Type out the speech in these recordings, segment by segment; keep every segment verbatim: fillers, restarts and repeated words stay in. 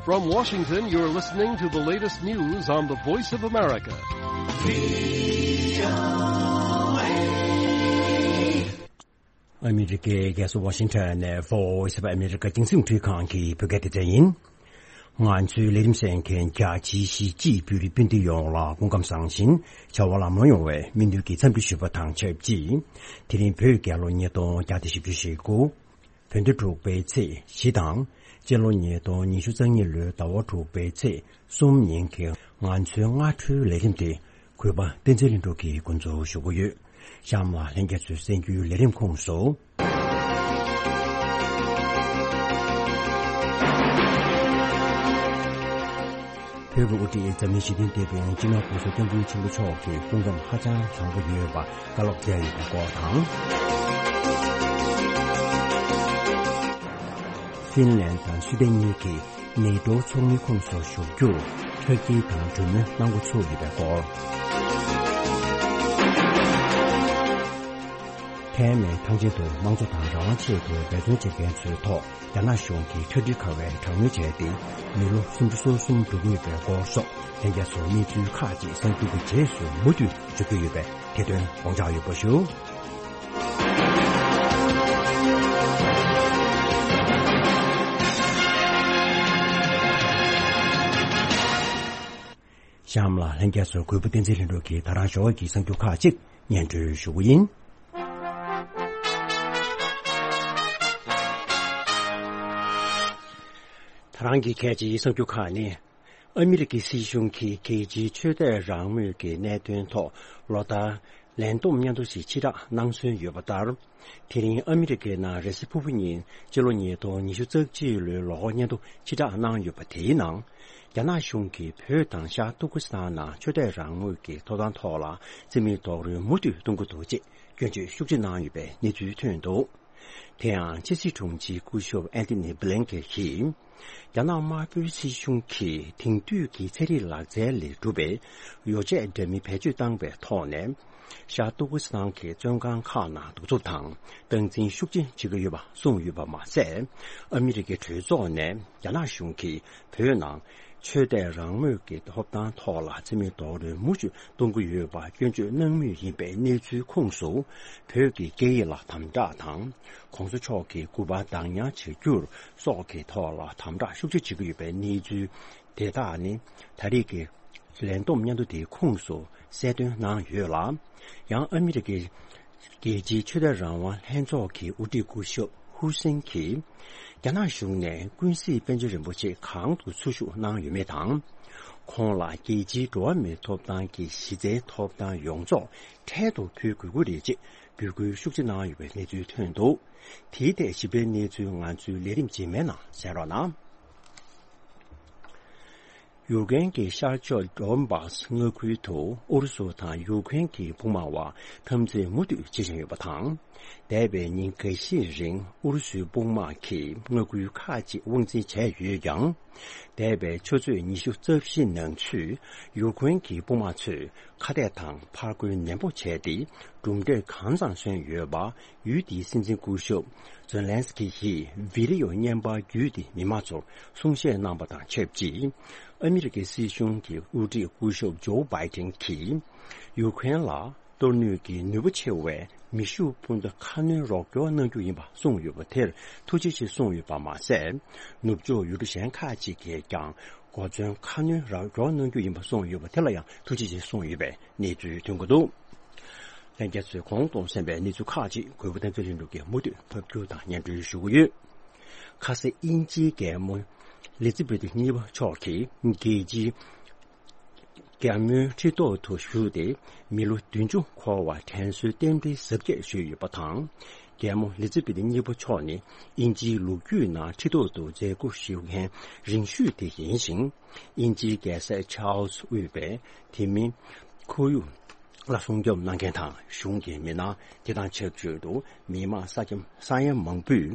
From Washington, you're listening to the latest news on the Voice of America. ཨ་མི་རི་ཀའི་རྒྱལ་ས་ཝ་ཤིང་ཊོན་ནས་Voice of America རྒྱང་སྲིང་འཕྲུལ་ཁང་གི་བོད་སྐད་སྡེ་ཚན་ཡིན། ང་ཚོའི་ལས་རིམ་གསན་མཁན་རྒྱ་ཆེའི་གཞིས་བྱེས་བོད་རིགས་སྤུན་ཟླ་ཡོངས་ལ་སྐུ་ཁམས་བཟང་ཞིང་བྱ་བ་ལམ་ལྷོང་ཡོང་བའི་སྨོན་འདུན་གྱི་འཚམས་འདྲི་ཞུ་བ་དང་ཆབས་ཅིག་དེ་རིང་བོད་རྒྱལ་ལོ་ཉིས་སྟོང་བརྒྱ་དང་བཞི་བཅུ་ཞེ་དགུ། བོད་ཟླ་དྲུག་པའི་ཚེས་བཞི་དང་། སྤྱི་ལོ་ཉིས་སྟོང་ཉི་ཤུ་རྩ་གཉིས་ལོའི་ཟླ་བ་དྲུག་པའི་ཚེས་གསུམ་ཉིན་གྱི་ང་ཚོའི་སྔ་དྲོའི་ལས་རིམ་དེ་གུས་པ་བསྟན་འཛིན་ལྷུན་གྲུབ་ཀྱིས་འགོ་འཛུགས་ཞུ་གི་ཡོད། གཤམ་ལ་ལྷན་རྒྱས་ཚོས་གསན་རྒྱུའི་ལས་རིམ་ཁོངས་སུ། བོད་ཀྱི་དབུ་ཁྲིད་འཛམ་གླིང་ཞི་བདེའི་དེད་དཔོན་སྤྱི་ནོར་༸གོང་ས་༸སྐྱབས་མགོན་ཆེན་པོ་མཆོག་གི་སྐུ་ཁམས་ཧ་ཅང་བཟང་པོ་ཡོད་པ་བཀའ་སློབ་སྩལ་ཡོད་པའི་སྐོར་དང་། ཧྥིན་ལན་དང་སུའེ་ཏེན་གཉིས་ཀྱིས་ནེ་ཏོ་ཚོགས་མིའི་ཁོངས་སུ་ཞུགས་རྒྱུར་ཁྲག་སྐྱིལ་དང་གྲོས་མོལ་གནང་འགོ་ཚུགས་ཡོད་པའི་སྐོར། ཐའེ་མའི་ཐང་ཆེན་དུ་དམངས་གཙོ་དང་རང་དབང་ཆེད་དུ་འབད་བརྩོན་བྱེད་མཁན་ཚོའི་ཐོག་རྒྱ་ནག་གཞུང་གིས་ཁྲག་དྲི་ཁ་བའི་དྲག་གནོན་བྱས་ཏེ། མི་ལོ་སུམ་ཅུ་སོ་གསུམ་འགྲོ་གི་ཡོད་པའི་སྐོར་སོགས་ལྷན་རྒྱས་ཚོར་གནས་ཚུལ་ཁག་ཅིག་གསར་འགྱུར་གྱི་རྗེས་སུ་མུ་མཐུད་འབྱོར་གྱི་ཡོད་པས་དེ་དོན་དགོངས་འཇགས་ཡོད་པ་ཞུ། གཤམ་ལ་ལྷན་རྒྱས་ཚོར་གུས་པ་བསྟན་འཛིན་ལྷུན་གྲུབ་ཀྱིས་ད་རང་ཞོགས་ཀྱི་གསར་འགྱུར་ཁག་ཅིག་སྙན་སྒྲོན་ཞུ་གི་ཡིན། ད་རང་གི་གལ་ཆེའི་གསར་འགྱུར་ཁག་ནི། ཨ་མི་རི་ཀའི་སྲིད་གཞུང་གིས་རྒྱལ་སྤྱིའི་ཆོས་དད་རང་མོས་ཀྱི་གནད་དོན་ཐོག་ལོ་ལྟར་ལས་བསྡོམས་སྙན་ཐོ་ཞིག་ཕྱིར་བསྒྲགས་གནང་སྲོལ་ཡོད་པ་ལྟར། དེ་རིང་ཨ་མི་རི་ཀའི་ནང་རེས་གཟའ་ཕུར་བུ་ཉིན་སྤྱི་ལོ་ཉིས་སྟོང་ཉི་ཤུ་རྩ་གཅིག་ལོའི་ལོ་འཁོར་སྙན་ཐོ་ཕྱིར་བསྒྲགས་གནང་ཡོད་པ་དེའི་ནང་། རྒྱ་ནག་གཞུང་གིས་བོད་དང་ཤར་ཏུར་ཀི་སི་ཐན་ནང་ཆོས་དད་རང་མོས་ཀྱི་ཐོབ་ཐང་ཐོག་ལ་རྩིས་མེད་རྡོག་རོལ་མུ་མཐུད་གཏོང་གི་འདུག་ཅེས་སྐྱོན་བརྗོད་ཤུགས་ཆེ་གནང་ཡོད་པའི་གནས་ཚུལ་ཐོན་འདུག་དེ་ཡང་ཕྱི་སྲིད་དྲུང་ཆེ་སྐུ་ཞབས་ཨན་ཐི་ནི་བྷི་ལན་ཀེ་ཡིས། རྒྱ་ནག་དམར་པོའི་སྲིད་གཞུང་གིས་དེང་དུས་ཀྱི་ཚན་རིག་ལག་རྩལ་ལས་གྲུབ་པའི་ཡོ་བྱད་འདྲ་མིན་བེད་སྤྱོད་བཏང་བའི་ཐོག་ནས། ཤར་ཏུར་ཀི་སི་ཐན་གྱི་བཙོན་ཁང་ཁག་ནང་གདུག་རྩུབ་དང་སྟངས་འཛིན་ཤུགས་ཆེན་བྱེད་ཀྱི་ཡོད་པ་གསུངས་ཡོད་པ་མ་ཟད། ཨ་མི་རི་ཀའི་གྲོས་ཚོགས་ནས་རྒྱ་ནག་གཞུང་གིས་བོད་ནང་ཆོས་དད་རང་མོས་ཀྱི་ཐོབ་ཐང་ཐོག་ལ་རྩིས་མེད་རྡོག་རོལ་མུ་མཐུད་གཏོང་གི་ཡོད་པ་སྐྱོན་བརྗོད་གནང་མུས་ཡིན་པའི་གནས་ཚུལ་ཁོངས་སུ། བོད་ཀྱི་སྐད་ཡིག་ལ་དམ་དྲག་དང་། ༸གོང་ས་མཆོག་གི་སྐུ་པར་བདག་ཉར་བྱ་རྒྱུར་སོགས་ཀྱི་ཐོག་ལ་དམ་དྲག་ཤུགས་ཆེ་བྱེད་ཀྱི་ཡོད་པའི་གནས་ཚུལ་དེ་དག་ནི། ད་རེས་ཀྱི་ལས་བསྡོམས་སྙན་ཐོ་དེའི་ཁོངས་སུ་གསལ་སྟོན་གནང་ཡོད་ལ། ཡང་ཨ་མི་རི་ཀའི་རྒྱལ་སྤྱིའི་ཆོས་དད་རང་དབང་ལྷན་ཚོགས་ཀྱི་དབུ་ཁྲིད་སྐུ་ཞབས་ཧུར་སེན་གྱིས། རྒྱ་ནག་གཞུང་ནས་ཀུན་གཟིགས་པཎ་ཆེན་རིན་པོ་ཆེ་གང་དུ་འཚོ་བཞུགས་གནང་ཡོད་མེད་དང་། ཁོང་ལ་རྒྱལ་སྤྱིའི་འགྲོ་བ་མིའི་ཐོབ་ཐང་གི་གཞི་རྩའི་ཐོབ་ཐང་ཡོངས་རྫོགས་འཕྲལ་དུ་ཕུལ་དགོས་ཀྱི་རེད་ཅེས་འབོད་སྐུལ་ཤུགས་ཆེ་གནང་ཡོད་པའི་གནས་ཚུལ་ཐོན་འདུག་དེའི་ཐད་ཞིབ་ཕྲའི་གནས་ཚུལ་ང་ཚོའི་ལས་རིམ་རྗེས་མའི་ནང་གསན་རོགས་གནང་། ཡུཀ་རེན་གྱི་ཤར་ཕྱོགས་ཌོན་བཱས་མངའ་ཁུལ་དུ་ཨུ་རུ་སུ་དང་ཡུཀ་རེན་གྱི་དཔུང་དམག་དབར་འཐབ་འཛིང་མུ་མཐུད་བྱེད་བཞིན་ཡོད་པ་དང་། འདས་པའི་ཉིན་འགའ་ཤས་རིང་ཨུ་རུ་སུའི་དཔུང་དམག་གིས་མངའ་ཁུལ་ཁག་ཅིག་དབང་འཛིན་བྱས་ཡོད་ཀྱང་། འདས་པའི་ཆུ་ཚོད་ཉི་ཤུ་རྩ་བཞི་ནང་ཚུད་ཡུཀ་རེན་གྱི་དཔུང་དམག་ཚོས་ཁ་གཏད་དང་ཕར་རྒོལ་ནན་པོ་བྱས་ཏེ། གྲུབ་འབྲས་གང་ཙམ་སོན་ཡོད་པ། ཡུལ་དེའི་སྲིད་འཛིན་སྐུ་ཞབས་ཛེ་ལན་སི་ཀི་ཡིས་བི་ཌི་ཡོ་བརྙན་པར་བརྒྱུད་དེ་མི་མང་ཚོར་གསུང་བཤད་གནང་པ་དང་ཆབས་ཅིག་ཨ་མི་རི་ཀའི་སྲིད་གཞུང་གི་དབུ་ཁྲིད་སྐུ་ཞབས་ཇོ་བྷའི་ཏིན་གྱིས། ཡུཀ་རེན་ལ་གཏོར་སྣོན་གྱི་ནུས་པ་ཆེ་བའི་མེ་ཤུགས་འཕུར་མདའ་ཁ་སྣོན་རོགས་སྐྱོར་གནང་རྒྱུ་ཡིན་པ་གསུངས་ཡོད་པ་དེར་ཐུགས་རྗེ་ཆེ་གསུངས་ཡོད་པ་མ་ཟད། ནུབ་ཕྱོགས་ཡུལ་གྲུ་གཞན་ཁག་ཅིག་གིས་ཀྱང་གོ་མཚོན་ཁ་སྣོན་རོགས་སྐྱོར་གནང་རྒྱུ་ཡིན་པ་གསུངས་ཡོད་པ་དེ་ལ་ཡང་ཐུགས་རྗེ་ཆེ་གསུངས་ཡོད་པའི་གནས་ཚུལ་ཐོན་གྱི་འདུག་ལྷན་རྒྱས་ཚོས་གོང་དུ་གསན་པའི་གནས་ཚུལ་ཁག་ཅིག་གུས་པ་བསྟན་འཛིན་ལྷུན་གྲུབ་ཀྱིས་མུ་མཐུད་ཕབ་སྒྱུར་དང་སྙན་སྒྲོན་ཞུ་གི་ཡོད། ཁ་ས་དབྱིན་ཇིའི་རྒྱལ་མོ་ལི་ཛི་བེ་ཐི་གཉིས་པ་མཆོག་གིས་རྒྱལ་སྤྱིའི་རྒྱལ་མོའི་ཁྲི་ཐོག་ཏུ་བཞུགས་ཏེ་མི་ལོ་བདུན་ཅུ་འཁོར་བར་དྲན་གསོའི་རྟེན་འབྲེལ་གཟབ་རྒྱས་ཞུས་ཡོད་པ་དང་། རྒྱལ་མོ་ལི་ཛི་བེ་ཐི་གཉིས་པ་མཆོག་ནི་དབྱིན་ཇིའི་ལོ་རྒྱུས་ནང་ཁྲི་ཐོག་ཏུ་མཛད་སྒོ་ཞུ་མཁན་རིང་ཤོས་དེ་ཡིན་ཞིང་། དབྱིན་ཇིའི་རྒྱལ་སྲས་ཆཱལ་སི་དབུས་པའི་དེ་མིན་ཁོར་ཡུག་ལ་སྲུང་སྐྱོབ་གནང་མཁན་དང་གཞུང་གི་མི་སྣ། དེ་དང་ཆབས་ཅིག་ཏུ་མི་དམངས་ས་ཁྱམས་ས་ཡ་མང་པོས་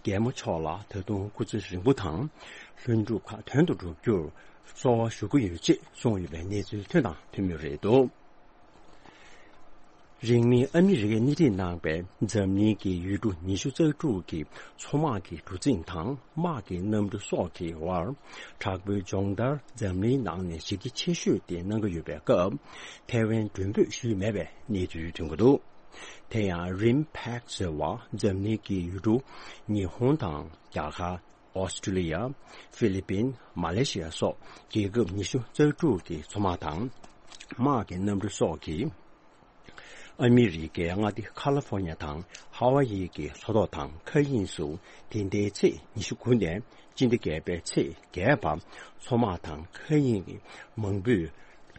རྒྱལ་མོ་མཆོག་ལ་ད་དུང་སྐུ་ཚེ་རིང་པོ་དང་ལྷུན་གྲུབ་ཁ་དོན་དུ་འགྲུབ་རྒྱུར་གསོལ་བ་ཞུ་གི་ཡོད་ཅེས་གསུངས་ཡོད་པའི་གནས་ཚུལ་ཐོན་དང་ཐོན་མུས་རེད་འདུག་རིང་མིན་ཨ་མི་རི་ཀས་སྣེ་ཁྲིད་གནང་པའི་འཛམ་གླིང་གི་ཡུལ་གྲུ་ཉི་ཤུ་རྩ་དྲུག་གི་མཚོ་དམག་གི་གྲུ་གཟིངས་དང་དམག་གི་གནམ་གྲུ་སོགས་ཀྱི་དབར་དྲག་པོའི་སྦྱོང་བརྡར་འཛམ་གླིང་ནང་ནས་གཞི་རྒྱ་ཆེ་ཤོས་དེ་གནང་གི་ཡོད་པའི་སྐབས། ཐའེ་ཝན་མགྲོན་འབོད་ཞུས་མེད་པའི་གནས་ཚུལ་ཐོན་གྱི་འདུག་དེ་ཡང་རིམ་ཕེག་ཟེར་བ་འཛམ་གླིང་གི་ཡུལ་གྲུ་ཉི་ཧོང་དང་རྒྱ་གར། ཨོ་སི་ཀྲི་ལི་ཡ། ཧྥི་ལི་པིན། མ་ལེ་ཤི་ཡ་སོགས་རྒྱལ་ཁབ་ཉི་ཤུ་རྩ་དྲུག་གི་མཚོ་དམག་དང་། དམག་གི་གནམ་གྲུ་སོགས་ཀྱིས། ཨ་མི་རི་ཀའི་མངའ་སྡེ་ཁ་ལི་ཧྥོ་ནི་ཡ་དང་ཧ་ཝ་ཡི་གི་མཚོ་ཐོག་དང་མཁའ་དབྱིངས་སུ་དེ་ཟླའི་ཚེས་ཉི་ཤུ་དགུ་ནས་སྤྱི་ཟླ་བརྒྱད་པའི་ཚེས་བརྒྱད་བར་མཚོ་དམག་དང་མཁའ་དབྱིངས་ཀྱི་མང་པོས་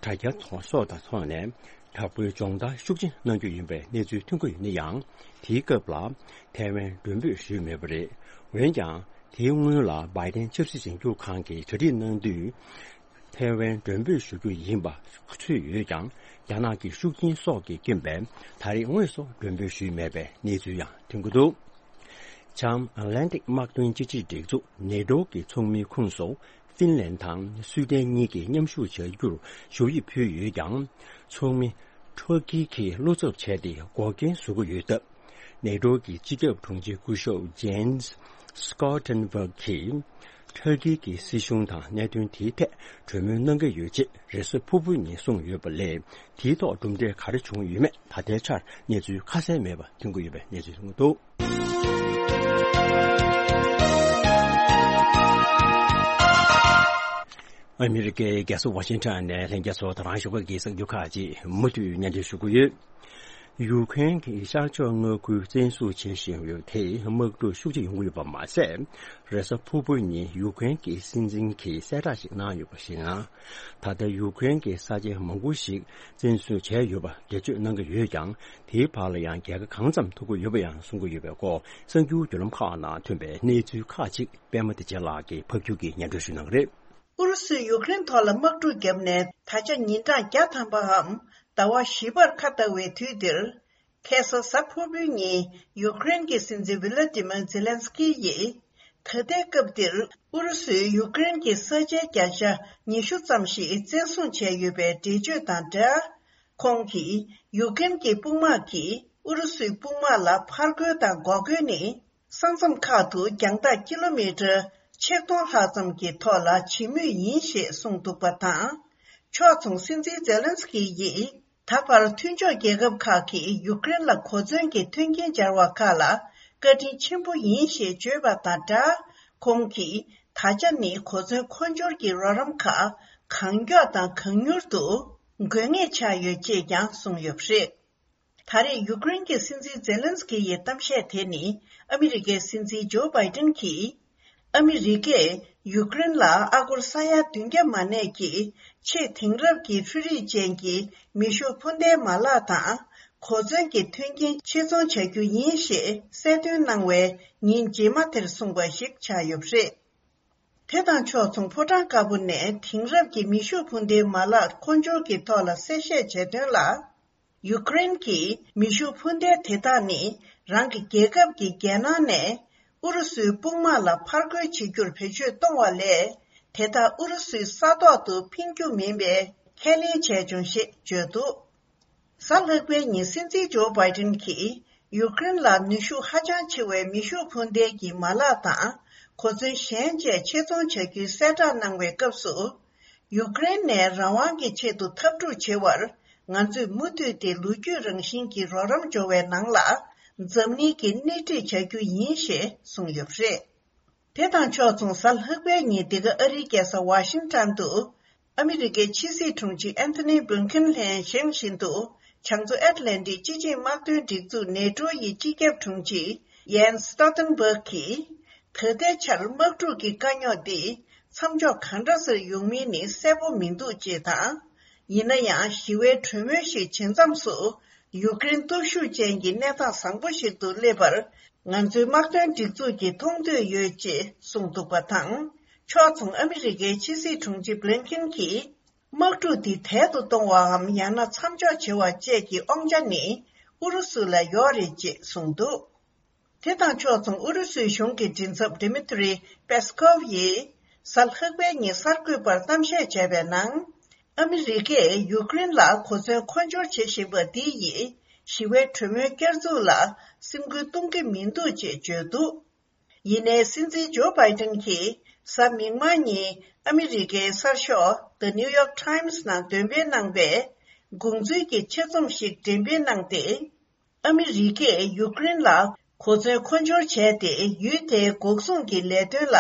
དྲ་རྒྱ་ཐོག་སོགས་དང་ཐོག་ནས་དྲག་པོའི་སྦྱོང་བརྡར་ཤུགས་ཆེན་གནང་རྒྱུ་ཡིན་པའི་གནས་ཚུལ་ཐོན་གྱི་ཡོད་ན་ཡང་། དེའི་སྐབས་ལ་ཐའེ་ཝན་མགྲོན་འབོད་ཞུས་མེད་པ་རེད། འོན་ཀྱང་། དེའི་སྔོན་ལ་བྷའི་ཏན་ཆབ་སྲིད་འཛིན་སྐྱོང་ཁང་གིས་གྲ་སྒྲིག་གནང་དུས། ཐའེ་ཝན་མགྲོན་འབོད་ཞུ་རྒྱུ་ཡིན་པ་ཚོད་ཡོད་ཀྱང་། རྒྱ་ནག་གི་ཤུགས་རྐྱེན་སོགས་ཀྱི་རྐྱེན་པས་ད་རེས་དངོས་སུ་མགྲོན་འབོད་ཞུས་མེད་པའི་གནས་ཚུལ་ཡང་ཐོན་གྱི་འདུག་བྱང་ཨ་ལན་ཏིག་དམག་དོན་སྤྱི་ཆིངས་སྒྲིག་འཛུགས་ནེ་ཏྲོ་གི་ཚོགས་མིའི་ཁོངས་སུ་ཧྥིན་ལན་དང་སུའི་ཏན་གཉིས་ཀྱིས་མཉམ་ཞུགས་བྱ་རྒྱུར་ཞུ་ཡིག་ཕུལ་ཡོད་ཀྱང་། ཚོགས་མི་ཁྲོ་ཀི་གིས་བློ་འཚབ་བྱས་ཏེ་འགོག་རྐྱེན་བཟོ་གི་ཡོད་སྟབས། ནེ་ཏྲོ་གི་སྤྱི་ཁྱབ་དྲུང་ཆེ་སྐུ་ཞབས་ཇེན་སི་སྐོ་ཊན་བྷག་གིས་ཊར་ཀི་གི་སྲིད་གཞུང་དང་གནད་དོན་དེའི་ཐད་གྲོས་མོལ་གནང་གི་ཡོད་ཅེས་རེས་གཟའ་ཕུར་བུ་ཉིན་གསུངས་ཡོད་པ་ལས། དེའི་ཐོག་གྲུབ་འབྲས་ག་རེ་བྱུང་ཡོད་མེད་ད་ལྟའི་ཆར་གནས་ཚུལ་ཁ་གསལ་མེད་པ་ཐོན་གྱི་ཡོད་པའི་གནས་ཚུལ་ཐོན་གྱི་འདུག་ཨ་མི་རི་ཀའི་རྒྱལ་ས་ཝ་ཤིང་ཊོན་ནས་ལྷན་རྒྱས་ཚོ་དང་རང་ཞོགས་ཀྱི་གསར་འགྱུར་ཁག་ཅིག་མུ་མཐུད་སྙན་སྒྲོན་ཞུ་གི་ཡོད། ཡུ་ཁུ་རེན་གྱི་ཤར་ཕྱོགས་མངའ་ཁུལ་བཙན་བཟུང་བྱེད་བཞིན་ཡོད་དེ་དམག་འཁྲུག་ཤུགས་ཆེ་ཡོང་གི་ཡོད་པ་མ་ཟད། རེས་གཟའ་ཕུར་བུ་ཉིན་ཡུ་ཁུ་རེན་གྱི་སྲིད་འཛིན་གྱིས་གསལ་བསྒྲགས་ཤིག་གནང་ཡོད་པར་གཞིགས་ན། ད་ལྟ་ཡུ་ཁུ་རེན་གྱི་ས་ཆ་མང་པོ་ཞིག་བཙན་བཟུང་བྱས་ཡོད་པ་འགྲེལ་བརྗོད་གནང་གི་ཡོད་ཀྱང་། དེའི་བར་ལ་ཡང་རྒྱལ་ཁ་གང་ཙམ་ཐོབ་ཀྱི་ཡོད་པ་ཡང་གསུང་གི་ཡོད་པའི་སྐོར་གསར་འགྱུར་བརྒྱུད་ལམ་ཁག་ནང་ཐོན་པའི་གནས་ཚུལ་ཁག་ཅིག་པད་མ་བདེ་ཆེན་ལགས་ཀྱིས་ཕབ་སྒྱུར་གྱིས་སྙན་སྒྲོན་ཞུ་གནང་གི་རེད། ཨུ་རུ་སུས་ཡུ་ཀེ་རེན་ཐོག་ལ་དམག་འཁྲུག་བརྒྱབ་ནས་ད་ཆ་ཉིན་གྲངས་བརྒྱ་ཐམ་པའམ་ཟླ་བ་བཞི་པར་ཁ་བལྟ་བའི་དུས་འདིར། ཁ་སང་གཟའ་ཕུར་བུའི་ཉིན་ཡུ་ཀེ་རེན་གྱི་སྲིད་འཛིན་ཝི་ལ་ཏི་མིར་ཛེ་ལན་སི་ཀི་ཡིས། ད་ལྟའི་སྐབས་འདིར་ཨུ་རུ་སུས་ཡུ་ཀེ་རེན་གྱི་ས་ཆའི་བརྒྱ་ཆ་ཉི་ཤུ་ཙམ་ཞིག་བཙན་བཟུང་བྱས་ཡོད་པའི་འགྲེལ་བརྗོད་དང་སྦྲགས། ཁོང་གིས་ཡུ་ཀེ་རེན་གྱི་དཔུང་དམག་གིས་ཨུ་རུ་སུའི་དཔུང་དམག་ལ་ཕར་རྒོལ་དང་འགོག་རྒོལ་ནི། ས་མཚམས་ཁག་ཏུ་རྒྱང་ཐག་ཀི་ལོ་མི་ཊར་ཆིག་སྟོང་ལྷག་ཙམ་གྱི་ཐོག་ལ་བྱེད་མུས་ཡིན་ཞེས་གསུངས་འདུག་པ་དང་། ཕྱོགས་མཚུངས་སྲིད་འཛིན་ཛེ་ལན་སི་ཀི་ཡིས་ད་བར་མཐུན་ཕྱོགས་རྒྱལ་ཁབ་ཁག་གིས་ཡུཀ་རེན་ལ་གོ་མཚོན་གྱི་མཐུན་རྐྱེན་སྦྱར་བ་ཁག་ལ་བཀའ་དྲིན་ཆེན་པོ་ཡིན་ཞེས་བརྗོད་པ་དང་སྦྲགས། ཁོང་གིས་ད་ཆ་ནི་གོ་མཚོན་མཁོ་སྦྱོར་གྱི་རོགས་རམ་ཁག་གང་མགྱོགས་དང་གང་མྱུར་དུ་དགོས་ངེས་ཆགས་ཡོད་ཅེས་ཀྱང་གསུངས་ཡོད་པ་རེད། ད་རེས་ཡུཀ་རེན་གྱི་སྲིད་འཛིན་ཛེ་ལན་སི་ཀི་ཡི་གཏམ་བཤད་དེ་ནི་ཨ་མི་རི་ཀའི་སྲིད་འཛིན་ཇོ་བྷའི་ཏིན་གྱིས། ཨ་མི་རི་ཀས་ཡུཀ་རེན་ལ་ཨ་སྒོར་ས་ཡ་བདུན་བརྒྱ་མ་གནས་ཀྱི་ཆེས་དེང་རབས་ཀྱི་འཕྲུལ་རིག་ཅན་གྱི་མེ་ཤུགས་འཕུར་མདའི་མ་ལག་དང་གོ་མཚོན་གྱི་མཐུན་རྐྱེན་ཆེད་རྫོང་བྱ་རྒྱུ་ཡིན་ཞེས་གསལ་སྟོན་གནང་བའི་ཉིན་རྗེས་མ་དེར་གསུངས་པ་ཞིག་ཆགས་ཡོད་པ་རེད། དེ་དང་ཕྱོགས་མཚུངས་ཕོ་བྲང་དཀར་པོ་ནས་དེང་རབས་ཀྱི་མེ་ཤུགས་འཕུར་མདའི་མ་ལག་མཁོ་སྦྱོར་གྱི་ཐོག་ལ་གསལ་བཤད་བྱས་དོན་ལ། ཡུཀ་རེན་གྱིས་མེ་ཤུགས་འཕུར་མདའ་དེ་དག་ནི་རང་གི་རྒྱལ་ཁབ་ཀྱི་རྒྱལ་ནང་ནས་ཨུ་རུ་སུའི་དཔུང་དམག་ལ་ཕར་རྒོལ་བྱེད་རྒྱུར་བེད་སྤྱོད་གཏོང་བ་ལས། དེ་དག་ཨུ་རུ་སུའི་ས་ཐོག་ཏུ་འཕེན་རྒྱུ་མིན་པའི་ཁས་ལེན་བྱས་བྱུང་ཞེས་བརྗོད་འདུག་གཟའ་ལྷག་པའི་ཉིན་སྲིད་འཛིན་ཇོ་བྷའི་ཏིན་གྱིས་ཡུཀ་རེན་ལ་ནུས་ཤུགས་ཧ་ཅང་ཆེ་བའི་མེ་ཤུགས་འཕུར་མདའ་གྱི་མ་ལག་དང་གོ་མཚོན་གཞན་བཅས་ཆེད་རྫོང་བྱ་རྒྱུའི་གསལ་བསྒྲགས་གནང་བའི་སྐབས་སུ། ཡུཀ་རེན་ནས་རང་དབང་གི་ཆེད་དུ་འཐབ་འཁྲུག་བྱེད་པར་ང་ཚོས་མུ་མཐུད་དེ་ལོ་རྒྱུས་རང་བཞིན་གྱི་རོགས་རམ་འབྱོར་བའི་ནང་ལ་འཛམ་གླིང་གི་སྣེ་ཁྲིད་བྱ་རྒྱུ་ཡིན་ཞེས་གསུངས་ཡོད་པ་རེད། དེ་དང་ཕྱོགས་མཚུངས་གཟའ་ལྷག་པའི་ཉིན་འདི་ག་ཨ་རིའི་རྒྱལ་ས་ཝ་ཤིང་ཊོན་དུ་ཨ་མི་རི་ཀའི་ཕྱི་སྲིད་དྲུང་ཆེ་ཨན་ཐོ་ནི་བྷིལ་ཁིན་ལྷན་བཞེངས་བཞིན་དུ་བྱང་མཚོ་ཨེཊ་ལན་ཊིག་སྤྱི་ཆིངས་དམག་དོན་སྒྲིག་འཛུགས་ནེ་ཏྲོ་ཡི་སྤྱི་ཁྱབ་དྲུང་ཆེ་ཡན་སི་སྟོལ་ཏན་བྷག་གིས། ད་ལྟའི་ཆར་དམག་འཁྲུག་གི་དཀའ་རྙོག་འདི་མཚམས་འཇོག་གང་འདྲ་སེ་ཡོང་མིན་ནི་གསལ་པོ་མི་འདུག་ཅེས་དང་། ཡིན་ན་ཡང་ཞི་བའི་གྲོས་མོལ་ཞིག་བྱེད་མཚམས་སུ་ཡུཀ་རེན་སྟོབས་ཤུགས་ཅན་གྱི་གནས་སྟངས་བཟང་པོ་ཞིག་ཏུ་སླེབས་པར་ང་ཚོའི་དམག་དོན་སྒྲིག་འཛུགས་ཀྱིས་མཐོང་འདོད་ཡོད་ཅེས་གསུངས་འདུག་པ་དང་། ཕྱོགས་མཚུངས་ཨ་མི་རི་ཀའི་ཕྱི་སྲིད་དྲུང་ཆེ་བྷི་ལིན་ཁིན་གྱིས། དམག་འཁྲུག་འདི་དལ་དུ་གཏོང་བའམ་ཡང་ན་མཚམས་འཇོག་བྱེད་པ་བཅས་ཀྱི་དབང་ཆ་ནི་ཨུ་རུ་སུ་ལ་ཡོད་རེད་ཅེས་གསུངས་འདུག་དེ་དང་ཕྱོགས་མཚུངས་ཨུ་རུ་སུའི་གཞུང་གི་མགྲིན་ཚབ་ཌི་མི་ཏྲི་པེ་སི་ཀོབ་ཡིས་གཟའ་ལྷག་པའི་ཉིན་གསར་འགོད་པར་གཏམ་བཤད་བྱས་པའི་ནང་། ཨ་མི་རི་ཀས་ཡུཀ་རེན་ལ་གོ་མཚོན་མཁོ་སྦྱོར་བྱེད་བཞིན་པ་འདི་ཡིས་ ཞི་བའི་གྲོས་མོལ་བསྐྱར་འཛུགས་ལ་སེམས་འགུལ་གཏོང་གི་མི་འདུག་ཅེས་བརྗོད་འདུག་ཡིན་ནའི་སྲིད་འཛིན་ཇོ་བྷའི་ཏན་གྱིས་གཟའ་མིག་དམར་ཉིན་ཨ་མི་རི་ཀའི་གསར་ཤོག་The New York Times ནང་འདོན་སྤེལ་གནང་བའི་དགོངས་ཚུལ་གྱི་ཆེད་རྩོམ་ཞིག་འགྲེམས་སྤེལ་གནང་སྟེ། ཨ་མི་རི་ཀས་ཡུཀ་རེན་ལ་གོ་མཚོན་མཁོ་སྦྱོར་བྱས་ཏེ། ཡུལ་དེའི་འགོག་སྲུང་གི་ལས་དོན་ལ་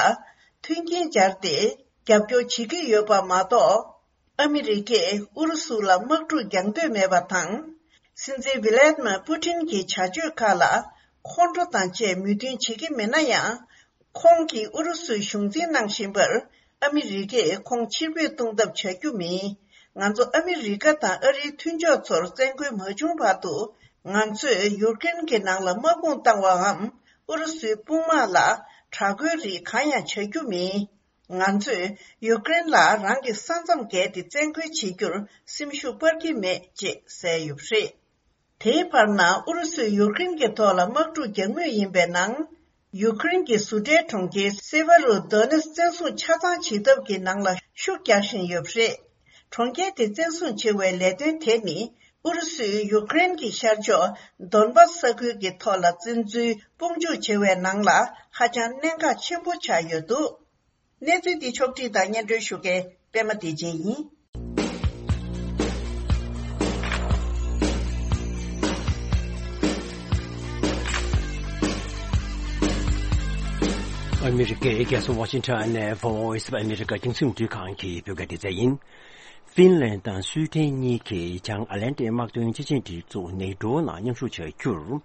མཐུན་རྐྱེན་སྦྱར་ཏེ་རྒྱབ་སྐྱོར་བྱེད་ཀྱི་ཡོད་པ་མ་གཏོགས། ཨ་མི་རི་ཀས་ཨུ་རུ་སུ་ལ་དམག་འཁྲུག་རྒྱག་འདོད་མེད་པ་དང་། སྲིད་འཛིན་ཝི་ལེད་མ་པུ་ཊིན་གྱི་བྱ་སྤྱོད་ཁག་ལ་ཁོང་ཁྲོ་དང་བཅས་མོས་མཐུན་བྱེད་ཀྱི་མེད་ན་ཡང་། ཁོང་གིས་ཨུ་རུ་སུའི་གཞུང་འཛིན་གནང་བཞིན་པར། ཨ་མི་རི་ཀས་ཁོང་ཕྱིར་འབུད་གཏོང་ཐབས་བྱ་རྒྱུ་མིན། ང་ཚོ་ཨ་མི་རི་ཀ་དང་ཨ་རིའི་མཐུན་ཕྱོགས་ཚོར་བཙན་རྒོལ་མ་བྱུང་བར་དུ། ང་ཚོས་ཡུཀ་རེན་གྱི་ནང་ལ་དམག་དཔུང་བཏང་བའམ། ཨུ་རུ་སུའི་དཔུང་དམག་ལ་དྲག་རྒོལ་རིགས་གང་ཡང་བྱ་རྒྱུ་མིན། ང་ཚོས་ཡུཀ་རེན་ལ་རང་གི་ས་མཚམས་བརྒལ་ཏེ་བཙན་རྒོལ་བྱེད་རྒྱུར་སེམས་ཤུགས་སྤར་གྱི་མེད་ཅེས་གསལ་ཡོད་པ་རེད། དེའི་བར་ན་ཨུ་རུ་སུས་ཡུཀ་རེན་གྱི་ཐོག་ལ་དམག་འཁྲུག་རྒྱག་མུས་ཡིན་པའི་ནང་། ཡུཀ་རེན་གྱི་བཟོ་གྲྭའི་གྲོང་ཁྱེར་སེ་ཝེ་རོ་དོ་ནེ་སི་བཙན་བཟུང་ཆ་ཚང་བྱེད་ཐབས་ཀྱི་ནང་ལ་ཤུགས་རྒྱག་བཞིན་ཡོད་པ་རེད། གྲོང་ཁྱེར་དེ་བཙན་བཟུང་བྱེད་པའི་ལས་དོན་དེ་ནི། ཨུ་རུ་སུས་ཡུཀ་རེན་གྱི་ཤར་ཕྱོགས་དོན་བཱ་སི་ས་ཁུལ་གྱི་ཐོག་ལ་བཙན་འཛུལ་དཔུང་འཇུག་བྱེད་པའི་ནང་ལ་ཧ་ཅང་གནད་འགག་ཆེན་པོ་ཆགས་ཡོད་འདུག་གནས་ཚུལ་འདི་ཕྱོགས་བསྒྲིགས་དང་སྙན་སྒྲོན་ཞུ་མཁན་པད་མ་བདེ་ཆེན་ཡིན། ཨ་མི་རི་ཀའི་རྒྱལ་ས་ཝ་ཤིང་ཊོན་ནས་Voice of America རྒྱང་སྲིང་རླུང་འཕྲིན་ཁང་གི་བོད་སྐད་སྡེ་ཚན་ཡིན། ཧྥིན་ལན་དང་སུའེ་ཏེན་གཉིས་ཀྱིས་བྱང་ཨ་ལན་ཏི་དམག་དོན་སྤྱི་ཆིངས་སྒྲིག་འཛུགས་ནེ་ཏྲོ་ནང་མཉམ་ཞུགས་བྱ་རྒྱུར།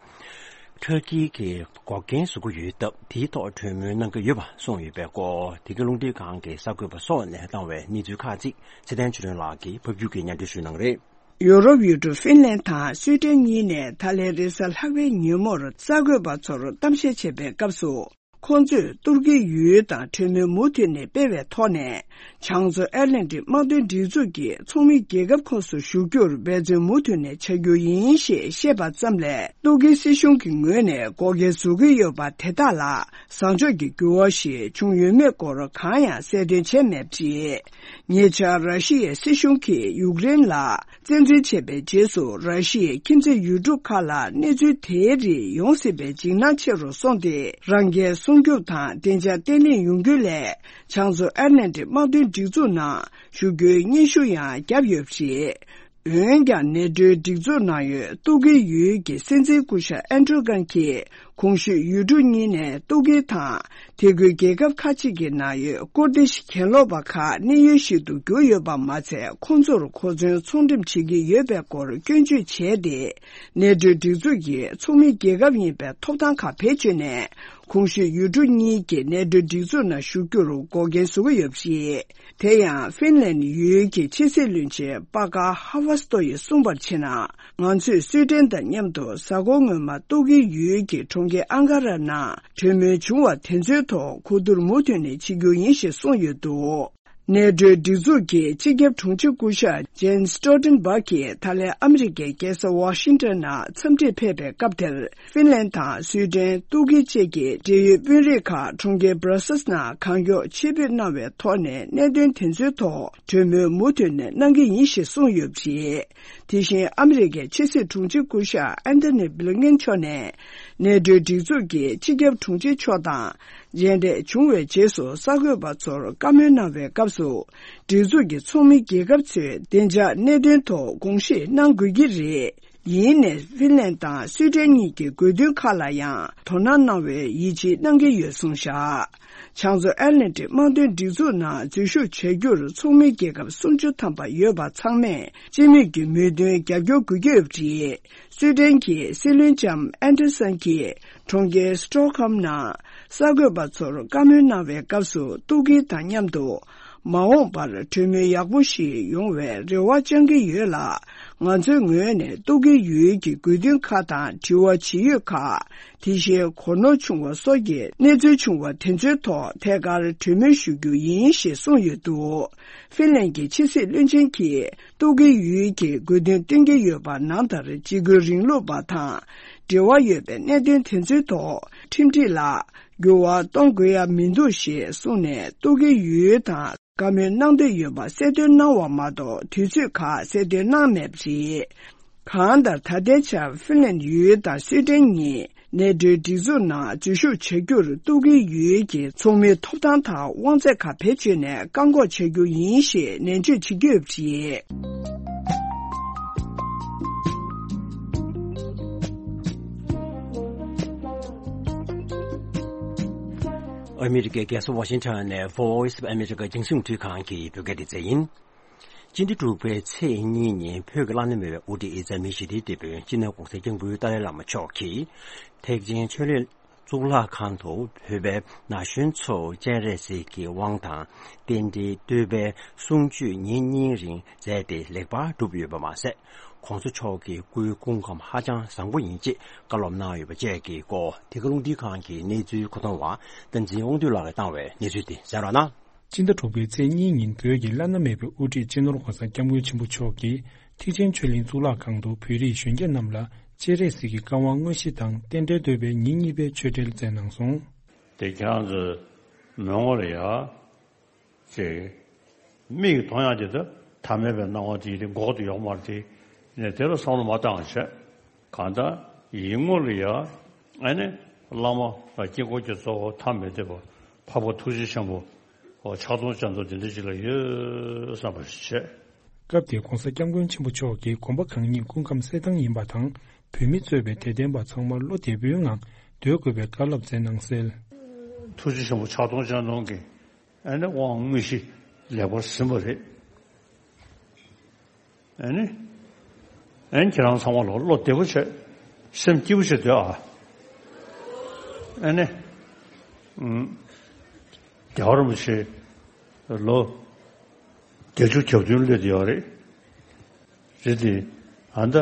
ཐུར་ཀི་གིས་འགོག་རྐྱེན་བཟོ་གི་ཡོད་སྟབས། དེའི་ཐོག་གྲོས་མོལ་གནང་གི་ཡོད་པ་གསུངས་ཡོད་པའི་སྐོར། དེ་གའི་རླུང་འཕྲིན་ཁང་གི་གསར་འགོད་པ་སོགས་ནས་བཏང་བའི་གནས་ཚུལ་ཁག་ཅིག་ཚེ་བརྟན་ཆོས་སྒྲོན་ལགས་ཀྱིས་ཕབ་སྒྱུར་གྱིས་སྙན་སྒྲོན་ཞུ་གནང་རེད། ཡོ་རོབ་ཡུལ་གྲུ་ཧྥིན་ལན་དང་སུའེ་ཏེན་གཉིས་ནས་ད་ལན་རེས་གཟའ་ལྷག་པའི་ཉིན་མོར་གསར་འགོད་པ་ཚོར་གཏམ་བཤད་བྱེད་པའི་སྐབས་སུ། ཁོང་ཚོས་ཏུར་ཀི་ཡུལ་དང་གྲོས་མོལ་མུ་མཐུད་ནས་སྤེལ་བའི་ཐོག་ནས། བྱང་མཚོ་ཨེཊ་ལན་ཏིག་དམག་དོན་སྒྲིག་འཛུགས་ཀྱི་ཚོགས་མི་རྒྱལ་ཁབ་ཁོངས་སུ་ཞུགས་རྒྱུར་འབད་བརྩོན་མུ་མཐུད་ནས་བྱ་རྒྱུ་ཡིན་ཞེས་བཤད་པ་ཙམ་ལས། ཏུར་ཀིའི་སྲིད་གཞུང་གི་ངོས་ནས་འགོག་རྐྱེན་བཟོ་གི་ཡོད་པ་དེ་དག་ལ་བཟང་ཕྱོགས་ཀྱི་འགྱུར་བ་ཞིག་བྱུང་ཡོད་མེད་སྐོར་གང་ཡང་གསལ་སྟོན་བྱས་མེད་པ་རེད། ཉེ་ཆར་ར་ཤི་ཡའི་སྲིད་གཞུང་གིས་ཡུཀ་རེན་ལ། བཙན་འཛུལ་བྱས་པའི་རྗེས་སུ་ར་ཤི་ཡའི་ཁྱིམ་མཚེས་ཡུལ་གྲུ་ཁག་ལ་གནས་ཚུལ་དེའི་རིགས་ཡོང་སྲིད་པའི་འཇིགས་སྣང་ཆེ་རུ་སོང་སྟེ། རང་འགན་སྲུང་སྐྱོབ་དང་བདེ་འཇགས་བརྟན་ལྷིང་ཡོང་རྒྱུ་སླད། བྱང་མཚོ་ཨེཊ་ལན་ཏིག་དམག་དོན་སྒྲིག་འཛུགས་ནང་ཞུགས་རྒྱུའི་སྙན་ཞུ་ཡང་བརྒྱབ་ཡོད་པ་རེད། འོན་ཀྱང་ནེ་ཏྲོའི་སྒྲིག་འཛུགས་ནང་ཡོད་ཏུར་ཀིའི་ཡུལ་གྱི་སྲིད་འཛིན་སྐུ་ཞབས་ཨེར་ཌོ་གྷན་གྱིས། གོང་ཞུས་ཡུལ་གྲུ་གཉིས་ནས་ཏུར་ཀི་དང་། དེ་ཁུལ་རྒྱལ་ཁབ་ཁག་ཅིག་གི་ནང་ཡོད་ཀུར་དིཤ་གྱེན་ལོག་པ་ཁག་གནས་ཡུལ་ཞིག་ཏུ་གྱུར་ཡོད་པ་མ་ཚད། ཁོང་ཚོར་གོ་མཚོན་ཚོང་འགྲེམས་བྱེད་ཀྱི་ཡོད་པའི་སྐོར་སྐྱོན་བརྗོད་བྱས་ཏེ། ནེ་ཏྲོའི་སྒྲིག་འཛུགས་ཀྱི་ཚོགས་མི་རྒྱལ་ཁབ་ཡིན་པའི་ཐོབ་ཐང་ཁག་བེད་སྤྱོད་ནས། གོང་ཞུས་ཡུལ་གྲུ་གཉིས་ཀྱིས་ནེ་ཏྲོའི་སྒྲིག་འཛུགས་ནང་ཞུགས་རྒྱུར་འགོག་རྐྱེན་བཟོ་གི་ཡོད་པ་རེད། དེ་ཡང་ཧྥིན་ལན་ཡུལ་གྱི་ཕྱི་སྲིད་བློན་ཆེན་པ་ཀ་ཧ་ཝ་སྟོ་ཡིས་གསུངས་པར་བྱས་ན། ང་ཚོས་སུའེ་ཏེན་དང་མཉམ་དུ་གཟའ་འཁོར་སྔོན་མ་ཏུར་ཀི་ཡུལ་གྱི་གྲོང་ཁྱེར་ཨང་ཀ་ར་ནང་གྲོས་མོལ་བྱུང་བ་དེ་ཚོའི་ཐོག་གོ་བསྡུར་མུ་མཐུད་ནས་བྱེད་རྒྱུ་ཡིན་ཞེས་གསུངས་ཡོད་འདུག་ནེ་ཏྲོའི་སྒྲིག་འཛུགས་ཀྱི་སྤྱི་ཁྱབ་དྲུང་ཆེ་སྐུ་ཞབས་ཇེན་སི་སི་ཊོལ་ཊེན་བྷག་གིས་ད་ལན་ཨ་མི་རི་ཀའི་རྒྱལ་ས་ཝ་ཤིང་ཊོན་ནང་འཚམས་འདྲིར་ཕེབས་པའི་སྐབས་དེར། ཧྥིན་ལན་དང་སུའེ་ཏེན། ཏུར་ཀི་བཅས་ཀྱི་འབྲེལ་ཡོད་དཔོན་རིགས་ཁག་གྲོང་ཁྱེར་སྦྲ་སེལ་ནང་གང་མགྱོགས་ཆེད་ཕེབས་གནང་བའི་ཐོག་ནས། གནད་དོན་དེ་ཚོའི་ཐོག་གྲོས་མོལ་མུ་མཐུད་ནས་གནང་གི་ཡིན་ཞེས་གསུངས་ཡོད་པ་རེད། དེ་བཞིན་ཨ་མི་རི་ཀའི་ཕྱི་སྲིད་དྲུང་ཆེ་སྐུ་ཞབས་ཨན་ཐོ་ནི་བྷི་ལིན་ཀེན་མཆོག་ནས། ནེ་ཏྲོའི་སྒྲིག་འཛུགས་ཀྱི་སྤྱི་ཁྱབ་དྲུང་ཆེ་མཆོག་དང་མཇལ་འཕྲད་བྱུང་བའི་རྗེས་སུ། གསར་འགོད་པ་ཚོར་བཀའ་མོལ་གནང་བའི་སྐབས་སུ། སྒྲིག་འཛུགས་ཀྱི་ཚོགས་མི་རྒྱལ་ཁབ་ཚོས་བདེ་འཇགས་གནད་དོན་ཐོག་དགོངས་བཞེས་གནང་དགོས་ཀྱི་རེད། ཡིན་ནའི་ཧྥིན་ལན་དང་སུའེ་ཏེན་གཉིས་ཀྱི་དགོས་འདུན་ཁག་ལ་ཡང་དོ་སྣང་གནང་བའི་ཡིད་ཆེས་གནང་གི་ཡོད་གསུངས་བཞག་བྱང་མཚོ་ཨེཊ་ལན་ཏིག་དམག་དོན་སྒྲིག་འཛུགས་ནང་འཛུལ་ཞུགས་བྱ་རྒྱུར་ཚོགས་མི་རྒྱལ་ཁབ་སུམ་ཅུ་ཐམ་པ་ཡོད་པ་ཚང་མས་སྤྱི་མོས་ཀྱི་མོས་མཐུན་རྒྱབ་སྐྱོར་དགོས་ཀྱི་ཡོད་པ་རེད། སུའེ་ཏེན་གྱི་སྲིད་བློན་ལྕམ་ཨན་ཏེ་སན་གྱིས་གྲོང་ཁྱེར་སི་ཊོག་ཧོམ་ནང་གསར་འགོད་པ་ཚོར་བཀའ་མོལ་གནང་བའི་སྐབས་སུ། ཏུར་ཀི་དང་མཉམ་དུ་མ་འོངས་པར་གྲོས་མོལ་ཡག་པོ་ཞིག་ཡོང་བའི་རེ་བ་བཅང་གི་ཡོད་ལ། ང་ཚོའི་ངོས་ནས་ཏུར་ཀི་ཡུལ་གྱི་དགོས་འདུན་ཁག་དང་དྲི་བ་ཇི་ཡོད་ཁག་དེ་བཞིན་གོ་ནོར་བྱུང་བ་སོགས་ཀྱི་གནས་ཚུལ་བྱུང་བ་དེ་ཚོའི་ཐོག་ཐད་ཀར་གྲོས་མོལ་ཞུ་རྒྱུ་ཡིན་ཞེས་གསུངས་ཡོད་འདུག་ཧྥིན་ལན་གྱི་ཕྱི་སྲིད་བློན་ཆེན་གྱིས། ཏུར་ཀི་ཡུལ་གྱི་དགོས་འདུན་བཏོན་གྱི་ཡོད་པ་ནང་ལྟར། འཇིགས་སྐུལ་རིང་ལུགས་པ་དང་འབྲེལ་བ་ཡོད་པའི་གནད་དོན་དེ་ཚོའི་ཐོག་ཁྲིམས་སྒྲིག་ལ་འགྱུར་བ་གཏོང་དགོས་ཡ་མི་འདུག་ཞེས་གསུངས་ནས། ཏུར་ཀི་ཡུལ་དང་བཀའ་མོལ་གནང་འདོད་ཡོད་པ་གསལ་སྟོན་གནང་བ་མ་གཏོགས། དུས་ཚོད་ཁག་གསལ་སྟོན་གནང་མེད་པ་རེད། གང་ལྟར་ད་ལྟའི་ཆར་ཧྥིན་ལན་ཡུལ་དང་སུའེ་ཏེན་གཉིས་ནེ་ཊོའི་སྒྲིག་འཛུགས་ནང་འཛུལ་ཞུགས་བྱ་རྒྱུར་གཏུག་གི་ཡོད་ཀྱི་ཚོགས་མིའི་ཐོབ་ཐང་དང་དབང་ཚད་ཁག་བེད་སྤྱོད་ནས་བཀག་འགོག་བྱ་རྒྱུ་ཡིན་ཞེས་ནན་བརྗོད་བྱེད་ཀྱི་ཡོད་པ་རེད། ཨ་མི་རི་ཀའི་རྒྱལ་ས་ཝ་ཤིང་ཊོན་ནས་Voice of America་རྒྱང་སྲིང་རླུང་འཕྲིན་ཁང་གི་བོད་སྐད་སྡེ་ཚན་ཡིན། སྤྱི་ཟླ་དྲུག་པའི་ཚེས་གཉིས་ཉིན་བོད་ཀྱི་བླ་ན་མེད་པའི་དབུ་ཁྲིད་ཨི་ཙ་མི་ཞི་བདེའི་དེད་དཔོན་སྤྱི་ནོར་༸གོང་ས་༸སྐྱབས་མགོན་ཏཱ་ལའི་བླ་མ་མཆོག་གིས་ཐེག་ཆེན་ཆོས་གླིང་གཙུག་ལག་ཁང་དུ་བོད་པའི་ན་གཞོན་ཚོར་སྤྱན་རས་གཟིགས་ཀྱི་དབང་དང་རྟེན་འབྲེལ་བསྟོད་པའི་གསུང་ཆོས་ཉིན་གཉིས་རིང་མཛད་དེ་ལེགས་པར་གྲུབ་ཡོད་པ་མ་ཟད། ༸གོང་ས་མཆོག་གི་སྐུའི་སྐུ་ཁམས་ཧ་ཅང་བཟང་པོ་ཡིན་ཅེས་བཀའ་སློབ་གནང་ཡོད་པ་བཅས་ཀྱི་སྐོར་ཐད་ཀར་རླུང་འཕྲིན་ཁང་གི་གནས་ཚུལ་མཁོ་གཏོང་བ་བསྟན་འཛིན་དབང་འདུས་ལགས་ཀྱིས་བཏང་བའི་གནས་ཚུལ་དེ་གསན་རོགས་གནང་། སྤྱི་ཟླ་དྲུག་པའི་ཚེས་གཉིས་ཉིན་བོད་ཀྱི་བླ་ན་མེད་པའི་དབུ་ཁྲིད་སྤྱི་ནོར་༸གོང་ས་༸སྐྱབས་མགོན་ཆེན་པོ་མཆོག་གིས་ཐེག་ཆེན་ཆོས་གླིང་གཙུག་ལག་ཁང་དུ་བོད་རིགས་གཞོན་སྐྱེས་རྣམས་ལ་སྤྱན་རས་གཟིགས་ཀྱི་བཀའ་དབང་དངོས་གཞི་དང་རྟེན་འབྲེལ་བསྟོད་པའི་ཉིན་གཉིས་པའི་ཆོས་འབྲེལ་སྩལ་གནང་སོང་། དེ་ཁྱེད་རང་ཚོའི་མི་ངོ་ལ་ཡ། ཅེས། མིག་གིས་མཐོང་ཡག་དེ་ད་ཐ་མལ་པའི་སྣང་བ་དེ་ཡིན་ཏེ་འགོག་ཏུ་ཡོང་མ་རེད་དེ། ནས་དེ་ལ་བསམ་བློ་མ་བཏང་བ་བྱས། གང་ལྟར་ཡིད་ངོ་ལ་ཡ། ཨ་ནི་བླ་མ་དཀྱིལ་འཁོར་གྱི་གཙོ་བོ་ཐ་མི་དད་པ་འཕགས་པ་ཐུགས་རྗེ་ཆེན་པོ་ཕྱག་སྟོང་སྤྱན་སྟོང་དེ་འདྲ་ཅིག་ལ་ཡོད་བསམ་པ་ཞིག་བྱས། སྐབས་དེར་༸གོང་ས་༸སྐྱབས་མགོན་ཆེན་པོ་མཆོག་གིས་དགོན་པ་གང་ཉིད་སྐུ་ཁམས་གསལ་ཐང་ཡིན་པ་དང་། བོད་མི་གཙོས་པའི་དད་ལྡན་པ་ཚང་མ་བློ་བདེ་པོའི་ངང་སྡོད་དགོས་པའི་བཀའ་སློབ་སྩལ་གནང་གསལ། ཐུགས་རྗེ་ཆེན་པོ་ཕྱག་སྟོང་སྤྱན་སྟོང་གི་ཨ་ནི་དབང་དངོས་གཞི་ལེགས་པར་ཟིན་པ་རེད། ཨ་ནི། ཨ་ནི་ཁྱེད་རང་ཚང་མ་ལ་བློ་བདེ་པོ་བྱས། སེམས་སྐྱིད་པོ་བྱས་སྡོད་ཨ། ཨ་ནི། ཨུམ། རྒྱལ་བ་རིན་པོ་ཆེ་ལོ་བརྒྱད་ཅུ་གྱ་བདུན་སླེབས་ཡོད་རེད། རེད་དེ། ཨ་ནི་ད་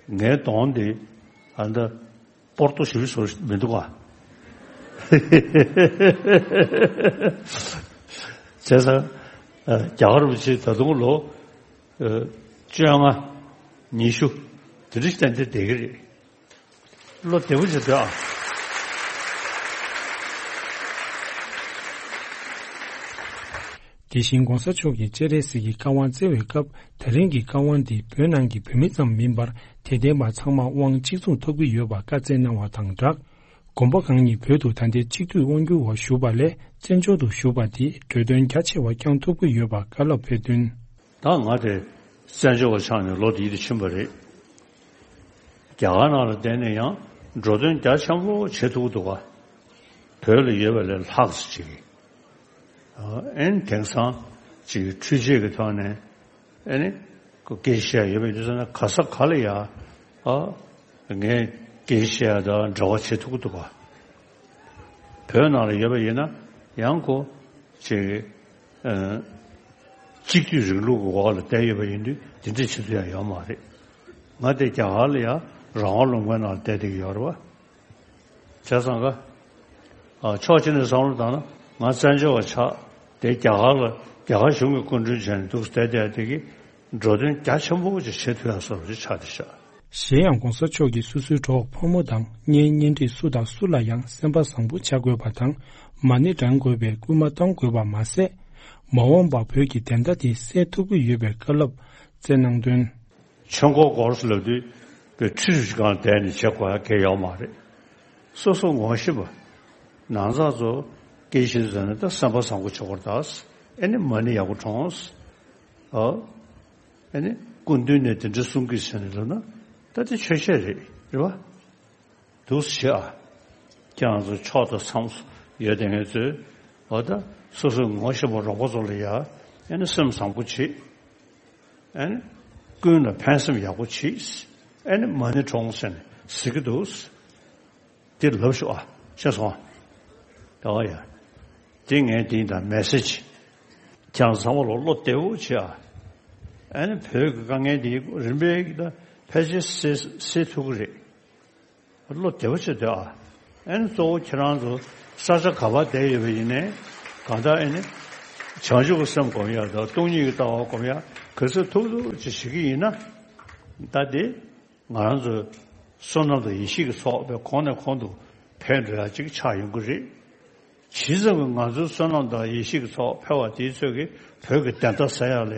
ངའི་གདོང་དེ་ཨ་ནི་ད་སྤོར་ཏོ་ཞེ་པོ་བཟོ་མི་འདུག་ག་བྱས་ཙང་། རྒྱལ་བ་རིན་པོ་ཆེ་ད་དུང་ལོ་བཅོ་ལྔ། ཉི་ཤུ། དེ་འདྲ་ཞིག་ཏན་ཏན་བསྡད་ཀྱི་རེད། བློ་བདེ་པོ་བྱེད་དགོས་ཨ། དེ་བཞིན་༸གོང་ས་མཆོག་གིས་སྤྱན་རས་གཟིགས་ཀྱི་བཀའ་དབང་སྩལ་བའི་སྐབས། ད་རིང་གི་བཀའ་དབང་འདི་བོད་ནང་གི་བོད་མི་ཙམ་མིན་པར་དད་ལྡན་པ་ཚང་མ་དབང་གཅིག་མཚུངས་ཐོབ་ཀྱི་ཡོད་པ་བཀའ་སྩལ་གནང་བ་དང་སྦྲགས། དགོན་པ་གང་ཉིད་བོད་དུ་ད་ལྟའི་གཅིག་སྡུད་དབང་སྒྱུར་འོག་ཞུགས་པ་ལས་བཙན་བྱོལ་དུ་ཞུགས་པ་འདིས་འགྲོ་དོན་རྒྱ་ཆེ་བ་བསྐྱང་ཐུབ་ཀྱི་ཡོད་པ་བཀའ་སློབ་ཕེབས་དོན། ད་ང་དེ་བཙན་བྱོལ་བ་ཆགས་ནས་ལོ་འདི་ཡིད་དུ་ཕྱིན་པ་རེད། རྒྱ་གར་ནང་ལ་བསྡད་ནས་ཡང་འགྲོ་དོན་རྒྱ་ཆེན་པོ་བྱེད་ཐུབ་ཀྱི་འདུག་ག་བོད་ལ་ཡོད་པ་ལས་ལྷག་ཙམ་ཅིག་ཨ་ཨེན་དེང་སང་ཅིག་འཕྲུལ་ཆས་ཀྱི་ཐོག་ནས་ཨེ་ནི་ཁོ་སྐད་ཆ་ཡོད་པའི་དུས་ཚོད་ན་ག་ས་ག་ལ་ཡ་ཨ་ངས་སྐད་ཆ་དང་འབྲེལ་བ་བྱེད་ཐུབ་ཀྱི་འདུག་ག་བོད་ནང་ལ་ཡོད་པ་ཡིན་ན་ཡང་ཁོ་ཅིག་ཨ་གཅིག་སྡུད་རིང་ལུགས་ཀྱི་འོག་ལ་བསྡད་ཡོད་པ་ཡིན་དུས་དེ་འདྲ་བྱེད་ཐུབ་ཡ་ཡོད་མ་རེད། ང་དེ་རྒྱ་གར་ལ་ཡ་རང་དབང་ལུང་པའི་ནང་ལ་བསྡད་བསྡད་ཀྱི་ཡོད་རེད་བ། བྱས་ཙང་ཀ་ཨ་ཕྱོགས་གཅིག་ནས་བསམ་བློ་བཏང་ན་ང་བཙན་བྱོལ་བ་ཆགས་དེ་རྒྱ་གར་ལ་རྒྱ་གར་གཞུང་གི་སྐུ་མགྲོན་བྱས་ནས་འདུག་བསྡད་བསྡད་དེ་གི་འགྲོ་དོན་རྒྱ་ཆེན་པོ་ཅིག་བྱེད་ཐུབ་ཡ་བཟོ་འདྲ་ཅིག་ཆགས་བསྡད་ཤག་གཞན་ཡང་༸གོང་ས་མཆོག་གིས་སོ་སོའི་གྲོགས་ཕོ་མོ་དང་གཉེན་ཉེ་འཁྲིས་སུ་དང་སུ་ལ་ཡང་སེམས་པ་བཟང་པོ་བྱ་དགོས་པ་དང་མ་ཎི་བགྲང་དགོས་པའི་སྐུལ་མ་གཏོང་དགོས་པ་མ་ཟད། མ་འོངས་པར་བོད་ཀྱི་བདེན་མཐའ་དེ་གསལ་ཐུབ་ཀྱི་ཡོད་པའི་བཀའ་སློབ་སྩལ་གནང་དོན། ཆོས་འཁོར་སྐོར་ལབ་དུས་པའི་ཁྲི་རུ་ཞིག་སྒང་བསྡད་ནས་བྱེད་དགོས་ཡ་གལ་ཡོད་མ་རེད། སོ་སོ་ངོ་ཤེས་པ། ནང་ཚགས་ཚོ་སྐད་ཆ་ཟེར་ན་ད་སེམས་པ་བཟང་པོ་བྱེད་དགོས་རེད་ད། ཨེ་ནི་མ་ཎི་ཡག་པོ་བགྲངས། ཨ། ཨེ་ནི་སྐུ་མདུན་ནས་དེ་འདྲ་གསུང་གི་ཟེར་ནས་ལབ་ན་ད་དེ་ཆོས་བཤད་རེད་རེད་བ། འདུག་སེ་བྱེད་ཨ། ཁྱེད་རང་ཚོ་ཕྱོགས་དང་མཚམས་སུ་ཡོད་དེ་ངེད་ཚོས་འོ་ད་སོ་སོའི་ངོ་ཤེས་པ་རོགས་པ་ཚོ་ལ་ཡ་ཨེ་ནི་སེམས་བཟང་པོ་བྱེད། ཨེ་ནི་ཀུན་ལ་ཕན་སེམས་ཡག་པོ་བྱེད། ཨེ་ནི་མ་ཎི་བགྲངས་ཟེར་ནས་ཟེར་གི་འདུག་དེ་ལབ་ཤོག་ཨ། ཤེས་སོང་ཨ། ད་བ་ཡ། དེ་ངས་དེ་ཡིན་ད་མེ་སེ་ཇི། ཁྱེད་རང་ཚང་མ་ལ་བློ་བདེ་བོ་བྱེད་ཨ། ཨེ་ནི་བོད་ཀྱི་དཀའ་ངལ་དེ་རིམ་པས་ཀྱི་ད་ཕལ་ཆེར་སེལ་སེལ་ཐུབ་ཀྱི་རེད། བློ་བདེ་བོ་བྱེད་སྡོད་ཨ། ཨེ་ནི་གཙོ་བོ་ཁྱེད་རང་ཚོ་ས་ཆ་ག་པར་བསྡད་ཡོད་པ་ཡིན་ནའི་གང་ལྟར་ཨེ་ནི་བྱང་ཆུབ་ཀྱི་སེམས་སྒོམ་ཡ་དང་སྟོང་ཉིད་ཀྱི་ལྟ་བ་སྒོམ་ཡ་ག་ཚོད་ཐུབ་ཐུབ་ཅིག་བྱེད་ཀྱི་ཡིན་ན། ད་དེ་ང་རང་ཚོའི་བསོད་ནམས་དང་ཡེ་ཤེས་ཀྱི་ཚོགས་པའི་གོང་ནས་གོང་དུ་འཕེལ་འགྲོ་ཡ་ཅིག་ཆགས་ཡོང་གི་རེད། ཇི་ཙམ་གྱིས་ང་ཚོའི་བསོད་ནམས་དང་ཡེ་ཤེས་ཀྱི་ཚོགས་འཕེལ་བ་དེའི་ཚོད་ཀྱིས་བོད་ཀྱི་བདེན་མཐའ་གསལ་ཡག་ལ་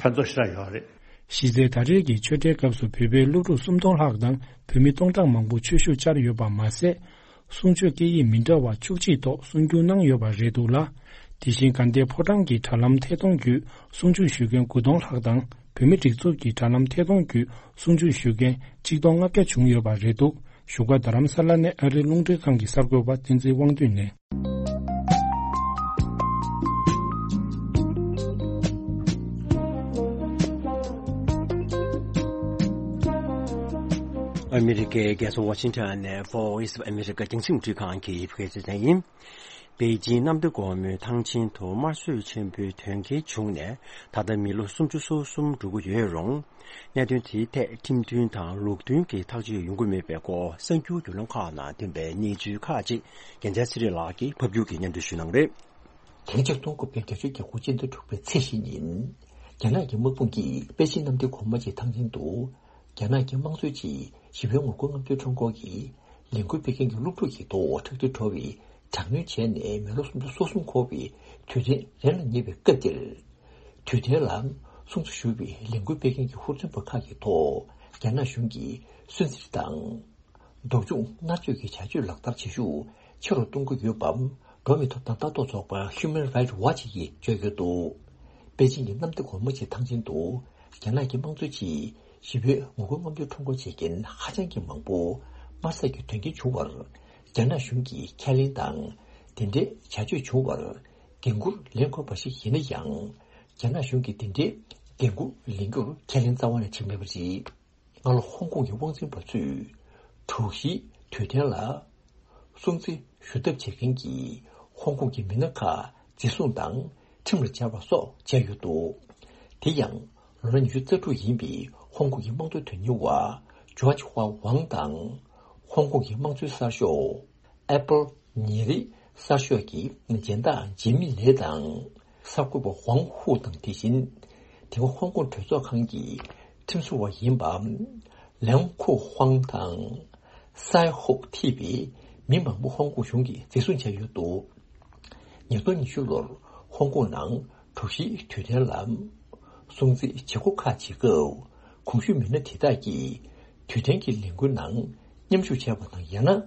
ཕན་ཐོགས་ཞེ་དྲག་ཡོད་རེད། གཞི་རྩའི་ད་རེས་ཀྱི་ཆོས་འབྲེལ་སྐབས་སུ་བོད་པའི་སློབ་ཕྲུག་སུམ་སྟོང་ལྷག་དང་བོད་མི་སྟོང་ཕྲག་མང་པོ་ཆོས་ཞུགས་བཅར་ཡོད་པ་མ་ཟད། གསུང་ཆོས་སྐད་ཡིག་མི་འདྲ་བ་བཅུ་གཅིག་ཐོག་གསུང་སྒྱུར་གནང་ཡོད་པ་རེད་འདུག་ལ། དེ་བཞིན་དགའ་ལྡན་ཕོ་བྲང་གི་དྲ་ལམ་ཐད་གཏོང་བརྒྱུད་གསུང་ཆོས་ཞུ་མཁན་དགུ་སྟོང་ལྷག་དང་བོད་མི་སྒྲིག་འཛུགས་ཀྱི་དྲ་ལམ་ཐད་གཏོང་བརྒྱུད་གསུང་ཆོས་ཞུ་མཁན་གཅིག་སྟོང་ལྔ་བརྒྱ་བྱུང་ཡོད་པ་རེད་འདུག་བཞུགས་སྒར་རྡ་རམ་ས་ལ་ནས་ཨ་རིའི་རླུང་འཕྲིན་ཁང་གི་གསར་འགོད་པ་བསྟན་འཛིན་དབང་འདུས་ནས། ཨ་མི་རི་ཀའི་རྒྱལ་ས་ཝ་ཤིང་ཊོན་ནས་Voice of America རྒྱང་སྲིང་རླུང་འཕྲིན་ཁང་གི་བོད་སྐད་སྡེ་ཚན་ཡིན། པེ་ཅིན་གནམ་བདེ་སྒོ་མོའི་ཐང་ཆེན་དུ་དམར་གསོད་ཆེན་པོའི་དོན་རྐྱེན་བྱུང་ནས་ད་ལྟ་མི་ལོ་སུམ་ཅུ་སོ་གསུམ་འགྲོ་གི་ཡོད་རུང་། གནད་དོན་དེའི་ཐད་ཁྲིམས་མཐུན་དང་ལུགས་མཐུན་གྱི་ཐག་གཅོད་ཡོང་གི་མེད་པའི་སྐོར་གསར་འགྱུར་བརྒྱུད་ལམ་ཁག་ནང་ཐོན་པའི་གནས་ཚུལ་ཁག་ཅིག་རྒྱལ་མཚན་ཚེ་རིང་ལགས་ཀྱིས་ཕབ་སྒྱུར་གྱིས་སྙན་སྒྲོན་ཞུ་གནང་རེད། དེ་རིང་ཆིག་སྟོང་དགུ་བརྒྱ་བརྒྱད་ཅུ་གྱ་དགུ་སྤྱི་ཟླ་དྲུག་པའི་ཚེས་བཞི་ཉིན། རྒྱ་ནག་གི་དམག་དཔུང་གིས་པེ་ཅིན་གནམ་བདེ་སྒོ་མོ་ཆེའི་ཐང་ཆེན་དུ། རྒྱ་ནག་གི་དམངས་གཙོའི་ཆེད་ཞི་བའི་ངོ་རྒོལ་རྔམ་སྟོན་ཁྲོམ་སྐོར་གྱི་ལས་འགུལ་སྤེལ་མཁན་གྱི་སློབ་ཕྲུག་གི་ཐོག་ཁྲག་དྲི་བྲོ་བའི་དྲག་གནོན་བྱས་ནས་མི་ལོ་སུམ་ཅུ་སོ་གསུམ་འཁོར་བའི་དུས་དྲན་རན་ལ་ཉེ་བའི་སྐབས་འདིར། དུས་དྲན་ལ་གསུང་ཆོས་ཞུ་བའི་ལས་འགུལ་སྤེལ་མཁན་གྱི་ཧུར་བརྩོན་པ་ཁག་གི་ཐོག་རྒྱ་ནག་གཞུང་གིས་སུན་གཙེར་དང་། སྡུག་སྦྱོང་མནར་གཅོད་ཀྱི་བྱ་སྤྱོད་ལག་བསྟར་བྱེད་ཤུགས་ཆེ་རུ་གཏོང་གི་ཡོད་པ། འགྲོ་བ་མིའི་ཐོབ་ཐང་ལྟ་རྟོག་ཚོགས་པ་Human Rights Watch གིས་བརྗོད་ཡོད་འདུག་པེ་ཅིན་གྱི་གནམ་བདེ་སྒོ་མོ་ཆེའི་ཐང་ཆེན་དུ་རྒྱ་ནག་གི་དམངས་གཙོའི་ཆེད་ཞི་བའི་ངོ་རྒོལ་རྔམ་སྟོན་ཁྲོམ་སྐོར་བྱེད་མཁན་ཧ་ཅང་གི་མང་པོ་དམར་གསོད་ཀྱི་དོན་རྐྱེན་བྱུང་བར། རྒྱ་ནག་གཞུང་གིས་ཁས་ལེན་དང་། དེ་འདྲའི་བྱ་སྤྱོད་བྱུང་བར་འགན་འཁུར་ལེན་དགོས་པ་ཞིག་ཡིན་ན་ཡང་། རྒྱ་ནག་གཞུང་གིས་དེ་འདྲའི་འགན་འཁུར་ལེན་རྒྱུར་ཁས་ལེན་རྩ་བ་ནས་བྱེད་མེད་པ་རེད། སྔ་ལོ་ཧོང་ཀོང་གི་དབང་འཛིན་པ་ཚོས་དྲུག་བཞིའི་དུས་དྲན་ལ་སྲུང་བརྩི་ཞུ་ཐབས་བྱེད་མཁན་གྱི་ཧོང་ཀོང་གི་མི་སྣ་ཁག་འཛིན་བཟུང་དང་ཁྲིམས་ལ་སྦྱར་བ་སོགས་བྱས་ཡོད་འདུག་དེ་ཡང་ལོ་ན་ཉི་ཤུ་རྩ་དྲུག་ཡིན་པའི་ཧོང་ཀོང་གི་དམངས་གཙོ་དོན་གཉེར་བ་ཇོརྗ་ཧྭ་ཝང་དང་ཧོང་ཀོང་གི་དམངས་གཙོའི་གསར་ཤོག་ཨེ་པལ་ཉིན་རེའི་གསར་ཤོག་གི་སྦྱིན་བདག་ཇེ་མི་ལེ་དང་། གསར་འགོད་པ་ཝང་ཧུ་དང་དེ་བཞིན། དེ་སྔ་ཧོང་ཀོང་གྲོས་ཚོགས་ཁང་གི་ཁྲིམས་བཟོ་བ་ཡིན་པ། ལེང་ཁུ་ཧུང་དང་། སའེ་ཧོག་ཐི་བའི་མི་མང་པོ་ཧོང་ཀོང་གཞུང་གིས་འཛིན་བཟུང་བྱས་ཡོད་འདུག་ཉིས་སྟོང་ཉི་ཤུ་ལོར་ཧོང་ཀོང་ནང་དྲུག་བཞིའི་དུས་དྲན་ལ། སྲུང་བརྩི་བྱེད་སྒོ་ཁག་བྱེད་སྐབས། གོང་ཞུས་མི་སྣ་དེ་དག་གིས་དུས་དྲན་གྱི་ལས་འགུལ་ནང་མཉམ་ཞུགས་བྱས་པ་དང་ཡང་ན།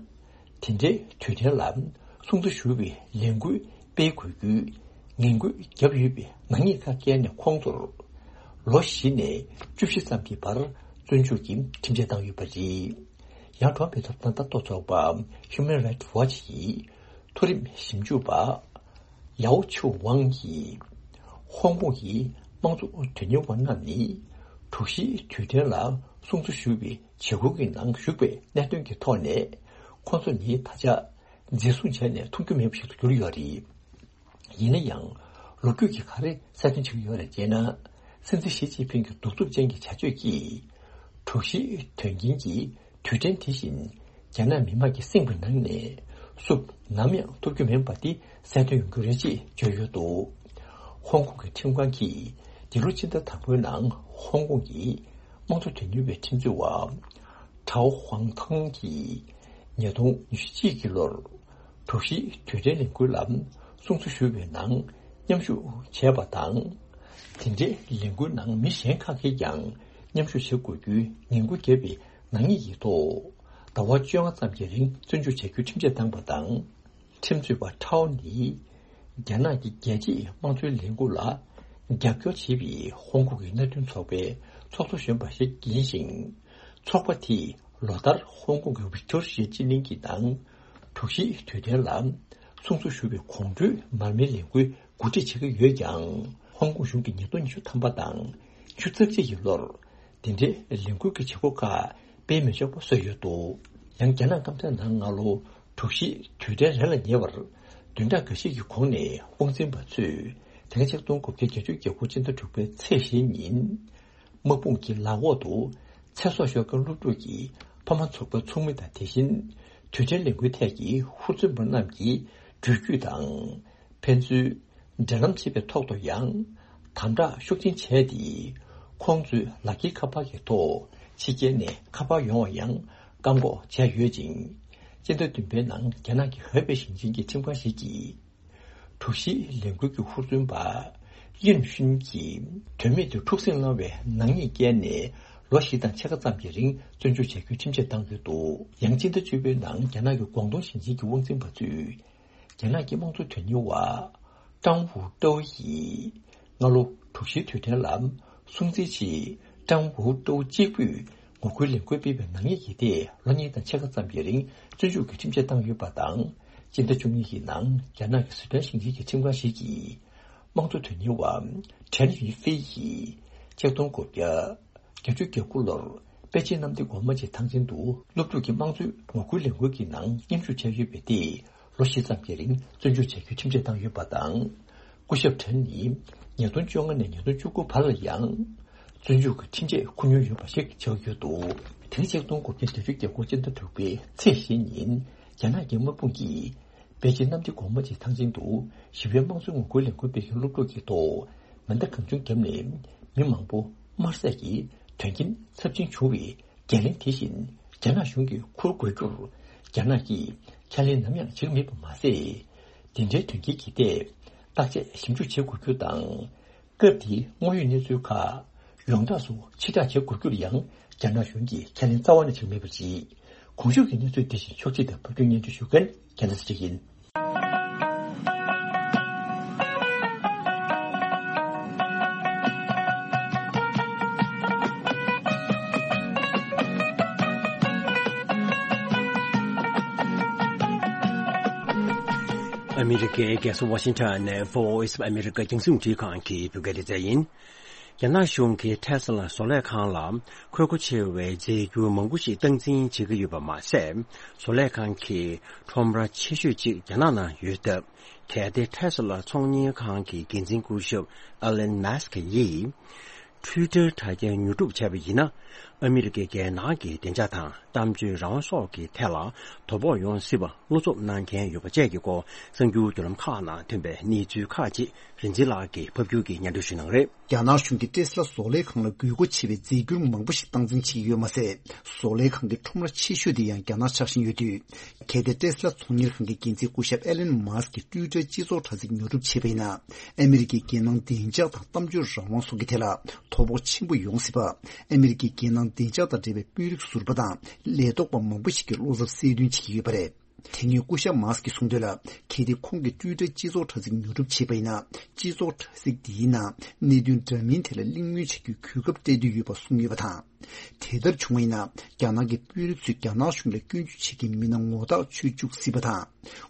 དེ་འདྲའི་དུས་དྲན་ལ་སྲུང་བརྩི་ཞུ་བའི་ལས་འགུལ་སྤེལ་དགོས་རྒྱུའི་ངན་སྐུལ་བརྒྱབ་ཡོད་པའི་ནག་ཉེས་ཁག་བཀལ་ནས་ཁོང་ཚོར་ལོ་བཞི་ནས་བཅུ་བཞི་ཙམ་གྱི་བར་བཙོན་འཇུག་གི་ཁྲིམས་ཆད་བཏང་ཡོད་པ་རེད། ཡང་འགྲོ་བ་མིའི་ཐོབ་ཐང་ལྟ་རྟོག་ཚོགས་པ་Human Rights Watch ཡི་མཐོ་རིམ་ཞིབ་འཇུག་པ། ཡའོ་ཆུ་ཝང་གིས། ཧོང་ཀོང་གི་དམངས་གཙོ་དོན་གཉེར་བ་རྣམས་ནི། དྲུག་བཞིའི་དུས་དྲན་ལ་སྲུང་བརྩི་ཞུ་བའི་བྱེད་སྒོ་གི་ནང་ཞུགས་པའི་གནད་དོན་གྱི་ཐོག་ནས། ཁོང་ཚོ་ནི་ད་ཆ་འཛིན་བཟུང་བྱས་ནས་མཐོང་རྒྱུ་མེད་པ་ཞིག་ཏུ་གྱུར་ཡོད་རེད། ཡིན་ན་ཡང་། ལོ་རྒྱུས་ཀྱིས་ག་རེ་གསལ་སྟོན་བྱེད་ཀྱི་ཡོད་རེད་ཅེ་ན། སྲིད་འཛིན་ཞི་ཅིན་ཕིང་གི་གདུག་རྩུབ་ཅན་གྱི་བྱ་སྤྱོད་ཀྱིས། དྲུག་བཞིའི་དོན་རྐྱེན་གྱི་དུས་དྲན་དེ་བཞིན་རྒྱ་ནག་མི་དམངས་ཀྱི་སེམས་ཀྱི་ནང་ནས་བསུབ་ནམ་ཡང་ཐུབ་རྒྱུ་མིན་པ་དེ་གསལ་སྟོན་ཡོང་རྒྱུ་རེད་ཅེས་བརྗོད་ཡོད་འདུག་ཧོང་ཀོང་གི་ཁྲིམས་ཁང་གིས་འདི་ལོ་ཕྱི་ཟླ་དང་པོའི་ནང་ཧོང་ཀོང་གི་དམངས་གཙོ་དོན་གཉེར་བའི་ཁྲིམས་རྩོད་པ་ཁྲའོ་ཧུང་ཐང་གིས་ཉིས་སྟོང་ཉི་ཤུ་གཅིག་གི་ལོར་དྲུག་བཞིའི་དུས་དྲན་ལས་འགུལ་ལ་སྲུང་བརྩི་ཞུ་བའི་ནང་མཉམ་ཞུགས་བྱས་པ་དང་། དེ་འབྲེལ་ལས་འགུལ་ནང་མི་གཞན་ཁག་གིས་ཀྱང་མཉམ་ཞུགས་བྱེད་དགོས་རྒྱུའི་ངན་སྐུལ་བརྒྱབ་པའི་ནག་ཉེས་ཀྱི་ཐོག་ཟླ་བ་བཅོ་ལྔ་ཙམ་གྱི་རིང་བཙོན་འཇུག་བྱ་རྒྱུའི་ཁྲིམས་ཆད་བཏང་པ་དང་། ཁྲིམས་རྩོད་པ་ཁྲའོ་ནི། རྒྱ་ནག་གི་རྒྱལ་གཅེས་དམངས་གཙོའི་ལས་འགུལ་ལ་རྒྱབ་སྐྱོར་བྱེད་པའི་ཧོང་ཀོང་གི་མནའ་མཐུན་ཚོགས་པའི་ཚོགས་གཙོ་གཞོན་པ་ཞིག་ཡིན་ཞིང་། ཚོགས་པ་དེས་ལོ་ལྟར་ཧོང་ཀོང་གི་ཝིག་ཊོ་རི་ཡ་སྤྱི་གླིང་གི་ནང་དྲུག་བཞིའི་དུས་དྲན་ལ་སྲུང་བརྩི་ཞུ་བའི་གོང་བཀུར་མར་མེའི་ལས་འགུལ་གོ་སྒྲིག་བྱེད་ཀྱི་ཡོད་ཀྱང་། ཧོང་ཀོང་གཞུང་གིས་ཉིས་སྟོང་ཉི་ཤུ་ཐམ་པ་དང་ཉི་ཤུ་རྩ་གཅིག་གི་ལོར། དེ་འབྲེལ་ལས་འགུལ་གྱི་བྱེད་སྒོ་ཁག་སྤེལ་མི་ཆོག་པ་བཟོས་ཡོད་འདུག་ཡང་རྒྱ་ནག་སྐམ་ས་ནང་སྔ་ལོ་དྲུག་བཞིའི་དུས་དྲན་རན་ལ་ཉེ་བར། བདུན་ཕྲག་འགའ་ཤས་ཀྱི་གོང་ནས་དབང་འཛིན་པ་ཚོས་དེ་སྔ་ཆིག་སྟོང་དགུ་བརྒྱ་བརྒྱད་ཅུ་གྱ་དགུ་ཕྱི་ཟླ་དྲུག་པའི་ཚེས་བཞི་ཉིན། དམག་དཔུང་གི་ལག་འོག་ཏུ་ཚེ་སྲོག་ཤོར་མཁན་སློབ་ཕྲུག་གི་ཕ་མ་ཚོགས་པའི་ཚོགས་མི་དང་དེ་བཞིན་དུས་དྲན་ལས་འགུལ་ཐད་ཀྱི་ཧུར་བརྩོན་པ་རྣམས་ཀྱི་འགྲུལ་བཞུད་དང་། ཕན་ཚུན་འབྲེལ་ལམ་བྱེད་པའི་ཐོག་ཏུ་ཡང་དམ་དྲག་ཤུགས་ཆེན་བྱས་ཏེ། ཁོང་ཚོའི་ལག་འཁྱེར་ཁ་པར་གྱི་ཐོག་ཕྱི་རྒྱལ་ནས་ཁ་པར་ཡོང་བ་ཡང་བཀག་འགོག་བྱས་ཡོད་ཅིང་། སྤྱི་ཟླ་བདུན་པའི་ནང་རྒྱ་ནག་གི་ཧོ་པེ་ཞིང་ཆེན་གྱི་ཁྲིམས་ཁང་ཞིག་གིས། དྲུག་བཞིའི་ལས་འགུལ་གྱི་ཧུར་བརྩོན་པ། ཡུན་ཧྲུན་གྱིས་དོན་མེད་དུ་འཁྲུག་ཟིང་སློང་བའི་ནག་ཉེས་བཀལ་ནས་ལོ་བཞི་དང་ཕྱེད་ཀ་ཙམ་གྱི་རིང་བཙོན་འཇུག་བྱ་རྒྱུའི་ཁྲིམས་ཆད་བཏང་ཡོད་འདུག་ཡང་སྤྱི་ཟླ་བཅུ་པའི་ནང་རྒྱ་ནག་གི་ཀོང་ཏུང་ཞིང་ཆེན་གྱི་དབང་འཛིན་པ་ཚོས་རྒྱ་ནག་གི་དམངས་གཙོ་དོན་གཉེར་བ་ཀྲང་ཝུའུ་ཀྲོའུ་ཡིས་སྔ་ལོ་དྲུག་བཞིའི་དུས་དྲན་ལ་སྲུང་བརྩིའི་ཆེད་ཀྲང་ཝུའུ་ཀྲོའུ་གཅིག་པུས་ངོ་རྒོལ་ལས་འགུལ་སྤེལ་བའི་ནག་ཉེས་ཀྱི་ཐད་ལོ་གཉིས་དང་ཕྱེད་ཀ་ཙམ་གྱི་རིང་བཙོན་འཇུག་གི་ཁྲིམས་ཆད་བཏང་ཡོད་པ་དང་། སྤྱི་ཟླ་བཅུ་གཉིས་ཀྱི་ནང་རྒྱ་ནག་གི་སི་ཁྲོན་ཞིང་ཆེན་གྱི་ཁྲིམས་ཁང་ཞིག་གིས་དམངས་གཙོ་དོན་གཉེར་བ་ཁྲེན་ཡུན་ཧྥེ་ཡིས་ཆིག་སྟོང་དགུ་བརྒྱ་བརྒྱད་ཅུ་གྱ་དགུ་ལོར་པེ་ཅིན་གནམ་བདེ་སྒོ་མོ་ཆེའི་ཐང་ཆེན་དུ་སློབ་ཕྲུག་གི་དམངས་གཙོའི་ངོ་རྒོལ་ལས་འགུལ་གྱི་ནང་མཉམ་ཞུགས་བྱས་ཡོད་པའི་ཐད་ལོ་བཞི་ཙམ་གྱི་རིང་བཙོན་འཇུག་བྱ་རྒྱུའི་ཁྲིམས་ཆད་བཏང་ཡོད་པ་དང་། སྐུ་ཞབས་ཁྲེན་ནི་ཉིས་སྟོང་བཅོ་ལྔ་ནས་ཉིས་སྟོང་བཅུ་དགུ་བར་ལ་ཡང་བཙོན་འཇུག་གི་ཁྲིམས་ཆད་འཁུར་མྱོང་ཡོད་པ་ཞིག་ཆགས་ཡོད་འདུག་དེ་ནི་ཆིག་སྟོང་དགུ་བརྒྱ་བརྒྱད་ཅུ་གྱ་དགུ་སྤྱི་ཟླ་དྲུག་པའི་ཚེས་བཞི་ཉིན་རྒྱ་ནག་གི་དམག་དཔུང་གིས་པེ་ཅིན་གནམ་བདེ་སྒོ་མོ་ཆེའི་ཐང་ཆེན་དུ་ཞི་བའི་དམངས་གཙོའི་ངོ་རྒོལ་ལས་འགུལ་སྤེལ་མཁན་སློབ་ཕྲུག་གི་ཐོག་མེ་མདའ་གང་བྱུང་བརྒྱབ་ནས་མི་མང་པོ་དམར་བསད་ཀྱི་དོན་རྐྱེན་ཚབས་ཆེན་བྱུང་བའི་འགན་ལེན་དེ་བཞིན་རྒྱ་ནག་གཞུང་གིས་འཁུར་དགོས་རྒྱུར་རྒྱ་ནག་གིས་ཁས་ལེན་ནམ་ཡང་བྱེད་མེད་པ་མ་ཟད། འདི་འདྲའི་དོན་རྐྱེན་གྱི་ཐད་བརྟག་དཔྱད་ཞིབ་འཇུག་བྱེད་དགོས་རྒྱུ་དང་། སྐབས་དེའི་དངོས་ཡོད་གནས་ཚུལ་ཁག་ཡོངས་གྲགས་སུ་ཕྱིར་བསྒྲགས་བྱེད་དགོས་རྒྱུར་ཡང་རྒྱ་ནག་གཞུང་གིས་ཁས་ལེན་རྩ་བ་ནས་བྱེད་མེད་པ་རེད། གོང་ཞུས་ཀྱི་གནས་ཚུལ་འདི་བཞིན་ཕྱོགས་སྒྲིག་དང་ཕབ་སྒྱུར་སྙན་སྒྲོན་ཞུ་མཁན་རྒྱལ་ལགས་ཚེ་རིང་ཡིན། ཨ་མི་རི་ཀའི་རྒྱལ་ས་ཝ་ཤིང་ཊོན་ནས་Voice of America རྒྱང་སྲིང་རླུང་འཕྲིན་ཁང་གི་བོད་སྐད་སྡེ་ཚན་ཡིན། རྒྱ་ནག་གཞུང་གིས་ཊེ་སི་ལ་བཟོ་ལས་ཁང་ལ་འཁོས་སྒོ་ཆེ་བའི་རྫས་འགྱུར་མང་པོ་ཞིག་སྟངས་འཛིན་བྱེད་ཀྱི་ཡོད་པ་མ་ཟད། བཟོ་ལས་ཁང་གི་ཁྲོམ་ར་ཆེ་ཤོས་གཅིག་རྒྱ་ནག་ནང་ཡོད་སྟབས། གལ་ཏེ་ཊེ་སི་ལ་ཚོང་གཉེར་ཁང་གི་འགན་འཛིན་སྐུ་ཞབས་ཨ་ལན་མཱ་སི་ཀི་ཡིས། ཊུའི་ཊར་དྲ་རྒྱ་ཉོ་སྒྲུབ་བྱས་པ་ཡིན་ན། ཨ་མི་རི་ཀའི་རྒྱལ་ནང་གི་བདེ་འཇགས་དང་གཏམ་བརྗོད་རང་དབང་སོགས་ཀྱི་ཐད་ལ་དོ་ཕོག་ཡོང་སྲིད་པ་བློ་འཚབ་གནང་མཁན་ཡོད་པ་བཅས་ཀྱི་སྐོར་གསར་འགྱུར་བརྒྱུད་ལམ་ཁག་ནང་ཐོན་པའི་གནས་ཚུལ་ཁག་ཅིག་རིག་འཛིན་ལགས་ཀྱིས་ཕབ་སྒྱུར་གྱིས་སྙན་སྒྲོན་ཞུ་གནང་རེད། རྒྱ་ནག་གཞུང་གིས་ཊེ་སི་ལ་བཟོ་ལས་ཁང་ལ་དགོས་མཁོ་ཆེ་བའི་རྫས་འགྱུར་མང་པོ་ཞིག་སྟངས་འཛིན་བྱེད་ཀྱི་ཡོད་མ་ཟད། བཟོ་ལས་ཁང་གི་ཁྲོམ་ར་ཆེ་ཤོས་དེ་ཡང་རྒྱ་ནག་ཆགས་བཞིན་ཡོད་དུས། གལ་ཏེ་ཊེ་སི་ལ་ཚོང་གཉེར་ཁང་གི་འགན་འཛིན་སྐུ་ཞབས་ཨེ་ལན་མཱ་སི་ཀྱིས་ཊུའི་ཊར་སྤྱི་ཚོགས་དྲ་ཚིགས་ཉོ་སྒྲུབ་བྱས་པ་ཡིན་ན། ཨ་མི་རི་ཀའི་རྒྱལ་ནང་བདེ་འཇགས་དང་གཏམ་བརྗོད་རང་དབང་སོགས་ཀྱི་ཐད་ལ་དོ་ཕོག་ཆེན་པོ་ཡོང་སྲིད་པ། ཨ་མི་རི་ཀའི་རྒྱལ་ནང་བདེ་འཇགས་དང་འབྲེལ་བའི་དཔོན་རིགས་ཟུར་པ་དང་ལས་ཐོག་པ་མང་པོ་ཞིག་གིས་བློ་འཚབ་གསལ་སྟོན་བྱེད་ཀྱི་ཡོད་པ་རེད། དེ་སྔོན་སྐུ་ཞབས་མཱ་སི་ཀིས་གསུངས་དོན་ལ། གལ་ཏེ་ཁོང་གིས་ཊུའི་ཊར་སྤྱི་ཚོགས་དྲ་ཚིགས་ཉོ་སྒྲུབ་བྱས་པ་ཡིན་ན། སྤྱི་ཚོགས་དྲ་ཚིགས་འདིའི་ནང་གནད་དོན་འདྲ་མིན་དེ་ལ་གླེང་མོལ་བྱ་རྒྱུའི་གོ་སྐབས་སྤྲད་འདོད་ཡོད་པ་གསུངས་ཡོད་པ་དང་། དེ་ལྟར་བྱུང་བ་ཡིན་ན། རྒྱ་ནག་གི་དཔོན་རིགས་ཚོས་རྒྱ་ནག་གཞུང་ལ་སྐྱོན་བརྗོད་བྱེད་མཁན་མི་སྣ་ངོ་ཐག་ཆོད་བཅུག་སྲིད་པ་དང་།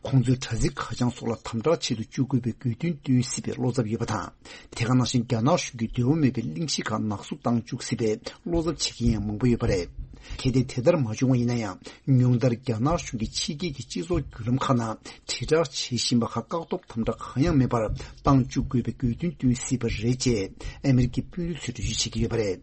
ཁོང་ཚོའི་དྲ་ཚིགས་ཁ་བྱང་སོགས་ལ་དམ་དྲག་བྱེད་དུ་བཅུག་དགོས་པའི་དགོས་འདུན་བཏོན་སྲིད་པའི་བློ་འཚབ་ཡོད་པ་དང་། དེ་ག་ནང་བཞིན་རྒྱ་ནག་གཞུང་གིས་འདོད་པ་མེད་པའི་གླེང་གཞི་ཁག་ནག་བསུབ་བཏང་བཅུག་སྲིད་པའི་བློ་འཚབ་བྱེད་མཁན་ཡང་མང་པོ་ཡོད་པ་རེད། གལ་ཏེ་དེ་ལྟར་མ་བྱུང་བ་ཡིན་ན་ཡང་། ཉུང་མཐར་རྒྱ་ནག་གཞུང་གིས་ཕྱི་རྒྱལ་གྱི་སྤྱི་ཚོགས་བརྒྱུད་ལམ་ཁག་ནང་དྲིལ་བསྒྲགས་བྱེད་བཞིན་པ་ཁག་བཀག་སྡོམ་དམ་དྲག་གང་ཡང་མེད་པར་བཏང་བཅུག་དགོས་པའི་དགོས་འདུན་བཏོན་སྲིད་པ་རེད་ཅེས་ཨ་མི་རི་ཀའི་དཔོན་རིགས་ཚོས་འགྲེལ་བརྗོད་བྱེད་ཀྱི་ཡོད་པ་རེད།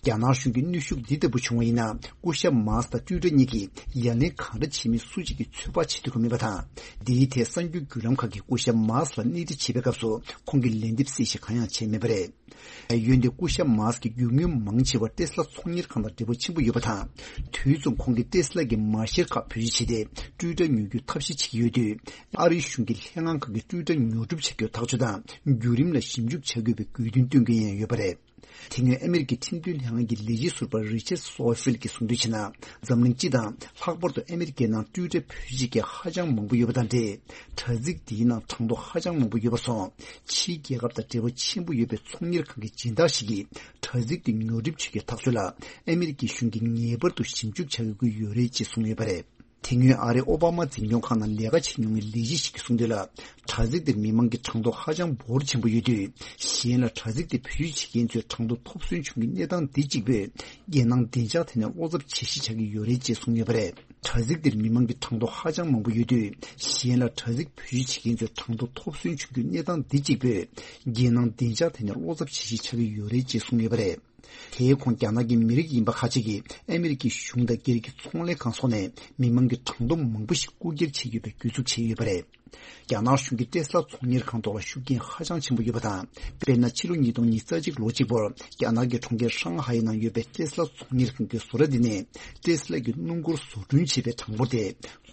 རྒྱ་ནག་གཞུང་གི་གནོན་ཤུགས་འདི་ལྟ་བུ་བྱུང་བ་ཡིན་ན། སྐུ་ཞབས་མཱ་སི་དང་ཊུའི་ཊར་གཉིས་ཀྱིས་ཡ་ལན་གང་འདྲ་བྱེད་མིན་སུ་གཅིག་གིས་ཚོད་དཔག་བྱེད་ཐུབ་ཀྱི་མེད་པ་དང་། འདིའི་ཐད་གསར་འགྱུར་བརྒྱུད་ལམ་ཁག་གིས་སྐུ་ཞབས་མཱ་སི་ལ་སྣེ་ཁྲིད་བྱེད་པའི་སྐབས་སུ་ཁོང་གིས་ལན་འདེབས་གསལ་བཤད་གང་ཡང་བྱས་མེད་པ་རེད། འོན་ཏེ་སྐུ་ཞབས་མཱ་སི་ཀྱིས་རྒྱུ་དངོས་མང་ཆེ་བ་ཊེ་སི་ལ་ཚོང་གཉེར་ཁང་དང་འབྲེལ་བ་ཆེན་པོ་ཡོད་པ་དང་། དུས་མཚུངས་ཁོང་གིས་ཊེ་སི་ལ་གི་མ་གཞིར་ཁག་བེད་སྤྱོད་བྱས་ཏེ་ཊུའི་ཊར་ཉོ་རྒྱུའི་ཐབས་ཤེས་བྱེད་ཀྱི་ཡོད་དུས། ཨ་རིའི་གཞུང་གི་ལྷན་ཁང་ཁག་གིས་ཊུའི་ཊར་ཉོ་སྒྲུབ་བྱ་རྒྱུར་ཐག་གཅོད་དང་བརྒྱུད་རིམ་ལ་ཞིབ་འཇུག་བྱ་དགོས་པའི་དགོས་འདུན་བཏོན་མཁན་ཡང་ཡོད་པ་རེད། དེ་སྔོན་ཨ་མི་རི་ཀའི་ཁྲིམས་དོན་ལྷན་ཁང་གི་ལས་བྱེད་ཟུར་པ་རི་ཆར་སོ་ཧྥིལ་གྱིས་གསུངས་དོན་བྱས་ན། འཛམ་གླིང་སྤྱི་དང་ལྷག་པར་དུ་ཨ་མི་རི་ཀའི་ནང་ཊུའི་ཊར་བེད་སྤྱོད་བྱེད་མཁན་ཧ་ཅང་མང་པོ་ཡོད་པ་དང་འབྲེལ། དྲ་ཚིགས་འདིའི་ནང་གྲངས་ཐོ་ཧ་ཅང་མང་པོ་ཡོད་པ་སོགས། ཕྱིའི་རྒྱལ་ཁབ་དང་འབྲེལ་བ་ཆེན་པོ་ཡོད་པའི་ཚོང་གཉེར་ཁང་གི་སྦྱིན་བདག་ཞིག་གིས་དྲ་ཚིགས་དེ་ཉོ་སྒྲུབ་བྱེད་རྒྱུའི་ཐག་གཅོད་ལ་ཨ་མི་རི་ཀའི་གཞུང་གིས་ངེས་པར་དུ་ཞིབ་འཇུག་བྱ་དགོས་ཀྱི་ཡོད་རེད་ཅེས་གསུངས་ཡོད་པ་རེད། དེ་སྔོན་ཨ་རིའི་ཨོ་བྷ་མ་འཛིན་སྐྱོང་ཁག་ནང་ལས་ཀ་བྱེད་མྱོང་བའི་ལས་བྱེད་ཞིག་གིས་གསུངས་དོན་ལ། དྲ་ཚིགས་དེར་མི་མང་གི་གྲངས་ཐོ་ཧ་ཅང་འབོར་ཆེན་པོ་ཡོད་དུས། གཞན་ལ་དྲ་ཚིགས་དེ་བེད་སྤྱོད་བྱེད་མཁན་ཚོས་གྲངས་ཐོ་ཐོབ་ཟོན་བྱུང་གི་གནས་སྟངས་འདི་གཅིག་པུས། རྒྱལ་ནང་བདེ་འཇགས་ཐད་ནས་བློ་འཚབ་བྱེད་གཞི་ཆགས་ཀྱི་ཡོད་རེད་ཅེས་གསུངས་ཡོད་པ་རེད། དྲ་ཚིགས་དེར་མི་མང་གི་གྲངས་ཐོ་ཧ་ཅང་མང་པོ་ཡོད་དུས། གཞན་ལ་དྲ་ཚིགས་བེད་སྤྱོད་བྱེད་མཁན་ཚོས་གྲངས་ཐོ་ཐོབ་ཟོན་བྱུང་རྒྱུའི་གནས་སྟངས་འདི་གཅིག་པུས། རྒྱལ་ནང་བདེ་འཇགས་ཐད་ནས་བློ་འཚབ་བྱེད་གཞི་ཆགས་ཀྱི་ཡོད་རེད་ཅེས་གསུངས་ཡོད་པ་རེད། དེའི་ཁོངས་རྒྱ་ནག་གི་མི་རིགས་ཡིན་པ་ཁག་ཅིག་གིས་ཨ་མི་རི་ཀའི་གཞུང་དང་སྒེར་གྱི་ཚོང་ལས་ཁང་སོགས་ནས་མི་མང་གི་གྲངས་ཐོ་མང་པོ་ཞིག་རྐུ་འཁྱེར་བྱེད་ཡོད་པའི་སྐྱོན་འཛུགས་བྱས་ཡོད་པ་རེད། རྒྱ་ནག་གཞུང་གིས་ཏེ་སི་ལ་ཚོང་གཉེར་ཁང་ཐོག་ལ་ཤུགས་རྐྱེན་ཧ་ཅང་ཆེན་པོ་ཡོད་པ་དང་། དཔེར་ན། ཕྱི་ལོ་ཉིས་སྟོང་ཉི་ཤུ་རྩ་གཅིག་ལོ་གཅིག་བར་རྒྱ་ནག་གི་གྲོང་ཁྱེར་ཧྲང་ཧའེ་ནང་ཡོད་པའི་ཏེ་སི་ལ་ཚོང་གཉེར་ཁང་གི་བཟོ་གྲྭ་འདི་ནས་ཏེ་སི་ལ་གི་སྣུམ་འཁོར་བཟོ་སྐྲུན་བྱེད་པའི་གྲངས་འབོར་དེ།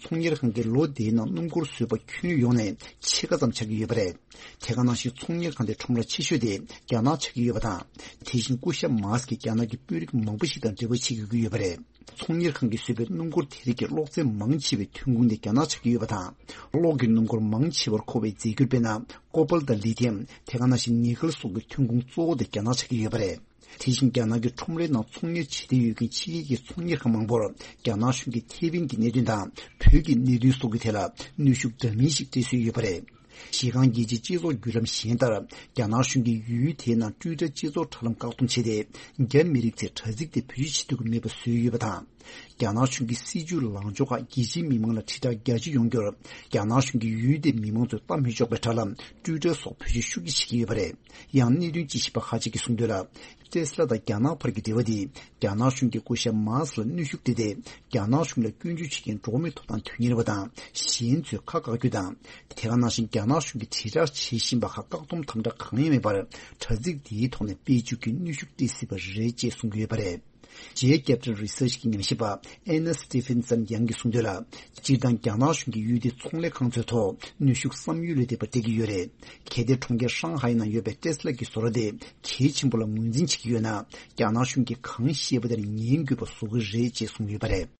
ཚོང་གཉེར་ཁང་གིས་ལོ་དེའི་ནང་སྣུམ་འཁོར་བཟོས་པ་ཁྱོན་ཡོངས་ནས་ཕྱེད་ཀ་ཙམ་ཆགས་ཀྱི་ཡོད་པ་རེད། དེ་ག་ནང་བཞིན་ཚོང་གཉེར་ཁང་དེའི་ཁྲོམ་ར་ཆེ་ཤོས་དེ་རྒྱ་ནག་ཆགས་ཀྱི་ཡོད་པ་དང་། དེ་བཞིན་སྐུ་ཞབས་མཱ་སི་ཀྱིས་རྒྱ་ནག་གི་དཔོན་རིགས་མང་པོ་ཞིག་དང་འབྲེལ་བ་བྱེད་དགོས་ཀྱི་ཡོད་པ་རེད། ཚོང་གཉེར་ཁང་གིས་བཟོས་པའི་སྣུམ་འཁོར་དེ་རིགས་ཀྱི་གློག་ཚད་མང་ཆེ་བའི་ཐོན་ཁུངས་དེ་རྒྱ་ནག་ཆགས་ཀྱི་ཡོད་པ་དང་། གློག་གི་སྣུམ་འཁོར་མང་ཆེ་བར་མཁོ་བའི་རྫས་འགྱུར། དཔེར་ན། ཀོ་པལ་དང་ལི་ཐི་ཡམ། དེ་ག་ནང་བཞིན་ནི་ཀལ་སོགས་ཀྱི་ཐོན་ཁུངས་གཙོ་བོ་དེ་རྒྱ་ནག་ཆགས་ཀྱི་ཡོད་པ་རེད། དེ་བཞིན་རྒྱ་ནག་གི་ཁྲོམ་རའི་ནང་ཚོང་གཉེར་བྱེད་འདོད་ཡོད་མཁན་ཕྱི་རྒྱལ་གྱི་ཚོང་གཉེར་ཁང་མང་པོར་རྒྱ་ནག་གཞུང་གིས་ཐེ་ཝན་གྱི་གནད་དོན་དང་བོད་ཀྱི་གནད་དོན་སོགས་ཀྱི་ཐད་ལ་གནོན་ཤུགས་འདྲ་མིན་ཞིག་སྤྲད་སྲོལ་ཡོད་པ་རེད། གཞི་རྐང་རྒྱལ་སྤྱིའི་སྤྱི་ཚོགས་བརྒྱུད་ལམ་གཞན་ལྟར། རྒྱ་ནག་གཞུང་གིས་ཡུལ་དེའི་ནང་ཊུའི་ཊར་སྤྱི་ཚོགས་དྲ་ལམ་བཀག་སྡོམ་བྱས་ཏེ། རྒྱ་མི་རིགས་ཚོས་དྲ་ཚིགས་དེ་བེད་སྤྱོད་བྱེད་ཐུབ་ཀྱི་མེད་པ་བཟོས་ཡོད་པ་དང་། རྒྱ་ནག་གཞུང་གི་སྲིད་བྱུས་ལངས་ཕྱོགས་ཁག་རྒྱལ་སྤྱིའི་མི་མང་ལ་དྲིལ་བསྒྲགས་རྒྱ་ཆེ་ཡོང་རྒྱུར། རྒྱ་ནག་གཞུང་གིས་ཡུལ་དེའི་མི་མང་ཚོས་ལྟ་མི་ཆོག་པའི་དྲ་ལམ་ཊུའི་ཊར་སོགས་བེད་སྤྱོད་ཤུགས་ཆེ་བྱེད་ཀྱི་ཡོད་པ་རེད། ཡང་གནད་དོན་དཔྱད་ཞིབ་པ་ཁག་ཅིག་གིས་གསུངས་དོན་ལ། ཏེ་སི་ལ་དང་རྒྱ་ནག་བར་གྱི་འབྲེལ་བ་དེས་རྒྱ་ནག་གཞུང་གིས་སྐུ་ཞབས་མཱ་སི་ལ་གནོན་ཤུགས་སྤྲད་དེ། རྒྱ་ནག་གཞུང་ལ་སྐྱོན་བརྗོད་བྱེད་མཁན་འགྲོ་བ་མིའི་ཐོབ་ཐང་དོན་གཉེར་བ་དང་གཞན་ཚོས་ཁ་བཀག་རྒྱུ་དང་། དེ་ག་ནང་བཞིན་རྒྱ་ནག་གཞུང་གིས་དྲིལ་བསྒྲགས་བྱེད་བཞིན་པ་ཁག་བཀག་སྡོམ་དམ་དྲག་གང་ཡང་མེད་པར། དྲ་ཚིགས་འདིའི་ཐོག་ནས་སྤེལ་འཇུག་གི་གནོན་ཤུགས་སྤྲད་སྲིད་པ་རེད་ཅེས་གསུང་གི་ཡོད་པ་རེད། J Capital Research གི་ཉམས་ཞིབ་པ་Anna Stephenson Young གིས་གསུངས་དོན་ལ། སྤྱིར་བཏང་རྒྱ་ནག་གཞུང་གིས་ཡུལ་དེའི་ཚོང་ལས་ཁང་ཚོའི་ཐོག་གནོན་ཤུགས་བསམ་ཡུལ་ལས་འདས་པ་སྤྲད་ཀྱི་ཡོད་རེད། གལ་ཏེ་གྲོང་ཁྱེར་ཧྲང་ཧའེ་ནང་ཡོད་པའི་ཏེ་སི་ལ་གི་བཟོ་གྲྭ་དེ་གལ་ཆེན་པོ་ལ་ངོས་འཛིན་བྱེད་ཀྱི་ཡོད་ན། རྒྱ་ནག་གཞུང་གིས་གང་བཤད་པ་དེར་ཉན་དགོས་པ་བཟོ་གི་རེད་ཅེས་གསུངས་ཡོད་པ་རེད།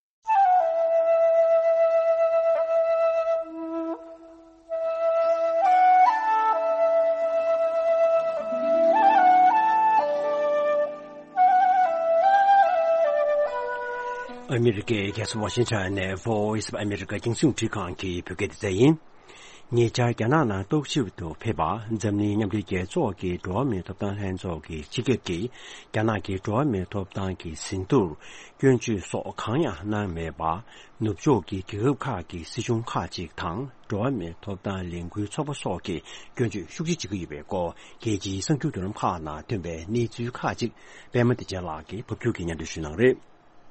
ཨ་མི་རི་ཀའི་རྒྱལ་ས་ཝ་ཤིང་ཊོན་ནས་Voice of America རྒྱང་སྲིང་རླུང་འཕྲིན་ཁང་གི་བོད་སྐད་སྡེ་ཚན་ཡིན། ཉེ་ཆར་རྒྱ་ནག་ནང་རྟོག་ཞིབ་ཏུ་ཕེབས་པ། འཛམ་གླིང་མཉམ་འབྲེལ་རྒྱལ་ཚོགས་ཀྱི་འགྲོ་བ་མིའི་ཐོབ་ཐང་ལྷན་ཚོགས་ཀྱི་སྤྱི་ཁྱབ་ཀྱིས་རྒྱ་ནག་གི་འགྲོ་བ་མིའི་ཐོབ་ཐང་གི་ཟིན་ཐོར་སྐྱོན་བརྗོད་སོགས་གང་ཡང་གནང་མེད་པ། ནུབ་ཕྱོགས་ཀྱི་རྒྱལ་ཁབ་ཁག་གི་སྲིད་གཞུང་ཁག་ཅིག་དང་འགྲོ་བ་མིའི་ཐོབ་ཐང་ལས་འགུལ་ཚོགས་པ་སོགས་ཀྱིས་སྐྱོན་བརྗོད་ཤུགས་ཆེ་བྱེད་ཀྱི་ཡོད་པའི་སྐོར། རྒྱལ་སྤྱིའི་གསར་འགྱུར་བརྒྱུད་ལམ་ཁག་ནང་ཐོན་པའི་གནས་ཚུལ་ཁག་ཅིག་པད་མ་བདེ་ཆེན་ལགས་ཀྱིས་ཕབ་སྒྱུར་གྱིས་སྙན་སྒྲོན་ཞུ་གནང་རེད།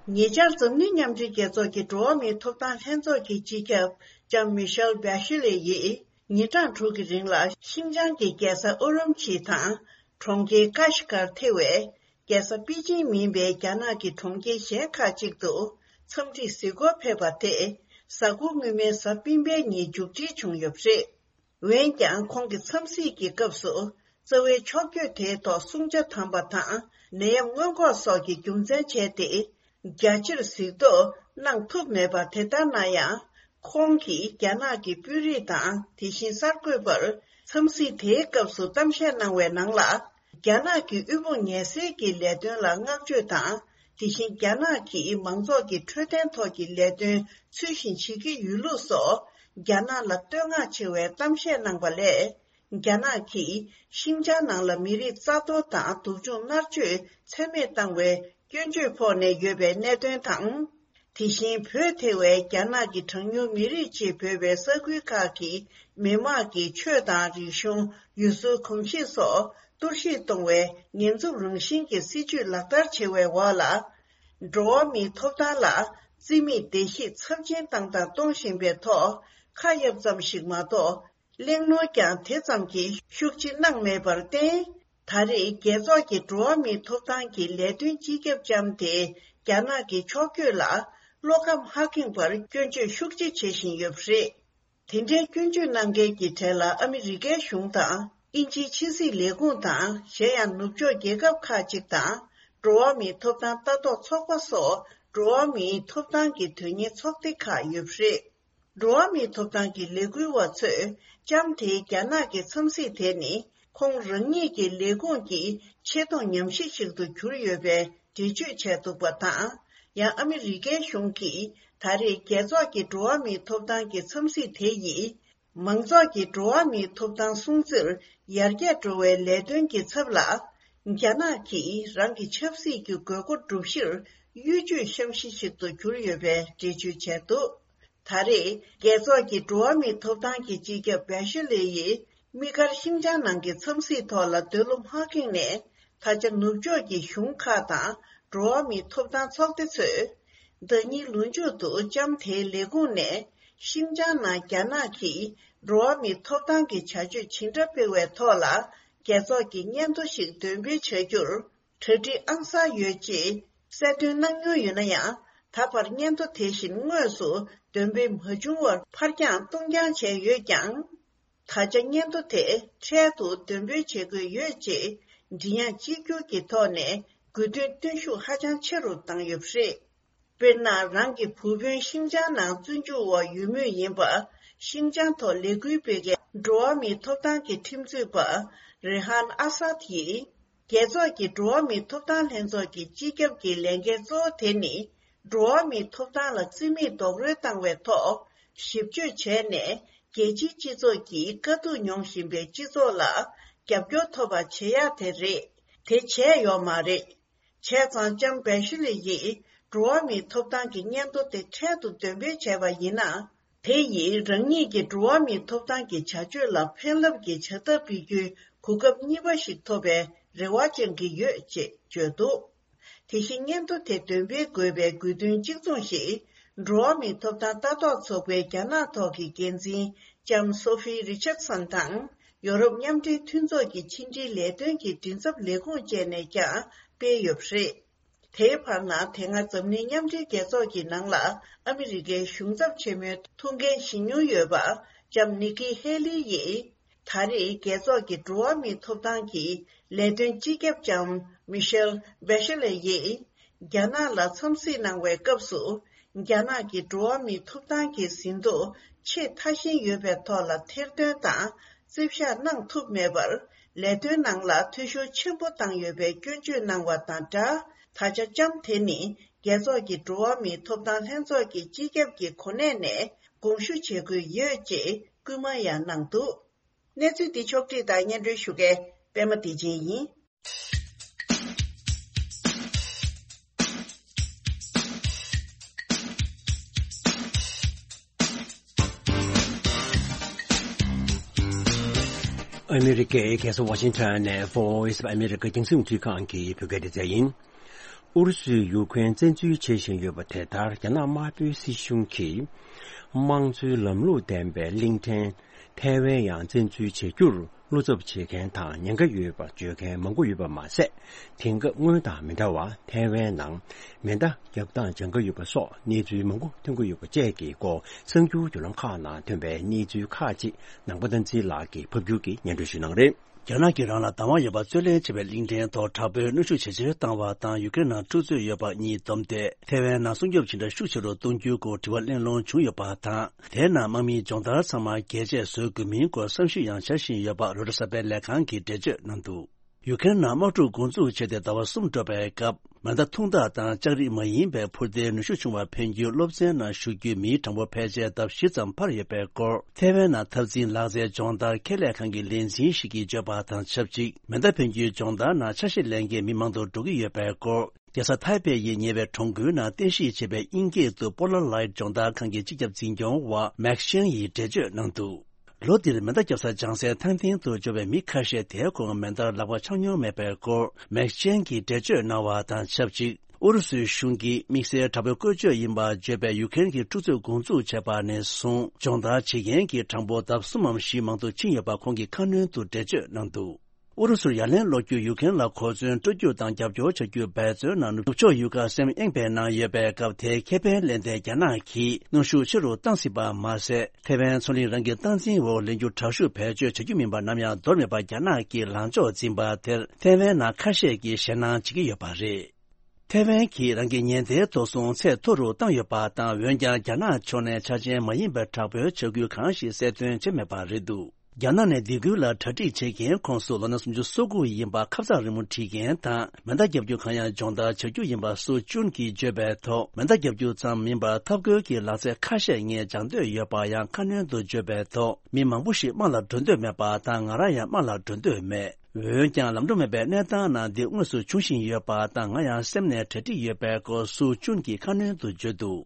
ཉེ་ཆར་འཛམ་གླིང་མཉམ་འབྲེལ་རྒྱལ་ཚོགས་ཀྱི་འགྲོ་བ་མིའི་ཐོབ་ཐང་ལྷན་ཚོགས་ཀྱི་སྤྱི་ཁྱབ་ལྕམ་མི་ཤེལ་བྷེ་ཤི་ལེ་ཡིས་ཉིན་གྲངས་དྲུག་གི་རིང་ལ་ཤིན་ཅང་གི་རྒྱལ་ས་ཨུ་རུམ་ཆི་དང་གྲོང་ཁྱེར་ཀ་ཤི་ཀར་ཐེ་བའི་རྒྱལ་ས་པེ་ཅིང་མིན་པའི་རྒྱ་ནག་གི་གྲོང་ཁྱེར་གཞན་ཁག་ཅིག་ཏུ་འཚམས་འདྲིར་གཟིགས་སྐོར་ཕེབས་པ་དེ་གཟའ་འཁོར་སྔོན་མའི་གཟའ་སྤེན་པའི་ཉིན་མཇུག་སྒྲིལ་བྱུང་ཡོད་པ་རེད། འོན་ཀྱང་ཁོང་གི་འཚམས་གཟིགས་ཀྱི་སྐབས་སུ་རྩ་བའི་ཕྱོགས་བསྐྱོད་དེའི་ཐོག་སྲུང་བྱ་དམ་པ་དང་ནད་ཡམས་སྔོན་འགོག་སོགས་ཀྱི་རྒྱུ་མཚན་བྱས་ཏེ། རྒྱ་ཆེར་གཟིགས་རྟོག་གནང་ཐུབ་མེད་པ། དེ་ལྟར་ན་ཡང་། ཁོང་གིས་རྒྱ་ནག་གི་དཔོན་རིགས་དང་། དེ་བཞིན་གསར་འགོད་པར་འཚམས་གཟིགས་དེའི་སྐབས་སུ་གཏམ་བཤད་གནང་བའི་ནང་ལ། རྒྱ་ནག་གི་དབུལ་ཕོངས་ངལ་སེལ་གྱི་ལས་དོན་ལ་བསྔགས་བརྗོད་དང་། དེ་བཞིན་རྒྱ་ནག་གིས་མང་ཚོགས་ཀྱི་འཕྲོད་བསྟེན་ཐོག་གི་ལས་དོན་ཚུལ་བཞིན་བྱེད་ཀྱི་ཡོད་ལུགས་སོགས། རྒྱ་ནག་ལ་བསྟོད་བསྔགས་ཆེ་བའི་གཏམ་བཤད་གནང་བ་ལས། རྒྱ་ནག་གིས་ཤིན་ཅང་ནང་ལ་མི་རིགས་རྩ་གཏོར་དང་སྡུག་སྦྱོང་མནར་གཅོད་ཚད་མེད་བཏང་བའི་སྐྱོན་བརྗོད་ཕོག་ནས་ཡོད་པའི་གནད་དོན་དང་། དེ་བཞིན་བོད་ཐེ་བའི་རྒྱ་ནག་གི་གྲངས་ཉུང་མི་རིགས་ཅེས་འབོད་པའི་ས་ཁུལ་ཁག་གི་མི་དམངས་ཀྱི་ཆོས་དང་རིག་གཞུང་། ཡུལ་སྲོལ་གོམས་གཤིས་སོགས་གཏོར་བཤིག་གཏོང་བའི་ཉེན་འཚུབ་རང་བཞིན་གྱི་སྲིད་བྱུས་ལག་བསྟར་བྱེད་པའི་འོག་ལ། འགྲོ་བ་མིའི་ཐོབ་ཐང་ལ་རྩིས་མེད་བརྡལ་བཤིག་ཚབས་ཆེན་བཏང་དང་གཏོང་བཞིན་པའི་ཐོག་ཁ་གཡར་ཙམ་ཞིག་མ་གཏོགས། གླེང་སློང་ཀྱང་དེ་ཙམ་གྱིས་ཤུགས་ཆེ་གནང་མེད་པར་བརྟེན། ད་རེས་རྒྱལ་ཚོགས་ཀྱི་འགྲོ་བ་མིའི་ཐོབ་ཐང་གི་ལས་དོན་སྤྱི་ཁྱབ་ལྕམ་དེ་རྒྱ་ནག་གི་ཕྱོགས་བསྐྱོད་ལ་བློ་ཁ་མ་ཁེངས་པར་སྐྱོན་བརྗོད་ཤུགས་ཆེ་བྱེད་བཞིན་ཡོད་པ་རེད། དེ་འདྲའི་སྐྱོན་བརྗོད་གནང་མཁན་གྱི་གྲས་ལ་ཨ་མི་རི་ཀའི་གཞུང་དང་། དབྱིན་ཇིའི་ཕྱི་སྲིད་ལས་ཁུངས་དང་། གཞན་ཡང་ནུབ་ཕྱོགས་རྒྱལ་ཁབ་ཁག་ཅིག་དང་། འགྲོ་བ་མིའི་ཐོབ་ཐང་ལྟ་རྟོག་ཚོགས་པ་སོགས་འགྲོ་བ་མིའི་ཐོབ་ཐང་གི་དོན་གཉེར་ཚོགས་སྡེ་ཁག་ཡོད་པ་རེད། འགྲོ་བ་མིའི་ཐོབ་ཐང་གི་ལས་འགུལ་བ་ཚོས་ལྕམ་དེའི་རྒྱ་ནག་གི་འཚམས་གཟིགས་དེ་ནི་ཁོང་རང་ཉིད་ཀྱི་ལས་ཁུངས་ཀྱི་ཆེ་མཐོང་ཉམས་ཞིབ་ཞིག་ཏུ་གྱུར་ཡོད་པའི་འགྲེལ་བརྗོད་བྱས་འདུག་པ་དང་། ཡང་ཨ་མི་རི་ཀའི་གཞུང་གིས་ད་རེས་རྒྱལ་ཚོགས་ཀྱི་འགྲོ་བ་མིའི་ཐོབ་ཐང་གི་འཚམས་གཟིགས་དེ་ཡིས། མང་ཚོགས་ཀྱི་འགྲོ་བ་མིའི་ཐོབ་ཐང་སྲུང་བརྩིར་ཡར་རྒྱས་འགྲོ་བའི་ལས་དོན་གྱི་ཚབ་ལ། རྒྱ་ནག་གིས་རང་གི་ཆབ་སྲིད་ཀྱི་དགོས་མཁོ་སྒྲུབ་གཞིར་གཡོ་ཇུས་བཤམས་གཞི་ཞིག་ཏུ་གྱུར་ཡོད་པའི་འགྲེལ་བརྗོད་བྱས་འདུག་ད་རེས་རྒྱལ་ཚོགས་ཀྱི་འགྲོ་བ་མིའི་ཐོབ་ཐང་གི་སྤྱི་ཁྱབ་བྷེ་ཤི་ལེ་ཡིས་དམིགས་བཀར་ཤིན་ཅང་ནང་གི་འཚམས་གཟིགས་ཐོག་ལ་འདོད་བློ་མ་ཁེངས་ནས། ད་ཆ་ནུབ་ཕྱོགས་ཀྱི་གཞུང་ཁག་དང་འགྲོ་བ་མིའི་ཐོབ་ཐང་ཚོགས་སྡེ་ཚོས། ཟླ་ཉིན་ལོ་མཇུག་ཏུ་ལྕམ་དེའི་ལས་ཁུངས་ནས་ ཤིན་ཅང་ནང་རྒྱ་ནག་གིས་འགྲོ་བ་མིའི་ཐོབ་ཐང་གི་བྱ་སྤྱོད་ཇི་འདྲ་སྤེལ་བའི་ཐོག་ལ་རྒྱལ་ཚོགས་ཀྱི་སྙན་ཐོ་ཞིག་འདོན་སྤེལ་བྱ་རྒྱུར་གྲ་སྒྲིག་ཨང་གསར་ཡོད་ཅེས་གསལ་སྟོན་གནང་མྱོང་ཡོད་ན་ཡང་། ད་བར་སྙན་ཐོ་དེ་བཞིན་དངོས་སུ་འདོན་སྤེལ་མ་བྱུང་བར་ཕར་འགྱངས་གཏོང་འགྱངས་བྱས་ཡོད་ཀྱང་། ད་ཆ་སྙན་ཐོ་དེ་འཕྲལ་དུ་འདོན་སྤེལ་བྱེད་དགོས་ཡོད་ཅེས་མགྲིན་དབྱངས་གཅིག་གྱུར་གྱི་ཐོག་ནས་དགོས་འདུན་བཏོན་ཤུགས་ཧ་ཅང་ཆེ་རུ་བཏང་ཡོད་པ་རེད། དཔེར་ན། རང་གི་བུ་སྤུན་ཤིན་ཅང་ནང་བཙོན་འཇུག་འོག་ཡོད་མུས་ཡིན་པ། ཤིན་ཅང་ཐོག་ལས་འགུལ་སྤེལ་མཁན་འགྲོ་བ་མིའི་ཐོབ་ཐང་གི་ཁྲིམས་རྩོད་པ་རེ་ཧན་ཨ་སཱད་ཡིས། རྒྱལ་ཚོགས་ཀྱི་འགྲོ་བ་མིའི་ཐོབ་ཐང་ལྷན་ཚོགས་ཀྱི་སྤྱི་ཁྱབ་ཀྱི་ལས་འགན་གཙོ་བོ་དེ་ནི། འགྲོ་བ་མིའི་ཐོབ་ཐང་ལ་བརྩི་མེད་རྡོག་རོལ་བཏང་བའི་ཐོག་ཞིབ་དཔྱོད་བྱས་ནས། རྒྱལ་སྤྱིའི་སྤྱི་ཚོགས་ཀྱིས་དཀའ་སྡུག་མྱོང་བཞིན་པའི་སྤྱི་ཚོགས་ལ་རྒྱབ་སྐྱོར་ཐོབ་པ་བྱེད་ཡག་དེ་རེད། དེ་བྱས་ཡོད་མ་རེད། བྱས་ཙང་ལྕམ་བེ་ཤི་ལེ་ཡིས་འགྲོ་བ་མིའི་ཐོབ་ཐང་གི་སྙན་ཐོ་དེ་འཕྲལ་དུ་འདོན་སྤེལ་བྱས་པ་ཡིན་ན། དེ་ཡིས་རང་ཉིད་ཀྱི་འགྲོ་བ་མིའི་ཐོབ་ཐང་གི་བྱ་སྤྱོད་ལ་ཕན་རླབས་ཀྱི་བྱ་ཐབས་སྤེལ་རྒྱུའི་གོ་སྐབས་གཉིས་པ་ཞིག་ཐོབ་པའི་རེ་བ་བཅང་གི་ཡོད་ཅེས་བརྗོད་འདུག་དེ་བཞིན་སྙན་ཐོ་དེ་འདོན་སྤེལ་དགོས་པའི་དགོས་འདུན་གཅིག་མཚུངས་ཤིག་འགྲོ་བ་མིའི་ཐོབ་ཐང་ལྟ་རྟོག་ཚོགས་པའི་རྒྱ་ནག་ཐོག་གི་འགན་འཛིན་ལྕམ་སོ་ཧྥི་རི་ཆར་སན་དང་། ཡོ་རོབ་མཉམ་འབྲེལ་མཐུན་ཚོགས་ཀྱི་ཕྱི་འབྲེལ་ལས་དོན་གྱི་མགྲིན་ཚབ་ལས་ཁུངས་བཅས་ནས་ཀྱང་སྤེལ་ཡོད་པ་རེད། དེའི་བར་ན། དེ་སྔ་འཛམ་གླིང་མཉམ་འབྲེལ་རྒྱལ་ཚོགས་ཀྱི་ནང་ལ་ཨ་མི་རི་ཀའི་གཞུང་ཚབ་ཆེན་མོའི་ཐུགས་འགན་བཞེས་མྱོང་ཡོད་པ་ལྕམ་ནི་ཀི་ཧེ་ལི་ཡིས། ད་རེས་རྒྱལ་ཚོགས་ཀྱི་འགྲོ་བ་མིའི་ཐོབ་ཐང་གི་ལས་དོན་སྤྱི་ཁྱབ་ལྕམ་མི་ཤེལ་བེ་ཤེ་ལེ་ཡིས། རྒྱ་ནག་ལ་འཚམས་གཟིགས་གནང་བའི་སྐབས་སུ། རྒྱ་ནག་གི་འགྲོ་བ་མིའི་ཐོབ་ཐང་གི་ཟིན་ཐོ་ཆེས་མཐའ་ཞན་ཡོད་པའི་ཐོག་ལ་ཐེར་འདོན་དང་རྩིབ་བཞག་གནང་ཐུབ་མེད་པར། ལས་དོན་ནང་ལ་འཐུས་ཤོར་ཆེན་པོ་བཏང་ཡོད་པའི་སྐྱོན་བརྗོད་གནང་བ་དང་སྦྲགས། ད་ཆ་ལྕམ་དེ་ནི་རྒྱལ་ཚོགས་ཀྱི་འགྲོ་བ་མིའི་ཐོབ་ཐང་ལྷན་ཚོགས་ཀྱི་སྤྱི་ཁྱབ་ཀྱི་གོ་གནས་ནས་དགོངས་ཞུ་བྱེད་དགོས་ཡོད་ཅེས་སྐུལ་མ་ཡང་གནང་འདུག་གནས་ཚུལ་འདི་ཕྱོགས་བསྒྲིགས་དང་སྙན་སྒྲོན་ཞུ་མཁན་པད་མ་བདེ་ཆེན་ཡིན། ཨ་མི་རི་ཀའི་རྒྱལ་ས་ཝ་ཤིང་ཊོན་ནས་Voice of America རྒྱང་སྲིང་རླུང་འཕྲིན་ཁང་གི་བོད་སྐད་སྡེ་ཚན་ཡིན། ཨུ་རུ་སུས་ཡུ་ཁུ་རེན་བཙན་འཛུལ་བྱེད་བཞིན་ཡོད་པ་དེ་ལྟར། རྒྱ་ནག་དམར་པོའི་སྲིད་གཞུང་གིས་དམངས་གཙོའི་ལམ་ལུགས་ལྡན་པའི་གླིང་ཕྲན་ཐའེ་ཝན་ཡང་བཙན་འཛུལ་བྱེད་རྒྱུར་བློ་འཚབ་བྱེད་མཁན་དང་ཉེན་ཁ་ཡོད་པ་བརྗོད་མཁན་མང་པོ་ཡོད་པ་མ་ཟད། དེང་སྐབས་སྔོན་དང་མི་འདྲ་བར་ཐའེ་ཝན་ནང་མེ་མདའ་བརྒྱབ་སྟངས་ཇག་ཁ་ཡོད་པ་སོགས་གནས་ཚུལ་མང་པོ་ཐོན་གྱི་ཡོད་པ་བཅས་ཀྱི་སྐོར་གསར་འགྱུར་བརྒྱུད་ལམ་ཁག་ནང་ཐོན་པའི་གནས་ཚུལ་ཁག་ཅིག་ནང་པ་བསྟན་འཛིན་ལགས་ཀྱིས་ཕབ་སྒྱུར་གྱིས་སྙན་སྒྲོན་ཞུ་གནང་རེད། རྒྱ་ནག་གིས་རང་ལ་བདག་དབང་ཡོད་པ་རྩོད་ལེན་བྱས་པའི་གླིང་ཕྲན་ཐོག་དྲག་པོའི་གནོན་ཤུགས་ཇེ་ཆེར་བཏང་བ་དང་། ཡུ་ཀེ་རེན་ནང་འཁྲུག་རྩོད་ཡོད་པ་གཉིས་བསྡོམས་ཏེ། ཐའེ་ཝན་ནང་སྲུང་སྐྱོབ་ཇི་འདྲ་ཤུགས་ཆེ་རུ་གཏོང་རྒྱུའི་སྐོར་དྲི་བ་གླེང་སློང་བྱུང་ཡོད་པ་དང་། དེའི་ནང་དམག་མིའི་སྦྱོང་བརྡར་ཚང་མ་རྒྱས་བཅད་བཟོ་དགོས་མིན་སྐོར་བསམ་ཞིབ་ཡང་བྱ་བཞིན་ཡོད་པ་རོའི་ཊར་གསར་པའི་ལས་ཁང་གིས་འགྲེལ་བརྗོད་གནང་འདུག་ཡུ་ཀེ་རེན་ནང་དམག་འཁྲུག་འགོ་འཛུགས་བྱས་ཏེ་ཟླ་བ་གསུམ་འགྲོ་བའི་སྐབས། མེ་མདའ་ཐུང་ཐག་དང་ལྕགས་རིགས་མ་ཡིན་པའི་འཕུར་མདེལ་ནུས་ཤུགས་ཆུང་བ་འཕེན་རྒྱུའི་སློབ་ཚན་ནང་ཞུགས་རྒྱུའི་མིའི་གྲངས་འབོར་ཕལ་ཆེར་ལྡབ་བཞི་ཙམ་འཕར་ཡོད་པའི་སྐོར། ཐའེ་ཝན་ནང་འཐབ་འཛིང་ལག་རྩལ་སྦྱོང་བརྡར་ཁེ་ལས་ཁང་གི་ལས་འཛིན་ཞིག་གིས་བརྗོད་པ་དང་ཆབས་ཅིག་མེ་མདའ་འཕེན་རྒྱུའི་སྦྱོང་བརྡར་ནང་ཆ་ཤས་ལེན་མཁན་མི་མང་དུ་འགྲོ་གི་ཡོད་པའི་སྐོར། རྒྱལ་ས་ཐའེ་པེ་ཡི་ཉེ་བའི་གྲོང་ཁུལ་ནང་རྟེན་གཞི་བྱས་པའི་དབྱིན་སྐད་དུ་པོ་ལ་ལའིད་སྦྱོང་བརྡར་ཁང་གི་སྤྱི་ཁྱབ་འཛིན་སྐྱོང་བ་མེག་ཤན་ཡིས་འགྲེལ་བརྗོད་གནང་འདུག་ལོ་འདིར་མེ་མདའ་བརྒྱབ་ས་སྦྱང་སའི་ཐང་སྟེང་དུ་འབྱོར་བའི་མི་ཁ་ཤས་དེའི་གོང་མེ་མདའར་ལག་པ་འཆང་མྱོང་མེད་པའི་སྐོར། མེག་ཅན་གྱིས་འགྲེལ་བརྗོད་གནང་བ་དང་ཆབས་ཅིག་ཨུ་རུ་སུའི་གཞུང་གིས་དམིགས་བསལ་དྲག་པོའི་བཀོལ་སྤྱོད་ཡིན་པར་བརྗོད་པའི་ཡུ་ཀེ་རེན་གྱི་འཁྲུག་རྩོད་འགོ་འཛུགས་བྱས་པ་ནས་བཟུང་སྦྱོང་བརྡར་བྱེད་མཁན་གྱི་གྲངས་འབོར་ལྡབ་གསུམ་མམ་བཞི་མང་དུ་ཕྱིན་ཡོད་པ་ཁོང་གིས་ཁ་སྣོན་དུ་འགྲེལ་བརྗོད་གནང་འདུག་ཨུ་རུ་སུར་ཡ་ལན་སློག་རྒྱུར་ཡུ་ཀེ་རེན་ལ་གོ་མཚོན་སྤྲོད་རྒྱུ་དང་རྒྱབ་སྐྱོར་བྱ་རྒྱུའི་འབད་བརྩོན་ནང་ནུབ་ཕྱོགས་ཡུལ་ཁག་སེམས་གཡེང་བའི་ནང་ཡོད་པའི་སྐབས། དེའི་ཁེ་ཕན་ལེན་ཏེ་རྒྱ་ནག་གིས་གནོན་ཤུགས་ཆེ་རུ་བཏང་སྲིད་པ་མ་ཟད། ཐའེ་ཝན་མཚོ་གླིང་རང་གི་སྟངས་འཛིན་འོག་ལེན་རྒྱུ་དྲག་ཤུགས་བེད་སྤྱོད་བྱ་རྒྱུ་མིན་པ་ནམ་ཡང་འདོར་མེད་པར་རྒྱ་ནག་གིས་ལངས་ཕྱོགས་འཛིན་པ་དེར་ཐའེ་ཝན་ནང་ཁ་ཤས་ཀྱིས་ཞེད་སྣང་བྱེད་ཀྱི་ཡོད་པ་རེད། ཐའེ་ཝན་གྱིས་རང་གི་ཉེན་བརྡའི་ཐོ་གསུམ་ཚད་མཐོ་རུ་བཏང་ཡོད་པ་དང་། འོན་ཀྱང་རྒྱ་ནག་ཕྱོགས་ནས་ཆ་རྐྱེན་མ་ཡིན་པའི་དྲག་པོའི་བྱ་འགུལ་གང་ཞིག་གསལ་སྟོན་བྱས་མེད་པ་རེད་འདུག་རྒྱ་ནག་ནས་སྡིགས་སྐུལ་ལ་གྲ་སྒྲིག་བྱེད་མཁན་ཁོངས་སུ་ལོ་ན་སུམ་ཅུ་སོ་དགུ་ཡིན་པ་ཁ་ཚ་རི་མོ་བྲིས་མཁན་དང་། མེ་མདའ་བརྒྱབ་རྒྱུ་གང་ཡང་སྦྱོང་བརྡར་བྱ་རྒྱུ་ཡིན་པ་སུ་ཅུན་གྱིས་བརྗོད་པའི་ཐོག་མེ་མདའ་བརྒྱབ་རྒྱུ་ཙམ་མིན་པར་འཐབ་རྒོལ་གྱི་ལག་རྩལ་ཁ་ཤས་ངས་སྦྱང་འདོད་ཡོད་པ་ཡང་ཁ་སྣོན་དུ་བརྗོད་པའི་ཐོག་མི་མང་པོ་ཞིག་དམག་ལ་འགྲོ་འདོད་མེད་པ་དང་། ང་རང་ཡང་དམག་ལ་འགྲོ་འདོད་མེད། འོན་ཀྱང་ལམ་འགྲོ་མེད་པའི་གནས་སྟངས་ནང་འདི་དངོས་སུ་འབྱུང་བཞིན་ཡོད་པ་དང་། ང་ཡང་སེམས་ནས་གྲ་སྒྲིག་ཡོད་པའི་སྐོར་སུ་ཅུན་གྱིས་ཁ་སྣོན་དུ་བརྗོད་འདུག་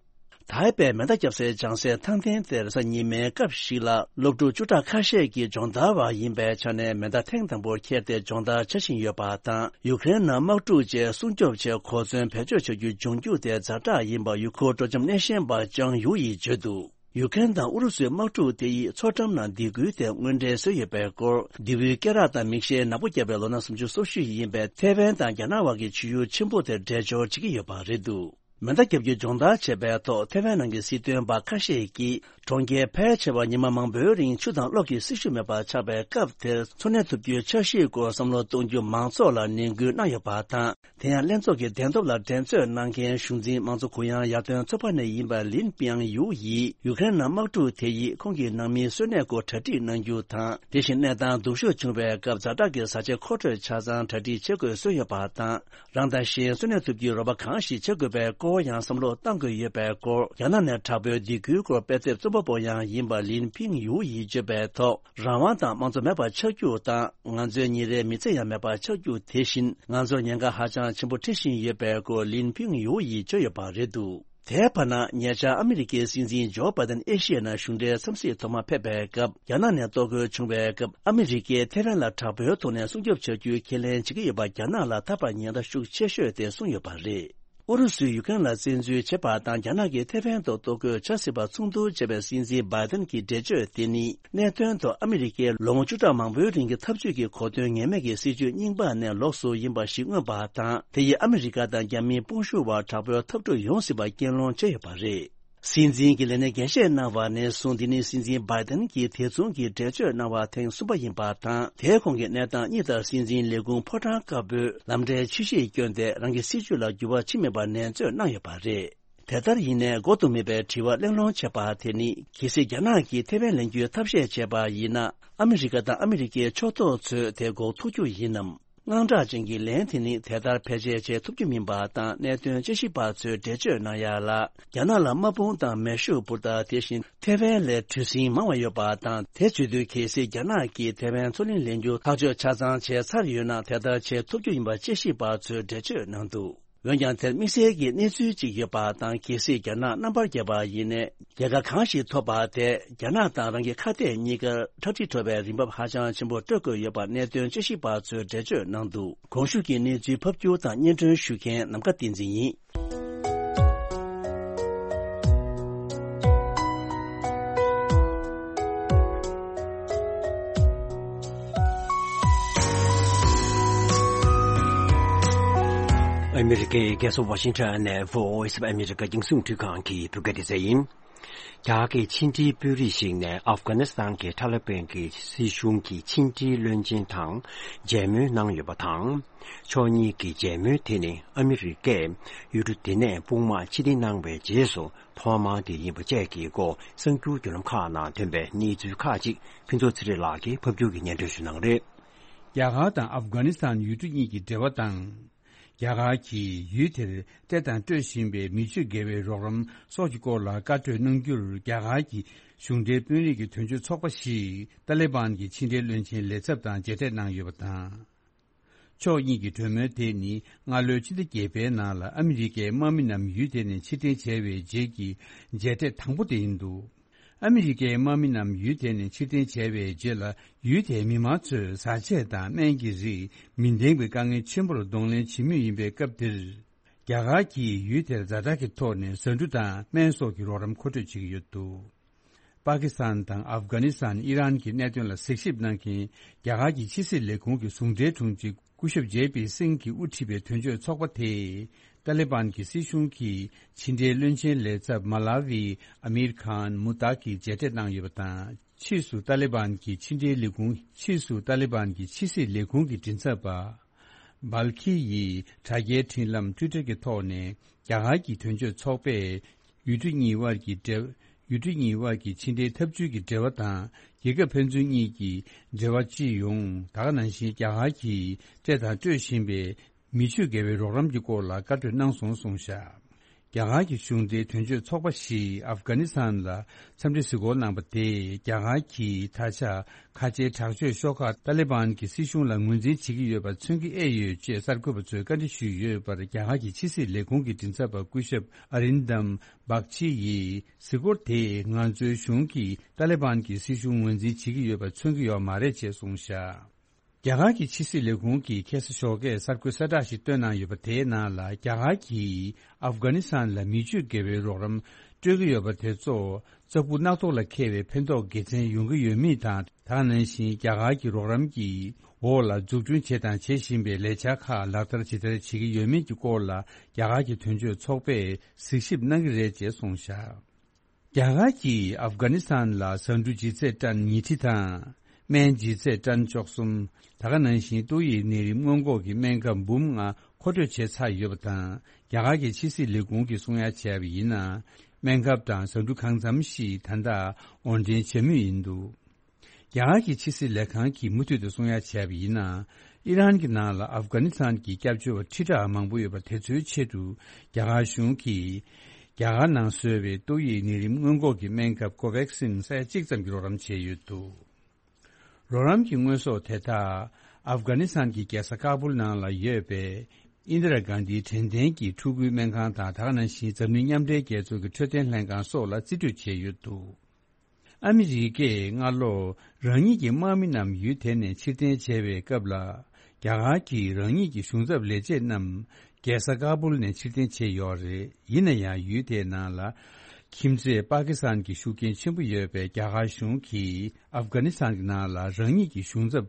ཐའེ་པེ་མེ་མདའ་བརྒྱབ་སའི་སྦྱང་སའི་ཐང་སྟེང་དེར་གཟའ་ཉི་མའི་སྐབས་ཤིག་ལ་སློབ་ཕྲུག་བཅུ་ཕྲག་ཁ་ཤས་ཀྱིས་སྦྱོང་བརྡར་བ་ཡིན་པའི་ཆ་ནས་མེ་མདའ་ཐེངས་དང་པོར་འཁྱེར་ཏེ་སྦྱོང་བརྡར་བྱ་བཞིན་ཡོད་པ་དང་། ཡུཀ་རེན་ནང་དམག་འཁྲུག་རྗེས་སྲུང་སྐྱོབ་ཆེད་གོ་མཚོན་བེད་སྤྱོད་བྱ་རྒྱུ་འབྱུང་རྒྱུ་དེ་ཛ་དྲག་ཡིན་པ་ཡུ་ཁུར་སྤྲོ་འཆམ་སྣེ་ཤན་པ་ཅང་ཡུ་ཡིས་བརྗོད་འདུག་ཡུ་ཀེ་རེན་དང་ཨུ་རུ་སུའི་དམག་འཁྲུག་དེ་ཡིས་མཚོ་འགྲམ་ནང་སྡིགས་སྐུལ་དེ་དངོས་འབྲེལ་བཟོས་ཡོད་པའི་སྐོར། མདེའུའི་སྐེ་རགས་དང་མིག་ཤེལ་ནག་པོ་བརྒྱབ་པའི་ལོ་ན་སུམ་ཅུ་སོ་བཞི་ཡིན་པའི་ཐེ་ཝན་དང་རྒྱ་ནག་དབར་གྱི་ཆུ་ཡུར་ཆེན་པོ་དེར་འདྲེས་སྦྱོར་བྱེད་ཀྱི་ཡོད་པ་རེད་འདུག་མེ་མདའ་བརྒྱབ་རྒྱུ་སྦྱོང་བརྡར་བྱས་པའི་ཐོག་ཐེ་ཝན་ནང་གི་སྲིད་དོན་པ་ཁ་ཤས་ཀྱིས། གྲོང་ཁྱེར་ཕལ་ཆེ་བ་ཉི་མ་མང་པོའི་རིང་ཆུ་དང་གློག་གི་སྲི་ཞུ་མེད་པར་ཆགས་པའི་སྐབས་དེར་འཚོ་གནས་ཐུབ་རྒྱུའི་འཆར་གཞིའི་སྐོར་བསམ་བློ་གཏོང་རྒྱུ་མང་ཚོགས་ལ་ནན་སྐུལ་གནང་ཡོད་པ་དང་། དེ་ཡང་ལྷན་ཚོགས་ཀྱི་གདན་ཐོབ་ལ་འགྲན་རྩོད་གནང་མཁན་གཞུང་འཛིན་དམངས་གཙོ་གུ་ཡངས་ཡར་ཐོན་ཚོགས་པ་ནས་ཡིན་པ་ལིན་པིང་ཡུའུ་ཡིས། ཡུ་ཀེ་རེན་ནང་དམག་འཁྲུག་དེ་ཡིས་ཁོང་གི་ནང་མིའི་གསོན་གནས་སྐོར་གྲ་སྒྲིག་གནང་རྒྱུ་དང་། དེ་བཞིན་གནས་སྟངས་སྡུག་ཤོས་བྱུང་བའི་སྐབས་ཛ་དྲག་གི་བཟའ་བཅའ་མཁོ་སྤྲོད་ཆ་ཚང་གྲ་སྒྲིག་བྱེད་དགོས་གསུངས་ཡོད་པ་དང་། རང་དང་གཞན་གསོན་གནས་ཐུབ་རྒྱུའི་རོགས་པ་གང་ཞིག་བྱེད་དགོས་པའི་སྐོར་ཡང་བསམ་བློ་གཏང་དགོས་ཡོད་པའི་སྐོར། རྒྱ་ནག་ནས་དྲག་པོའི་སྡིགས་སྐུལ་སྐོར་དཔེ་དེབ་རྩོམ་པ་པོ་ཡང་ཡིན་པ་ལིན་ཕིང་ཡུའུ་ཡིས་བརྗོད་པའི་ཐོག་རང་དབང་དང་དམངས་གཙོ་མེད་པར་ཆགས་རྒྱུ་དང་། ང་ཚོའི་ཉིན་རེའི་མི་ཚེ་ཡང་མེད་པར་ཆགས་རྒྱུ་དེ་བཞིན་ང་ཚོར་ཉེན་ཁ་ཧ་ཅང་ཆེན་པོ་འཕྲད་བཞིན་ཡོད་པའི་སྐོར་ལིན་ཕིང་ཡུའུ་ཡིས་བརྗོད་ཡོད་པ་རེད་འདུག་དེའི་བར་ན། ཉེ་ཆར་ཨ་མི་རི་ཀའི་སྲིད་འཛིན་ཇོ་བྷའི་ཏན་ཨེ་ཤི་ཡའི་ནང་གཞུང་འབྲེལ་འཚམས་གཟིགས་ཐོག་མ་ཕེབས་པའི་སྐབས། རྒྱ་ནག་ནས་གཏོར་རྒོལ་བྱུང་བའི་སྐབས། ཨ་མི་རི་ཀས་ཐེ་ཝན་ལ་དྲག་པོའི་ཐོག་ནས་སྲུང་སྐྱོབ་བྱ་རྒྱུའི་ཁས་ལེན་བྱེད་ཀྱི་ཡོད་པ། རྒྱ་ནག་ལ་ཐག་པ་ཉེ་དྲགས་ཤུགས་ཆེ་ཤོས་དེ་གསུངས་ཡོད་པ་རེད། ཨུ་རུ་སུས་ཡུ་ཀེ་རེན་ལ་བཙན་འཛུལ་བྱས་པ་དང་། རྒྱ་ནག་གིས་ཐེ་ཝན་དུ་གཏོར་རྒོལ་བྱ་སྲིད་པ་མཚུངས་བསྡུར་བྱས་པའི་སྲིད་འཛིན་བྷའི་ཏན་གྱི་འགྲེལ་བརྗོད་དེ་ནི། གནད་དོན་ཐོག་ཨ་མི་རི་ཀས་ལོ་ངོ་བཅུ་ཕྲག་མང་པོའི་རིང་གི་འཐབ་ཇུས་ཀྱི་གོ་དོན་ངེས་མེད་ཀྱི་སྲིད་ཇུས་རྙིང་པ་ནས་ལོགས་སུ་ཡིན་པ་ཞིག་མངོན་པ་དང་། དེ་ཡིས་ཨ་མི་རི་ཀ་དང་རྒྱ་མིའི་དཔུང་ཤུགས་བར་དྲག་པོའི་འཐབ་འཁྲུག་ཡོང་སྲིད་པ་རྐྱེན་སློང་བྱས་ཡོད་པ་རེད། སྲིད་འཛིན་གྱི་ལས་སྣེ་འགན་བཞེས་གནང་བ་ནས་བཟུང་། འདི་ནི་སྲིད་འཛིན་བྷའི་ཏན་གྱིས་དེ་མཚུངས་ཀྱི་འགྲེལ་བརྗོད་གནང་བ་ཐེངས་གསུམ་པ་ཡིན་པ་དང་། དེའི་གོང་གི་གནས་སྟངས་གཉིས་ལྟར། སྲིད་འཛིན་ལས་ཁུངས་ཕོ་བྲང་དཀར་པོས་ལམ་འབྲས་ཕྱི་བཤིག་བསྐྱོན་ཏེ། རང་གི་སྲིད་ཇུས་ལ་འགྱུར་བ་ཕྱིན་མེད་པར་ནན་བརྗོད་གནང་ཡོད་པ་རེད། དེ་ལྟར་ཡིན་ནའི། འགོག་ཏུ་མེད་པའི་དྲི་བ་གླེང་སློང་བྱས་པ་དེ་ནི། གལ་སྲིད་རྒྱ་ནག་གིས་ཐེ་ཝན་ལེན་རྒྱུའི་ཐབས་ཤེས་བྱས་པ་ཡིན་ན། ཨ་མི་རི་ཀ་དང་ཨ་མི་རི་ཀའི་ཕྱོགས་གཏོགས་ཚོས་དེ་འགོག་ཐུབ་རྒྱུ་ཡིན་ནམ། དངངས་སྐྲག་ཅན་གྱི་ལན་དེ་ནི་དེ་ལྟར་བེད་སྤྱད་བྱེད་ཐུབ་རྒྱུ་མིན་པ་དང་། གནད་དོན་དཔྱད་ཞིབ་པ་ཚོས་འགྲེལ་བརྗོད་གནང་ཡ་ལ། རྒྱ་ནག་ལ་དམག་དཔུང་དང་མེ་ཤུགས་འབུལ་སྟངས། དེ་བཞིན་ཐེ་ཝན་ལས་གྲུ་གཟིངས་མང་བ་ཡོད་པ་དང་། དེ་བྱེད་དུས་གལ་སྲིད་རྒྱ་ནག་གིས་ཐེ་ཝན་མཚོ་གླིང་ལེན་རྒྱུ་ཐག་གཅོད་ཆ་ཚང་བྱས་ཚར་ཡོད་ན། དེ་ལྟར་བྱེད་ཐུབ་རྒྱུ་ཡིན་པ་དཔྱད་ཞིབ་པ་ཚོས་འགྲེལ་བརྗོད་གནང་འདུག་འོན་ཀྱང་། དེར་དམིགས་བསལ་གྱི་གནས་ཚུལ་གཅིག་ཡོད་པ་དང་། གལ་སྲིད་རྒྱ་ནག་རྣམ་པར་རྒྱལ་བ་ཡིན་ནའི། རྒྱལ་ཁ་གང་ཞིག་ཐོབ་པ་དེས་རྒྱ་ནག་དང་རང་གི་ཁ་གཏད་གཉིས་ཀར་ཁྲག་དྲི་བྲོ་བའི་རིན་འབབ་ཧ་ཅང་ཆེན་པོ་སྤྲོད་དགོས་ཡོད་པ་གནད་དོན་དཔྱད་ཞིབ་པ་ཚོས་འགྲེལ་བརྗོད་གནང་འདུག་གོང་ཞུས་ཀྱི་གནས་ཚུལ་ཕབ་སྒྱུར་དང་སྙན་སྒྲོན་ཞུ་མཁན་ནམ་མཁའ་བསྟན་འཛིན་ཡིན། ཨ་མི་རི་ཀའི་རྒྱལ་ས་ཝ་ཤིང་ཊོན་ནས་Voice of America རྒྱང་སྲིང་རླུང་འཕྲིན་ཁང་གི་བོད་སྐད་སྡེ་ཚན་ཡིན། རྒྱ་གར་གྱི་ཕྱི་འབྲེལ་དཔོན་རིགས་ཤིག་ནས་ཨབ་གྷ་ནི་སི་ཐན་གྱི་ཐ་ལི་བན་གྱི་སྲིད་གཞུང་གི་ཕྱི་འབྲེལ་བློན་ཆེན་དང་མཇལ་མོལ་གནང་ཡོད་པ་དང་། ཕྱོགས་གཉིས་ཀྱི་མཇལ་མོལ་དེ་ནི་ཨ་མི་རི་ཀས་ཡུལ་གྲུ་དེ་ནས་དཔུང་དམག་ཕྱིར་འཐེན་གནང་བའི་རྗེས་སུ་ཐོག་མ་དེ་ཡིན་པ་བཅས་ཀྱི་སྐོར་གསར་འགྱུར་བརྒྱུད་ལམ་ཁག་ནང་ཐོན་པའི་གནས་ཚུལ་ཁག་ཅིག་ཕུན་ཚོགས་ཚེ་རིང་ལགས་ཀྱིས་ཕབ་སྒྱུར་གྱིས་སྙན་སྒྲོན་ཞུ་གནང་གི་རེད། རྒྱ་གར་དང་ཨབ་གྷ་ནི་སི་ཐན་ཡུལ་གྲུ་གཉིས་ཀྱི་འབྲེལ་བ་དང་། རྒྱ་གར་གྱིས་ཡུལ་དེར་སྤྲད་དང་སྤྲོད་བཞིན་པའི་མི་ཆོས་འགལ་བའི་རོགས་རམ་སོགས་ཀྱི་སྐོར་ལ་བཀའ་གྲོས་གནང་རྒྱུར། རྒྱ་གར་གྱི་གཞུང་འབྲེལ་དཔོན་རིགས་ཀྱི་དོན་གཅོད་ཚོགས་པ་ཞིག་ཏཱ་ལི་བན་གྱི་ཕྱི་འབྲེལ་བློན་ཆེན་ལས་ཚབ་དང་མཇལ་འཕྲད་གནང་ཡོད་པ་དང་། ཕྱོགས་གཉིས་ཀྱི་གྲོས་མོལ་དེ་ནི་སྔ་ལོའི་ཕྱི་ཟླ་བརྒྱད་པའི་ནང་ལ་ཨ་མི་རི་ཀའི་དམག་མི་རྣམས་ཡུལ་དེ་ནས་ཕྱིར་འཐེན་བྱས་པའི་རྗེས་ཀྱི་མཇལ་འཕྲད་དང་པོ་དེ་ཡིན་འདུག་ཨ་མི་རི་ཀའི་དམག་མི་རྣམས་ཡུལ་དེ་ནས་ཕྱིར་འཐེན་བྱས་པའི་རྗེས་ལ། ཡུལ་དེའི་མི་མང་ཚོས་བཟའ་ཆས་དང་སྨན་གྱི་རིགས་མི་འདང་བའི་དཀའ་ངལ་ཆེན་པོར་གདོང་ལེན་བྱེད་མུས་ཡིན་པའི་སྐབས་འདིར། རྒྱ་གར་གྱིས་ཡུལ་དེར་ཛ་དྲག་གི་ཐོག་ནས་ཟ་འབྲུ་དང་སྨན་སོགས་ཀྱི་རོགས་རམ་མཁོ་སྤྲོད་བྱེད་ཀྱི་ཡོད་འདུག་པ་ཀི་སི་ཐན་དང་ཨབ་གྷ་ནི་སི་ཐན། ཨི་རན་གྱི་གནད་དོན་ལ་གཟིགས་ཞིབ་གནང་མཁན་རྒྱ་གར་གྱི་ཕྱི་སྲིད་ལས་ཁུངས་ཀྱི་ཟུང་འབྲེལ་དྲུང་ཆེ་སྐུ་ཞབས་ཇེ་པི་སིང་གིས་དབུ་ཁྲིད་པའི་དོན་གཅོད་ཚོགས་པ་དེས། ཏཱ་ལི་བན་གྱི་སྲིད་གཞུང་གི་ཕྱི་འབྲེལ་བློན་ཆེན་ལས་ཚབ་མ་ལ་ཝི་ཨ་མིར་ཁཱན་མུ་ཏཱག་གིས་མཇལ་འཕྲད་གནང་ཡོད་པ་དང་། ཕྱིས་སུ་ཏཱ་ལི་བན་གྱི་ཕྱི་འབྲེལ་ལས་ཁུངས། ཕྱིས་སུ་ཏཱ་ལི་བན་གྱི་ཕྱི་སྲིད་ལས་ཁུངས་ཀྱི་མགྲིན་ཚབ་པ་བལ་ཁི་ཡིས་དྲ་རྒྱའི་འཕྲིན་ལམ་ཊུའི་ཊར་གྱི་ཐོག་ནས། རྒྱ་གར་གྱི་དོན་གཅོད་ཚོགས་པས་ཡུལ་གྲུ་གཉིས་དབར་གྱི་འབྲེལ། ཡུལ་གྲུ་གཉིས་དབར་གྱི་ཕྱི་འབྲེལ་འཐབ་ཇུས་ཀྱི་འབྲེལ་བ་དང་། རྒྱལ་ཁབ་ཕན་ཚུན་གཉིས་ཀྱི་འབྲེལ་བ་སྤྱི་ཡོངས། ད་ག་ནང་བཞིན་རྒྱ་གར་གྱིས་སྤྲད་དང་སྤྲོད་བཞིན་པའི་མི་ཆོས་འགལ་བའི་རོགས་རམ་གྱི་སྐོར་ལ་བཀའ་གྲོས་གནང་སོང་གསུངས་བཞག་རྒྱ་གར་གྱི་གཞུང་འབྲེལ་དོན་གཅོད་ཚོགས་པ་ཞིག་ཨབ་གྷ་ནི་སི་ཐན་ལ་འཚམས་འདྲི་གཟིགས་སྐོར་གནང་པ་དེས། རྒྱ་གར་གྱིས་ད་ཆ་ཁ་ཆེའི་དྲག་སྤྱོད་ཤོག་ཁག་ཏཱ་ལི་བན་གྱི་སྲིད་གཞུང་ལ་ངོས་འཛིན་བྱེད་ཀྱི་ཡོད་པ་མཚོན་གྱི་ཨེ་ཡོད་ཅེས་གསར་འགོད་པ་ཚོས་བཀའ་འདྲི་ཞུས་ཡོད་པར། རྒྱ་གར་གྱི་ཕྱི་སྲིད་ལས་ཁུངས་ཀྱི་མགྲིན་ཚབ་པ་སྐུ་ཞབས་ཨ་རིན་དམ་བག་ཆི་ཡིས། གཟིགས་སྐོར་དེས་ང་ཚོའི་གཞུང་གིས་ཏཱ་ལི་བན་གྱི་སྲིད་གཞུང་ངོས་འཛིན་བྱེད་ཀྱི་ཡོད་པ་མཚོན་གྱི་ཡོད་མ་རེད་ཅེས་གསུངས་བཞག་རྒྱ་གར་གྱི་ཕྱི་སྲིད་ལས་ཁུངས་ཀྱིས་ཁ་སང་ཞོགས་ཀས་གསར་འགོད་གསལ་བསྒྲགས་ཤིག་བཏོན་གནང་ཡོད་པ། དེའི་ནང་ལ། རྒྱ་གར་གྱིས་ཨབ་གྷ་ནི་སི་ཐན་ལ་མི་ཆོས་འགལ་བའི་རོགས་རམ་སྤྲོད་ཀྱི་ཡོད་པ་དེ་ཚོ། ལྟག་ཕུ་སྣ་ཐོག་ལ་འཁེལ་བའི་ཕན་ཐོགས་དགེ་མཚན་ཡོང་གི་ཡོད་མེད་དང་། ད་ག་ནང་བཞིན་རྒྱ་གར་གྱི་རོགས་རམ་གྱི་འོག་ལ་འཛུགས་སྐྲུན་བྱས་དང་བྱེད་བཞིན་པའི་ལས་འཆར་ཁག་ལག་བསྟར་ཇི་ལྟར་བྱེད་ཀྱི་ཡོད་མེད་ཀྱི་སྐོར་ལ་རྒྱ་གར་གྱི་དོན་གཅོད་ཚོགས་པས་གཟིགས་ཞིབ་གནང་གི་རེད་ཅེས་གསུངས་བཞག་རྒྱ་གར་གྱིས་ཨབ་གྷ་ནི་སི་ཐན་ལ་ཟ་འབྲུ་ལྗིད་ཚད་ཏན་ཉིས་ཁྲི་དང་། སྨན་ལྗིད་ཚད་ཏན་བཅུ་གསུམ། ད་ག་ནང་བཞིན་ཏོག་དབྱིབས་ནད་རིམས་སྔོན་འགོག་གི་སྨན་ཁབ་འབུམ་ལྔ་མཁོ་སྤྲོད་བྱས་ཚར་ཡོད་པ་དང་། རྒྱ་གར་གྱི་ཕྱི་སྲིད་ལས་ཁུངས་ཀྱིས་གསུང་ཡ་བྱས་པ་ཡིན་ན། སྨན་ཁབ་དང་ཟ་འབྲུ་གང་འཚམ་ཞིག་ད་ལྟ་དབོར་འདྲེན་བྱེད་མུས་ཡིན་འདུག་རྒྱ་གར་གྱི་ཕྱི་སྲིད་ལས་ཁང་གིས་མུ་མཐུད་དུ་གསུང་ཡ་བྱས་པ་ཡིན་ན། ཨི་རན་གྱི་ནང་ལ་ཨབ་གྷ་ནི་སི་ཐན་གྱི་སྐྱབས་བཅོལ་བ་ཁྲི་ཕྲག་མང་པོ་ཡོད་པ་དེ་ཚོའི་ཆེད་དུ་རྒྱ་གར་གཞུང་གིས་རྒྱ་གར་ནང་བཟོས་པའི་ཏོག་དབྱིབས་ནད་རིམས་སྔོན་འགོག་གི་སྨན་ཁབ་ཀོ་ཝེག་སིན་ས་ཡ་གཅིག་ཙམ་གྱི་རོགས་རམ་བྱས་ཡོད་འདུག་རོགས་རམ་གྱི་དངོས་ཟོག་དེ་དག་ཨབ་གྷ་ནི་སི་ཐན་གྱི་རྒྱལ་ས་ཀ་བུལ་ནང་ལ་ཡོད་པའི་ཨིན་དི་ར་གྷན་དྷིའི་དྲན་རྟེན་གྱི་ཕྲུ་གུའི་སྨན་ཁང་དང་། ད་ག་ནང་བཞིན་འཛམ་གླིང་མཉམ་འབྲེལ་རྒྱལ་ཚོགས་ཀྱི་འཕྲོད་བསྟེན་ལྷན་ཁང་སོགས་ལ་རྩིས་སྤྲོད་བྱས་ཡོད་འདུག་ཨ་མི་རི་ཀས་སྔ་ལོ་རང་ཉིད་ཀྱི་དམག་མི་རྣམས་ཡུལ་དེ་ནས་ཕྱིར་འཐེན་བྱས་པའི་སྐབས་ལ། རྒྱ་གར་གྱིས་རང་ཉིད་ཀྱི་གཞུང་ཚབ་ལས་བྱེད་རྣམས་རྒྱལ་ས་ཀ་བུལ་ནས་ཕྱིར་འཐེན་བྱས་ཡོད་རེད། ཡིན་ན་ཡང་ཡུལ་དེའི་ནང་ལ་ཁྱིམ་མཚེས་པ་ཀི་སི་ཐན་གྱི་ཤུགས་རྐྱེན་ཆེན་པོ་ཡོད་པས། རྒྱ་གར་གཞུང་གིས་ཨབ་གྷ་ནི་སི་ཐན་གྱི་ནང་ལ་རང་ཉིད་ཀྱི་གཞུང་ཚབ་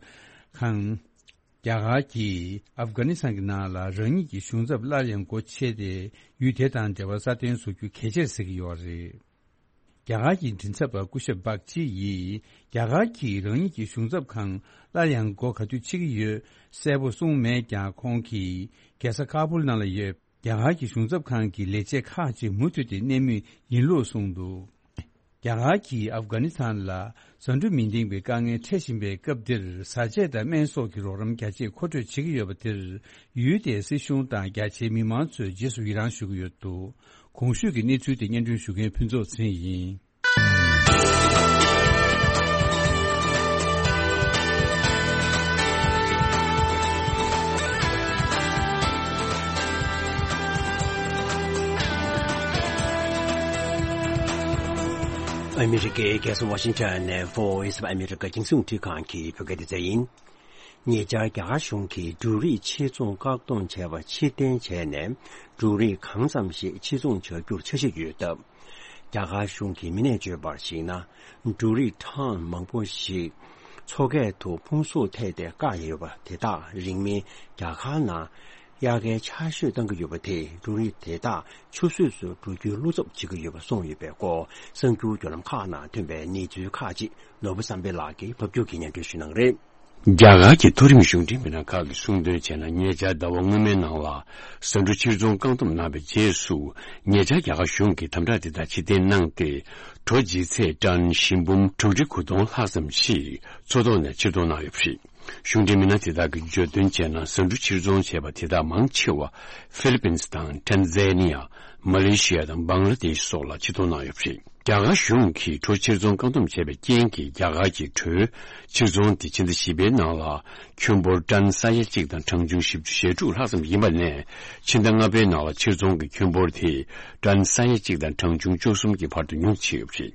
ཁང་། རྒྱ་གར་གྱིས་ཨབ་གྷ་ནི་སི་ཐན་གྱི་ནང་ལ་རང་ཉིད་ཀྱི་གཞུང་ཚབ་སླར་ཡང་སྒོ་ཕྱེ་སྟེ། ཡུལ་དེ་དང་འབྲེལ་བ་སྲ་བརྟན་བཟོ་རྒྱུ་གལ་ཆེར་གཟིགས་ཀྱི་ཡོད་རེད། རྒྱ་གར་གྱི་མགྲིན་ཚབ་པ་སྐུ་ཞབས་སྦག་ཅི་ཡིས། རྒྱ་གར་གྱིས་རང་ཉིད་ཀྱི་གཞུང་ཚབ་ཁང་སླར་ཡང་སྒོ་ག་དུས་ཕྱེ་གི་ཡོད་གསལ་པོ་གསུངས་མེད་ཀྱང་། ཁོང་གིས་རྒྱལ་ས་ཁ་པུལ་ནང་ལ་ཡོད་རྒྱ་གར་གྱི་གཞུང་ཚབ་ཁང་གི་ལས་བྱེད་ཁག་ཅིག་མུ་མཐུད་དེ་གནས་མུས་ཡིན་ལུགས་གསུངས་འདུག་རྒྱ་གར་གྱིས་ཨབ་གྷ་ནི་སི་ཐན་ལ་ཟ་འབྲུ་མི་འདེང་བའི་དཀའ་ངལ་འཕྲད་བཞིན་པའི་སྐབས་འདིར། བཟའ་ཆས་དང་སྨན་སོགས་ཀྱི་རོགས་རམ་རྒྱ་ཆེ་མཁོ་སྤྲོད་བྱེད་ཀྱི་ཡོད་པ་དེར། ཡུལ་དེའི་སྲིད་གཞུང་དང་རྒྱ་ཆེའི་མི་མང་ཚོས་རྗེས་སུ་ཡི་རང་ཞུ་གི་ཡོད་འདུག་གོང་ཞུས་ཀྱི་གནས་ཚུལ་དེ་སྙན་སྒྲོན་ཞུ་མཁན་ཕུན་ཚོགས་ཚེ་རིང་ཡིན། ཨ་མི་རི་ཀའི་རྒྱལ་ས་ཝ་ཤིང་ཊོན་ནས་Voice of America རྒྱང་སྲིང་རླུང་འཕྲིན་ཁང་གི་བོད་སྐད་སྡེ་ཚན་ཡིན། ཉེ་ཆར་རྒྱ་གར་གཞུང་གིས་འབྲུ་རིགས་ཕྱིར་ཚོང་བཀག་སྡོམ་བྱས་པ་ཕྱིར་འཐེན་བྱས་ནས། འབྲུ་རིགས་གང་ཙམ་ཞིག་ཕྱིར་ཚོང་བྱ་རྒྱུར་འཆར་གཞི་ཡོད་སྟབས། རྒྱ་གར་གཞུང་གི་མི་སྣས་བརྗོད་པར་གཞིགས་ན། འབྲུ་རིགས་གྲངས་མང་པོ་ཞིག་མཚོ་སྐྱེས་དུ་ཕུང་གསོག་ཐེབས་ཏེ་བཀག་ཡོད་པ་དེ་དག་རིང་མིན་རྒྱ་གར་ནང་དབྱར་ཁའི་ཆར་ཞོད་བཏང་གི་ཡོད་པ་དེས། འབྲུ་རིགས་དེ་དག་ཆུད་ཟོས་སུ་འགྲོ་རྒྱུའི་བློ་འཚབ་བྱེད་ཀྱི་ཡོད་པ་གསུངས་ཡོད་པའི་སྐོར། གསར་འགྱུར་བརྒྱུད་ལམ་ཁག་ནང་ཐོན་པའི་གནས་ཚུལ་ཁག་ཅིག་ནོར་བུ་བསམ་འཕེལ་ལགས་ཀྱིས་ཕབ་སྒྱུར་གྱིས་སྙན་སྒྲོན་ཞུ་གནང་གི་རེད། རྒྱ་གར་གྱི་མཐོ་རིམ་གཞུང་འབྲེལ་མི་སྣ་ཁག་གིས་གསུངས་དོན་བྱས་ན། ཉེ་ཆར་ཟླ་བ་སྔོན་མའི་ནང་ལ་ཟ་འབྲུ་ཕྱིར་ཚོང་བཀག་སྡོམ་གནང་བའི་རྗེས་སུ། ཉེ་ཆར་རྒྱ་གར་གཞུང་གིས་དམ་དྲག་དེ་དག་ཕྱིར་འཐེན་གནང་སྟེ། གྲོ་ལྗིད་ཚད་ཏན་བཞི་འབུམ་དྲུག་ཁྲི་དགུ་སྟོང་ལྷག་ཙམ་ཞིག་མཚོ་ཐོག་ནས་ཕྱིར་གཏོང་གནང་ཡོད་པ་རེད། གཞུང་འབྲེལ་མི་སྣ་དེ་དག་གིས་བརྗོད་དོན་བྱས་ན། ཟ་འབྲུ་ཕྱིར་ཚོང་བྱས་པ་དེ་དག་མང་ཆེ་བ་ཧྥི་ལི་པིན་དང་ཊན་ཛ་ནི་ཡ། མ་ལེ་ཤི་ཡ་དང་བང་ལ་དེཤ་སོགས་ལ་ཕྱིར་གཏོང་གནང་ཡོད་པ་རེད། རྒྱ་གར་གཞུང་གིས་གྲོ་ཕྱིར་ཚོང་བཀག་སྡོམ་བྱས་པའི་རྐྱེན་གྱིས། རྒྱ་གར་གྱི་གྲོའི་ཕྱིར་ཚོང་དེ་ཕྱི་ཟླ་བཞི་པའི་ནང་ལ་ཁྱོན་འབོར་ཏན་ས་ཡ་གཅིག་དང་གྲངས་ཆུང་བཞི་བཅུ་ཞེ་དྲུག་ལྷག་ཙམ་ཡིན་པ་ནས། ཕྱི་ཟླ་ལྔ་པའི་ནང་ལ་ཕྱིར་ཚོང་གི་ཁྱོན་འབོར་དེ་ཏན་ས་ཡ་གཅིག་དང་གྲངས་ཆུང་བཅུ་གསུམ་གྱི་བར་དུ་ཉུང་ཕྱིན་ཡོད་པ་རེད།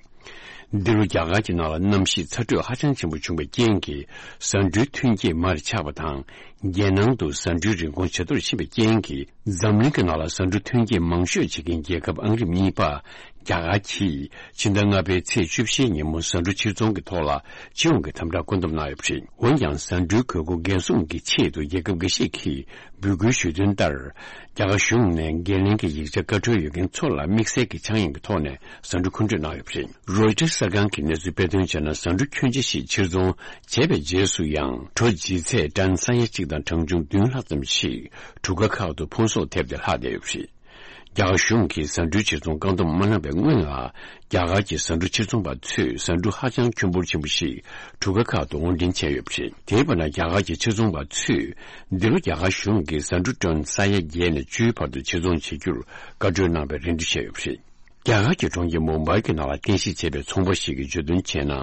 འདི་ལོ་རྒྱ་གར་གྱི་ནང་ལ་གནམ་གཤིས་ཚ་དྲོད་ཧ་ཅང་ཆེན་པོ་བྱུང་བའི་རྐྱེན་གྱིས། ཟ་འབྲུའི་ཐོན་སྐྱེད་མར་ཆག་པ་དང་། རྒྱལ་ནང་དུ་ཟ་འབྲུའི་རིན་གོང་ཇེ་མཐོར་ཕྱིན་པའི་རྐྱེན་གྱིས། འཛམ་གླིང་གི་ནང་ལ་ཟ་འབྲུ་ཐོན་སྐྱེད་མང་ཤོས་བྱེད་མཁན་རྒྱལ་ཁབ་ཨང་རིམ་གཉིས་པ་རྒྱ་གར་གྱིས། ཕྱི་ཟླ་ལྔ་པའི་ཚེས་བཅུ་བཞིའི་ཉིན་མོ་ཟ་འབྲུ་ཕྱིར་ཚོང་གི་ཐོག་ལ་སྤྱི་ཡོངས་ཀྱི་དམ་དྲག་བཀོད་འདོམས་གནང་ཡོད་པ་རེད། འོན་ཀྱང་། ཟ་འབྲུའི་དགོས་མཁོ་འགན་སྲུང་གི་ཆེད་དུ། རྒྱལ་ཁབ་འགའ་ཤས་ཀྱིས་འབོད་སྐུལ་ཞུས་དོན་ལྟར། རྒྱ་གར་གཞུང་ནས་འགན་ལེན་གྱི་ཡིག་ཆ་བཀའ་འཁྲོལ་ཡོད་མཁན་ཚོ་ལ། དམིགས་བསལ་གྱི་ཆག་ཡང་གི་ཐོག་ནས་ཟ་འབྲུ་མཁོ་སྤྲོད་གནང་ཡོད་པ་རེད། རོའི་ཊར་གསར་ཁང་གིས་གནས་ཚུལ་སྤེལ་དོན་བྱས་ན། ཟ་འབྲུ་ཁྱོན་ཆེ་ཞིག་ཕྱིར་ཚོང་བྱས་པའི་རྗེས་སུ་ཡང་། གྲོ་ལྗིད་ཚད་ཏན་ས་ཡ་གཅིག་དང་གྲངས་ཆུང་བདུན་ལྷག་ཙམ་ཞིག་གྲུ་ཁ་ཁག་ཏུ་ཕུང་གསོག་ཐེབས་ཏེ་ལྷག་བསྡད་ཡོད་པ་རེད། རྒྱ་གར་གཞུང་གིས་ཟ་འབྲུའི་ཕྱིར་ཚོང་བཀག་སྡོམ་མ་གནང་བའི་སྔོན་ལ། རྒྱ་གར་གྱི་ཟ་འབྲུ་ཕྱིར་ཚོང་པ་ཚོས་ཟ་འབྲུ་ཧ་ཅང་ཁྱོན་འབོར་ཆེན་པོ་ཞིག་གྲུ་ཁ་ཁག་ཏུ་དབོར་འདྲེན་བྱས་ཡོད་པ་རེད། དེའི་བར་ན། རྒྱ་གར་གྱི་ཕྱིར་ཚོང་པ་ཚོས་འདི་ལོ་རྒྱ་གར་གཞུང་གིས་ཟ་འབྲུ་ཏོན་ས་ཡ་བརྒྱད་ནས་བཅུའི་བར་དུ་ཕྱིར་ཚོང་བྱེད་རྒྱུར་བཀའ་འཁྲོལ་གནང་བའི་རེ་འདུན་བྱས་ཡོད་པ་རེད། རྒྱ་གར་གྱི་གྲོང་ཁྱེར་མུམ་བྷའི་གི་ནང་ལ་རྟེན་གཞི་བྱས་པའི་ཚོང་པ་ཞིག་གིས་བརྗོད་དོན་བྱས་ན།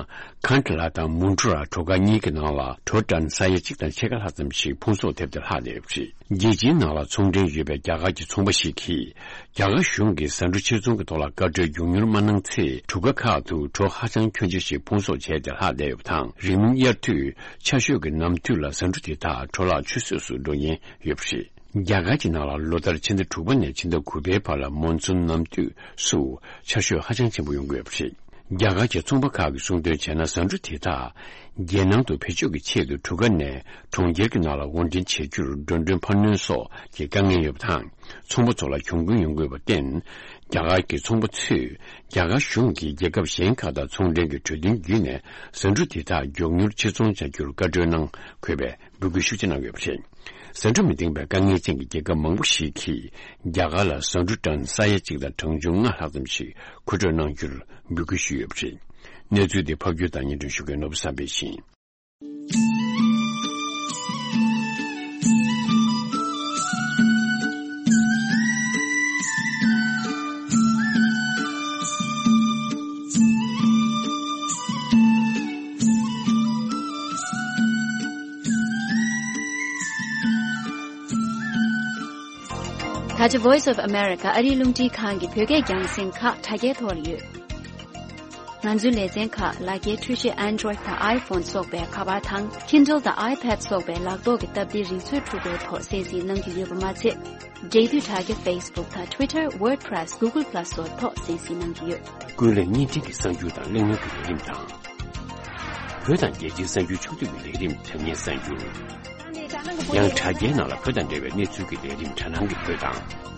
ཁན་ཏ་ལ་དང་མུན་ཀྲུ་ར་གྲོ་ཁ་གཉིས་ཀྱི་ནང་ལ་གྲོ་ཏན་ས་ཡ་གཅིག་དང་ཕྱེད་ཀ་ལྷག་ཙམ་ཞིག་ཕུང་གསོག་ཐེབས་ཏེ་ལྷག་བསྡད་ཡོད་པ་རེད། རྒྱལ་སྤྱིའི་ནང་ལ་ཚོང་འབྲེལ་ཡོད་པའི་རྒྱ་གར་གྱི་ཚོང་པ་ཞིག་གིས། རྒྱ་གར་གཞུང་གིས་ཟ་འབྲུ་ཕྱིར་ཚོང་གི་ཐོག་ལ་བཀའ་འཁྲོལ་མགྱོགས་མྱུར་མ་གནང་ཚེ། གྲུ་ཁ་ཁག་ཏུ་གྲོ་ཧ་ཅང་ཁྱོན་ཆེ་ཞིག་ཕུང་གསོག་བྱས་ཏེ་ལྷག་བསྡད་ཡོད་པ་དང་། རིང་མིན་དབྱར་དུས་ཆར་ཞོད་ཀྱི་ནམ་དུས་ལ་ཟ་འབྲུ་དེ་དག་གྲོ་ལག་ཆུད་ཟོས་སུ་འགྲོ་ཉེན་ཡོད་པ་རེད། རྒྱ་གར་གྱི་ནང་ལ་ལོ་ལྟར་ཕྱི་ཟླ་དྲུག་པ་ནས་ཕྱི་ཟླ་དགུ་པའི་བར་ལ་མོན་སུན་ནམ་དུས་སུ་ཆར་ཞོད་ཧ་ཅང་ཆེན་པོ་ཡོང་གི་ཡོད་པ་རེད། རྒྱ་གར་གྱི་ཚོང་པ་ཁག་གིས་གསུངས་དོན་བྱས་ན། ཟ་འབྲུ་དེ་དག་རྒྱལ་ནང་དུ་བེད་སྤྱོད་ཀྱི་ཆེད་དུ་གྲུ་ཁ་ནས་གྲོང་ཁྱེར་གྱི་ནང་ལ་དབོར་འདྲེན་བྱེད་རྒྱུར་འགྲོ་གྲོན་འཕར་སྣོན་སོགས་ཀྱི་དཀའ་ངལ་ཡོད་པ་དང་། ཚོང་པ་ཚོ་ལ་གྱོང་གུན་ཡོང་གི་ཡོད་པར་བརྟེན། རྒྱ་གར་གྱི་ཚོང་པ་ཚོས་རྒྱ་གར་གཞུང་གིས་རྒྱལ་ཁབ་གཞན་ཁག་དང་ཚོང་འབྲེལ་གྱི་གྲོས་མཐུན་བརྒྱུད་ནས་ཟ་འབྲུ་དེ་དག་མགྱོགས་མྱུར་ཕྱིར་ཚོང་བྱ་རྒྱུར་བཀའ་འཁྲོལ་གནང་དགོས་པའི་འབོད་སྐུལ་ཤུགས་ཆེ་གནང་ཡོད་པ་རེད། ཟ་འབྲུ་མི་འདེང་བའི་དཀའ་ངལ་ཅན་གྱི་རྒྱལ་ཁབ་མང་པོ་ཞིག་གིས་རྒྱ་གར་ལ་ཟ་འབྲུ་ཏོན་ས་ཡ་གཅིག་དང་གྲངས་ཆུང་ལྔ་ལྷག་ཙམ་ཞིག་མཁོ་སྤྲོད་གནང་རྒྱུར་འབོད་སྐུལ་ཞུས་ཡོད་པ་རེད། གནས་ཚུལ་འདི་ཕབ་སྒྱུར་དང་སྙན་སྒྲོན་ཞུ་མཁན་ནོར་བུ་བསམ་འཕེལ་ཡིན། ད་ཆ་Voice of America ཨ་རིའི་རླུང་འཕྲིན་ཁང་གི་བོད་སྐད་རྒྱང་སྲིང་ཁག་དྲ་རྒྱའི་ཐོག་ལ་ཡོད། ང་ཚོའི་ལེ་ཚན་ཁག་ལག་འཁྱེར་འཕྲུལ་ཆས་Android དང་iPhone སོགས་པའི་ཁ་པར་དང་Kindle དང་iPad སོགས་པའི་ལག་ཐོག་གི་སྟབས་བདེའི་རིག་མཛོད་འཕྲུལ་འཁོར་ཐོག་གསན་གཟིགས་གནང་རྒྱུ་ཡོད་པ་མ་ཚད། འབྲེལ་མཐུད་དྲ་རྒྱ་Facebook དང་Twitter, WordPress, Google Plus སོགས་ཐོག་གསན་གཟིགས་གནང་རྒྱུ་ཡོད། ཀུན་གླེང་བརྙན་འཕྲིན་གྱི་གསར་འགྱུར་དང་གླེང་མོལ་གྱི་ལས་རིམ་དང་། བོད་དང་རྒྱལ་སྤྱིའི་གསར་འགྱུར་ཕྱོགས་བསྡུས་ཀྱི་ལས་རིམ་དྲ་བརྙན་གསར་འགྱུར། ཡང་དྲ་རྒྱའི་ནང་ལ་བོད་དང་འབྲེལ་བའི་གནས་ཚུལ་གྱི་ལས་རིམ་དྲ་སྣང་གི་བོད་དང་།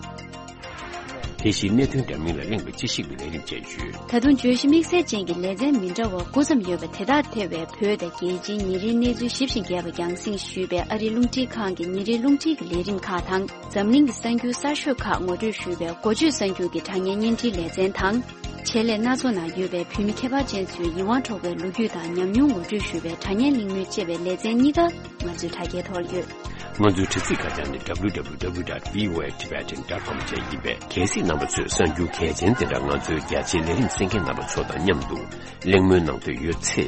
དེ་བཞིན་གནད་དོན་འདྲ་མིན་ལ་གླེང་བའི་དཔྱད་ཞིབ་ཀྱི་ལས་རིམ་བཅས་ཡོད། ད་དུང་བརྗོད་གཞི་དམིགས་བསལ་ཅན་གྱི་ལེ་ཚན་མི་འདྲ་བ་དགུ་ཙམ་ཡོད་པ་དེ་དག་ཐེ་བའི་བོད་དང་རྒྱལ་སྤྱིའི་ཉིན་རེའི་གནས་ཚུལ་ཞིབ་ཅིང་རྒྱས་པ་རྒྱང་སྲིང་ཞུས་པའི་ཨ་རིའི་རླུང་འཕྲིན་ཁང་གི་ཉིན་རེའི་རླུང་འཕྲིན་གྱི་ལས་རིམ་ཁག་དང་། འཛམ་གླིང་གི་གསར་འགྱུར་གསར་ཤོས་ཁག་ངོ་སྤྲོད་ཞུས་པའི་འགོ་བརྗོད་གསར་འགྱུར་གྱི་དྲ་བརྙན་བརྙན་འཕྲིན་ལེ་ཚན་དང་། ཆེད་ལས་སྣ་ཚོགས་ནང་ཡོད་པའི་བོད་མི་ཁྱད་པར་ཅན་ཚོའི་ཡིད་དབང་འཕྲོག་པའི་ལོ་རྒྱུས་དང་ཉམས་མྱོང་ངོ་སྤྲོད་ཞུས་པའི་དྲ་བརྙན་གླེང་མོལ་བཅས་པའི་ལེ་ཚན་གཉིས་ཀ་ང་ཚོའི་དྲ་རྒྱའི་ཐོག་ཡོད། ང་ཚོའི་དྲ་ཚིགས་ཁ་བྱང་ནི་W W W dot V O A Tibetan dot com བཅས་ཡིན་པས། གལ་སྲིད་རྣམ་པ་ཚོས་གསར་འགྱུར་གལ་ཆེན་དེ་འདྲ་ང་ཚོའི་རྒྱ་ཆེའི་ལས་རིམ་གསན་མཁན་རྣམ་པ་ཚོ་དང་མཉམ་དུ་གླེང་མོལ་གནང་འདོད་ཡོད་ཚེ།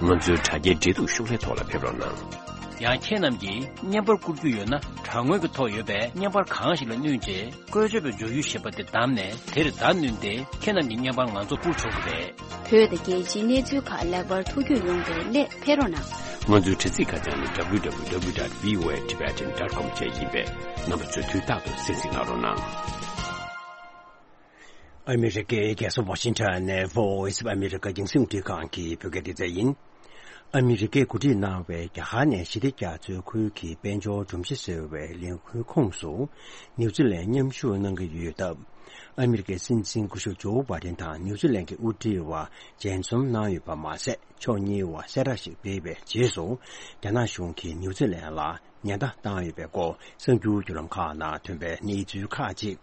ང་ཚོའི་དྲ་རྒྱའི་འབྲེལ་གཏུག་ཤོག་ལྷེ་ཐོག་ལ་ཕེབས་རོགས་གནང་། ཡང་ཁྱེད་རྣམས་ཀྱིས་བརྙན་པར་བསྐུར་རྒྱུ་ཡོད་ན། དྲ་ངོས་ཀྱི་ཐོག་ཡོད་པའི་བརྙན་པར་གང་ཞིག་ལ་བསྣུན་རྗེས། བཀོལ་སྤྱོད་པའི་བརྗོད་གཞི་ཞེས་པ་དེ་བདམས་ནས། དེར་བརྡ་བསྣུན་ཏེ། ཁྱེད་རྣམས་ཀྱི་བརྙན་པར་ང་ཚོར་བསྐུར་ཆོག་གི་རེད། བོད་དང་རྒྱལ་སྤྱིའི་གནས་ཚུལ་ཁག་ལེགས་པར་ཐུགས་རྒྱུས་ཡོང་བའི་སླད་ཕེབས་རོགས་གནང་། ང་ཚོའི་དྲ་ཚིགས་ཁ་བྱང་ནི་W W W dot V O A Tibetan dot com བཅས་ཡིན་པས། རྣམ་པ་ཚོས་དུས་རྟག་ཏུ་གསན་གཟིགས་གནང་རོགས་གནང་། ཨ་མི་རི་ཀའི་རྒྱལ་ས་ཝ་ཤིང་ཊོན་ནས་Voice of America རྒྱང་སྲིང་རླུང་འཕྲིན་ཁང་གི་བོད་སྐད་སྡེ་ཚན་ཡིན། ཨ་མི་རི་ཀས་གོ་སྒྲིག་གནང་བའི་རྒྱ་གར་ནས་ཞི་བདེ་རྒྱ་མཚོའི་ཁུལ་གྱི་དཔལ་འབྱོར་སྒྲོམ་གཞི་ཟེར་བའི་ལས་འགུལ་ཁོངས་སུ། ནིའུ་ཛི་ལན་མཉམ་ཞུགས་གནང་གི་ཡོད་སྟབས། ཨ་མི་རི་ཀའི་སྲིད་འཛིན་སྐུ་ཞབས་ཇོ་བྷའི་ཌེན་དང་ནིའུ་ཛི་ལན་གྱི་དབུ་ཁྲིད་བར་མཇལ་འཛོམས་གནང་ཡོད་པ་མ་ཟད། ཕྱོགས་གཉིས་བར་གསལ་བསྒྲགས་ཤིག་སྤེལ་བའི་རྗེས་སུ། རྒྱ་ནག་གཞུང་གིས་ནིའུ་ཛི་ལན་ལ་ཉེན་བརྡ་བཏང་ཡོད་པའི་སྐོར་གསར་འགྱུར་བརྒྱུད་ལམ་ཁག་ནང་ཐོན་པའི་གནས་ཚུལ་ཁག་ཅིག་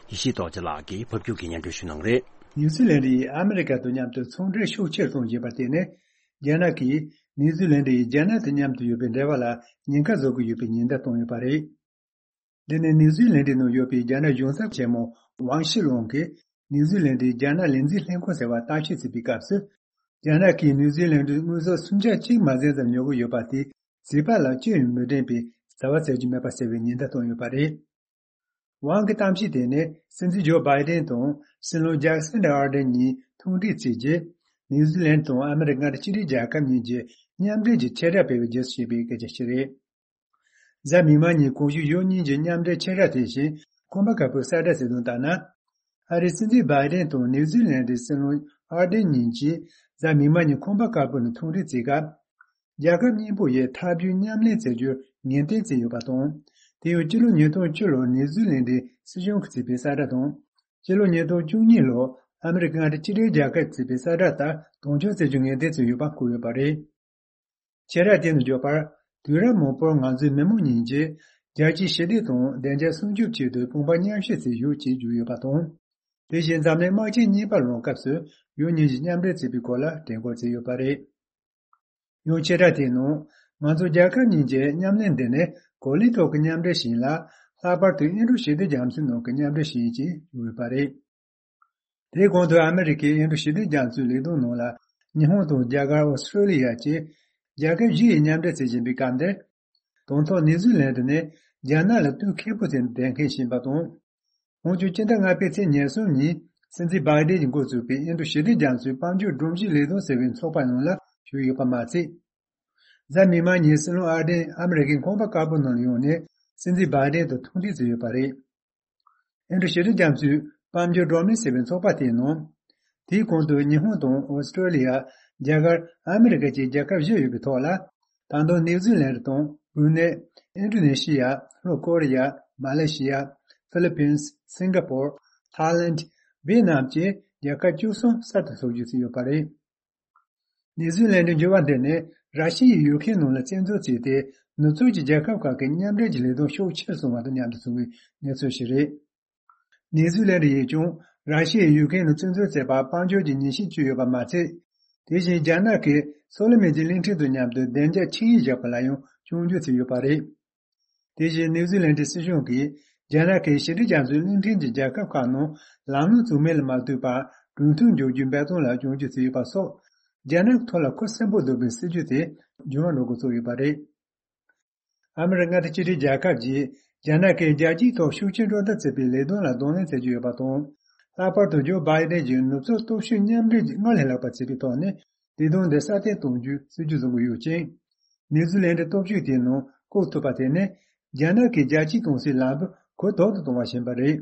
ཡེ་ཤེས་རྡོ་རྗེ་ལགས་ཀྱིས་ཕབ་སྒྱུར་གྱིས་སྙན་སྒྲོན་ཞུ་གནང་རེད། ནིའུ་ཛི་ལན་ཡིས་ཨ་མི་རི་ཀ་དང་མཉམ་དུ་ཚོང་འབྲེལ་ཤུགས་ཆེར་གཏོང་བཞིན་པར་བརྟེན་ནས། རྒྱ་ནག་གིས་ནིའུ་ཛི་ལན་ཡིས་རྒྱ་ནག་དང་མཉམ་དུ་ཡོད་པའི་འབྲེལ་བ་ལ་ཉེན་ཁ་བཟོ་གི་ཡོད་པའི་ཉེན་བརྡ་བཏང་ཡོད་པ་རེད། འདི་ནི་ནིའུ་ཛི་ལན་ནང་ཡོད་པའི་རྒྱ་ནག་གཞུང་ཚབ་ཆེན་མོ་ཝང་ཤི་ལུང་གིས་ནིའུ་ཛི་ལན་རྒྱ་ནག་ལས་འཛིན་ལྷན་ཁང་ཟེར་བར་བརྟག་དཔྱད་བྱེད་པའི་སྐབས་སུ། རྒྱ་ནག་གིས་ནིའུ་ཛི་ལན་དངོས་ཟོག་སུམ་ཆ་གཅིག་མ་ཟིན་ཙམ་ཉོ་གི་ཡོད་པ་དེ་བྱིས་པ་ལ་ཅི་ཡང་མི་དྲན་པའི་བྱ་བ་བྱེད་རྒྱུ་མེད་པ་ཟེར་བའི་ཉེན་བརྡ་བཏང་ཡོད་པ་རེད། ཝང་གི་གཏམ་བཤད་དེ་ནི་སྲིད་འཛིན་ཇོ་བྷའི་ཌེན་དང་སྲིད་བློན་ཇེ་ཀ་སན་ཨར་ཌེན་གཉིས་ཐུག་འཕྲད་བྱས་རྗེས། ནིའུ་ཛི་ལན་དང་ཨ་མི་རི་ཀ་མངའ་སྡེ་གཅིག་སྒྲིལ་རྒྱལ་ཁབ་གཉིས་ཀྱི་མཉམ་འབྲེལ་གྱི་ཆེད་ར་སྤེལ་བའི་རྗེས་སུ་སྐྱེས་པའི་སྐད་ཆ་ཞིག་རེད། གཟའ་མིག་དམར་ཉིན་གོང་ཞུས་ཡུལ་གཉིས་ཀྱི་མཉམ་འབྲེལ་ཆེད་ར་དེ་བཞིན་ཁང་པ་དཀར་པོས་གསལ་བསྒྲགས་བྱས་དོན་ལྟར་ན། ཨ་རིའི་སྲིད་འཛིན་བྷའི་ཌེན་དང་ནིའུ་ཛི་ལན་གྱི་སྲིད་བློན་ཨར་ཌེན་གཉིས་ཀྱིས་གཟའ་མིག་དམར་ཉིན་ཁང་པ་དཀར་པོ་ནས་ཐུག་འཕྲད་བྱེད་སྐབས། རྒྱལ་ཁབ་གཉིས་པོ་ཡི་འཐབ་ཇུས་མཉམ་ལེན་བྱེད་རྒྱུར་ངེས་གཏན་བྱས་ཡོད་པ་དང་། དེ་ཡང་སྤྱི་ལོ་ཉིས་སྟོང་བཅུ་ལོར་ནིའུ་ཛི་ལན་གྱི་སྲིད་གཞུང་གིས་བྱས་པའི་གསལ་བསྒྲགས་དང་། སྤྱི་ལོ་ཉིས་སྟོང་བཅུ་གཉིས་ལོར་ཨ་མི་རི་ཀ་མངའ་སྡེ་གཅིག་སྒྲིལ་རྒྱལ་ཁབ་ཀྱིས་བྱས་པའི་གསལ་བསྒྲགས་ལྟར་དོན་འཁྱོལ་བྱེད་རྒྱུ་ངེས་གཏན་བྱས་ཡོད་པ་བཀོད་ཡོད་པ་རེད། ཆེད་ར་དེ་ནས་བརྗོད་པར། དུས་རབས་མང་པོར་ང་ཚོའི་མི་མང་གཉིས་ཀྱིས་རྒྱལ་སྤྱིའི་ཞི་བདེ་དང་བདེ་འཇགས་སྲུང་སྐྱོབ་ཆེད་དུ་དཔུང་པ་མཉམ་གཤིབ་བྱེད་ཞུ་ཅེས་བརྗོད་ཡོད་པ་དང་། དེ་བཞིན་འཛམ་གླིང་དམག་ཆེན་གཉིས་པ་ལངས་སྐབས་སུ་ཡུལ་གཉིས་ཀྱིས་མཉམ་འབྲེལ་བྱེད་པའི་སྐོར་ལ་དྲན་སྐུལ་བྱས་ཡོད་པ་རེད། ཡང་ཆེད་ར་དེའི་ནང་ང་ཚོ་རྒྱལ་ཁབ་གཉིས་ཀྱི་མཉམ་ལས་འདི་ནི་གོ་ལའི་ཐོག་གི་མཉམ་འབྲེལ་ཞིག་ཡིན་ལ། ལྷག་པར་དུ་ཨིན་རུ་ཞི་བདེ་རྒྱ་མཚོའི་ནང་གི་མཉམ་འབྲེལ་ཞིག་ཡིན་ཅེས་བརྗོད་ཡོད་པ་རེད། དེའི་གོང་དུ་ཨ་མི་རི་ཀའི་ཨིན་རུ་ཞི་བདེ་རྒྱ་མཚོའི་ལས་དོན་ནང་ལ་ཉི་ཧོང་དང་རྒྱ་གར། ཨོ་སི་ཀྲོ་ལི་ཡ་བཅས་རྒྱལ་ཁབ་བཞི་ཡིས་མཉམ་འབྲེལ་བྱེད་བཞིན་པའི་སྐབས་འདིར། དང་ཐོག་ནིའུ་ཛི་ལན་ནི་རྒྱ་ནག་ལ་དུས་ཁེ་པོ་ཅན་དུ་བསྡད་མཁན་ཞིག་ཡིན་པ་དང་། ཁོང་ཚོས་སྤྱི་ཟླ་ལྔ་པའི་ཚེས་ཉེར་གསུམ་ཉིན་སྲིད་འཛིན་བྷའི་ཌེན་གྱིས་འགོ་བཙུགས་པའི་ཨིན་རུ་ཞི་བདེ་རྒྱ་མཚོའི་དཔལ་འབྱོར་སྒྲོམ་གཞི་ལས་དོན་ཟེར་བའི་ཚོགས་པ་ནང་ལ་ཞུགས་ཡོད་པ་མ་ཟད། གཟའ་མིག་དམར་ཉིན་སྲིད་བློན་ཨར་ཌེན་ཨ་མི་རི་ཀའི་ཁང་པ་དཀར་པོ་ནང་ལ་ཡོང་ནས་སྲིད་འཛིན་བྷའི་ཌེན་དང་ཐུག་འཕྲད་བྱས་ཡོད་པ་རེད། ཨིན་རུ་ཞི་བདེ་རྒྱ་མཚོའི་དཔལ་འབྱོར་སྒྲོམ་གཞི་ཟེར་བའི་ཚོགས་པ་དེའི་ནང་། དེའི་གོང་དུ་ཉི་ཧོང་དང་ཨོ་སི་ཀྲོ་ལི་ཡ། རྒྱ་གར། ཨ་མི་རི་ཀ་བཅས་རྒྱལ་ཁབ་བཞི་ཡོད་པའི་ཐོག་ལ། ད་དུང་ནིའུ་ཛི་ལན་དང་། བྷུ་ནེ། ཨིན་ཌོ་ནེ་ཤི་ཡ། ལྷོ་ཀོ་རི་ཡ། མ་ལེ་ཤི་ཡ། ཧྥི་ལི་པིན། སིང་ག་པོར། ཐའི་ལེན། ཝེ་ནམ་བཅས་རྒྱལ་ཁབ་བཅུ་གསུམ་གསར་དུ་འཛུགས་རྒྱུ་ཡོད་པ་རེད། ནིའུ་ཛི་ལན་གྱི་འགྱུར་བ་འདི་ནི་ར་ཤི་ཡས་ཡུག་ཀེན་ནང་ལ་བཙན་འཛུལ་བྱས་ཏེ། ནུབ་ཕྱོགས་ཀྱི་རྒྱལ་ཁབ་ཁག་གི་མཉམ་འབྲེལ་གྱི་ལས་དོན་ཤུགས་ཆེར་སོང་བ་དང་མཉམ་དུ་བྱུང་བའི་གནས་ཚུལ་ཞིག་རེད། ནིའུ་ཛི་ལན་ཡིས་ཀྱང་ར་ཤི་ཡས་ཡུག་ཀེན་ནང་བཙན་འཛུལ་བྱས་པར་དཔལ་འབྱོར་གྱི་ཉེས་ཆད་བཅོལ་ཡོད་པ་མ་ཚད། དེ་བཞིན་རྒྱ་ནག་གིས་སོ་ལོ་མོན་གྱི་གླིང་ཕྲན་དང་མཉམ་དུ་བདེ་འཇགས་ཆིངས་ཡིག་བཞག་པ་ལ་ཡང་སྐྱོན་བརྗོད་བྱས་ཡོད་པ་རེད། དེ་བཞིན་ནིའུ་ཛི་ལན་སྲིད་གཞུང་གིས་རྒྱ་ནག་གིས་ཞི་བདེ་རྒྱ་མཚོའི་གླིང་ཕྲན་གྱི་རྒྱལ་ཁབ་ཁག་ནང་ལམ་ལྷོང་བཙུགས་མིན་ལ་མ་ལྟོས་པར་གྲོས་མཐུན་འཇོག་རྒྱུའི་འབད་བརྩོན་ལ་སྐྱོན་བརྗོད་བྱས་ཡོད་པ་སོགས། རྒྱ་ནག་གི་ཐོག་ལ་ཁུ་སིམ་པོ་འདུག་པའི་སྲིད་ཇུས་དེ་འགྱུར་བ་འགྲོ་འགོ་བཙུགས་ཡོད་པ་རེད། ཨ་མི་རི་ཀ་མངའ་སྡེ་གཅིག་སྒྲིལ་རྒྱལ་ཁབ་ཀྱིས་རྒྱ་ནག་གིས་རྒྱལ་སྤྱིའི་ཐོག་ཤུགས་རྐྱེན་སྤྲོད་ཐབས་བྱེད་པའི་ལས་དོན་ལ་གདོང་ལེན་བྱེད་ཀྱི་ཡོད་པ་དང་། ལྷག་པར་དུ་ཇོ་བྷའི་ཌེན་གྱིས་ནུབ་ཕྱོགས་སྟོབས་ཤུགས་མཉམ་འབྲེལ་གྱིས་སྔར་ལས་ལྷག་པ་བྱེད་པའི་ཐོག་ནས་ལས་དོན་འདི་སྲ་བརྟན་གཏོང་རྒྱུའི་སྲིད་ཇུས་བཟུང་གི་ཡོད་ཅིང་། ནིའུ་ཛི་ལན་གྱི་སྟོབས་ཤུགས་དེའི་ནང་བཀོད་ཐུབ་པ་དེ་ནི་རྒྱ་ནག་གིས་རྒྱལ་སྤྱིའི་གུང་སྲིད་ལམ་བུ་གོ་ལྡོག་ཏུ་གཏོང་བ་ཞིག་ཡིན་པ་རེད།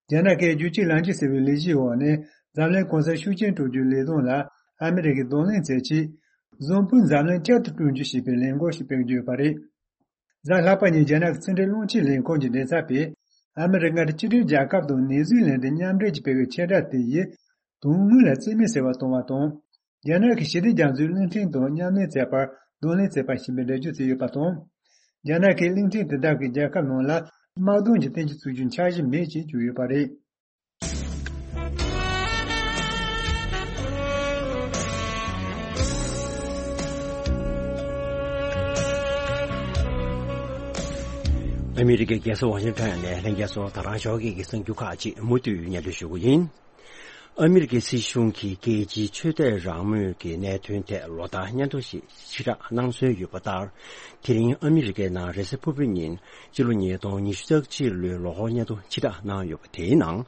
རྒྱ་ནག་གིས་རྒྱུད་གཅིག་ལམ་གཅིག་ཟེར་བའི་ལས་གཞིའི་འོག་ནས་འཛམ་གླིང་གོང་གསལ་ཤུགས་རྐྱེན་སྤྲོད་རྒྱུའི་ལས་དོན་ལ་ཨ་མི་རི་ཀས་གདོང་ལེན་བྱེད་ཆེད། བཟང་པོའི་འཛམ་གླིང་བསྐྱར་དུ་བསྐྲུན་རྒྱུ་ཞེས་པའི་ལས་འགུལ་ཞིག་སྤེལ་གྱི་ཡོད་པ་རེད། གཟའ་ལྷག་པ་ཉིན་རྒྱ་ནག་གི་ཕྱི་འབྲེལ་རླུང་འཕྲིན་ལས་ཁུངས་ཀྱི་མགྲིན་ཚབ་པས། ཨ་མི་རི་ཀ་དང་གཅིག་སྒྲིལ་རྒྱལ་ཁབ་དང་ནིའུ་ཛི་ལན་དུ་མཉམ་འབྲེལ་གྱིས་སྤེལ་བའི་ཆེད་བསྒྲགས་དེ་ཡིས། དོན་དངོས་ལ་རྩིས་མེད་བྱེད་པ་གཏོང་བ་དང་། རྒྱ་ནག་གིས་ཞི་བདེ་རྒྱ་མཚོའི་གླིང་ཕྲན་དང་མཉམ་ལས་བྱེད་པར་གདོང་ལེན་བྱེད་པ་ཞིག་ཡིན་པའི་འགྲེལ་བརྗོད་བྱས་ཡོད་པ་དང་། རྒྱ་ནག་གིས་གླིང་ཕྲན་དེ་དག་གི་རྒྱལ་ཁབ་ནང་ལ་དམག་དོན་གྱི་བསྟན་བཅོས་བཙུགས་རྒྱུའི་འཆར་གཞི་མེད་ཅེས་བརྗོད་ཡོད་པ་རེད། ཨ་མི་རི་ཀའི་རྒྱལ་ས་ཝ་ཤིང་ཊོན་ནས་ལྷན་རྒྱས་ཚོ་ད་རང་ཞོགས་ཀྱི་གསར་འགྱུར་ཁག་ཅིག་མུ་མཐུད་སྙན་སྒྲོན་ཞུ་གི་ཡིན། ཨ་མི་རི་ཀའི་སྲིད་གཞུང་གིས་རྒྱལ་སྤྱིའི་ཆོས་དད་རང་མོས་ཀྱི་གནད་དོན་ཐད་ལོ་ལྟར་སྙན་ཐོ་ཞིག་ཕྱིར་བསྒྲགས་གནང་སྲོལ་ཡོད་པ་ལྟར། དེ་རིང་ཨ་མི་རི་ཀའི་ནང་རེས་གཟའ་ཕུར་བུའི་ཉིན་ཕྱི་ལོ་ཉིས་སྟོང་ཉི་ཤུ་རྩ་གཅིག་ལོའི་ལོ་འཁོར་སྙན་ཐོ་ཕྱིར་བསྒྲགས་གནང་ཡོད་པ་དེའི་ནང་།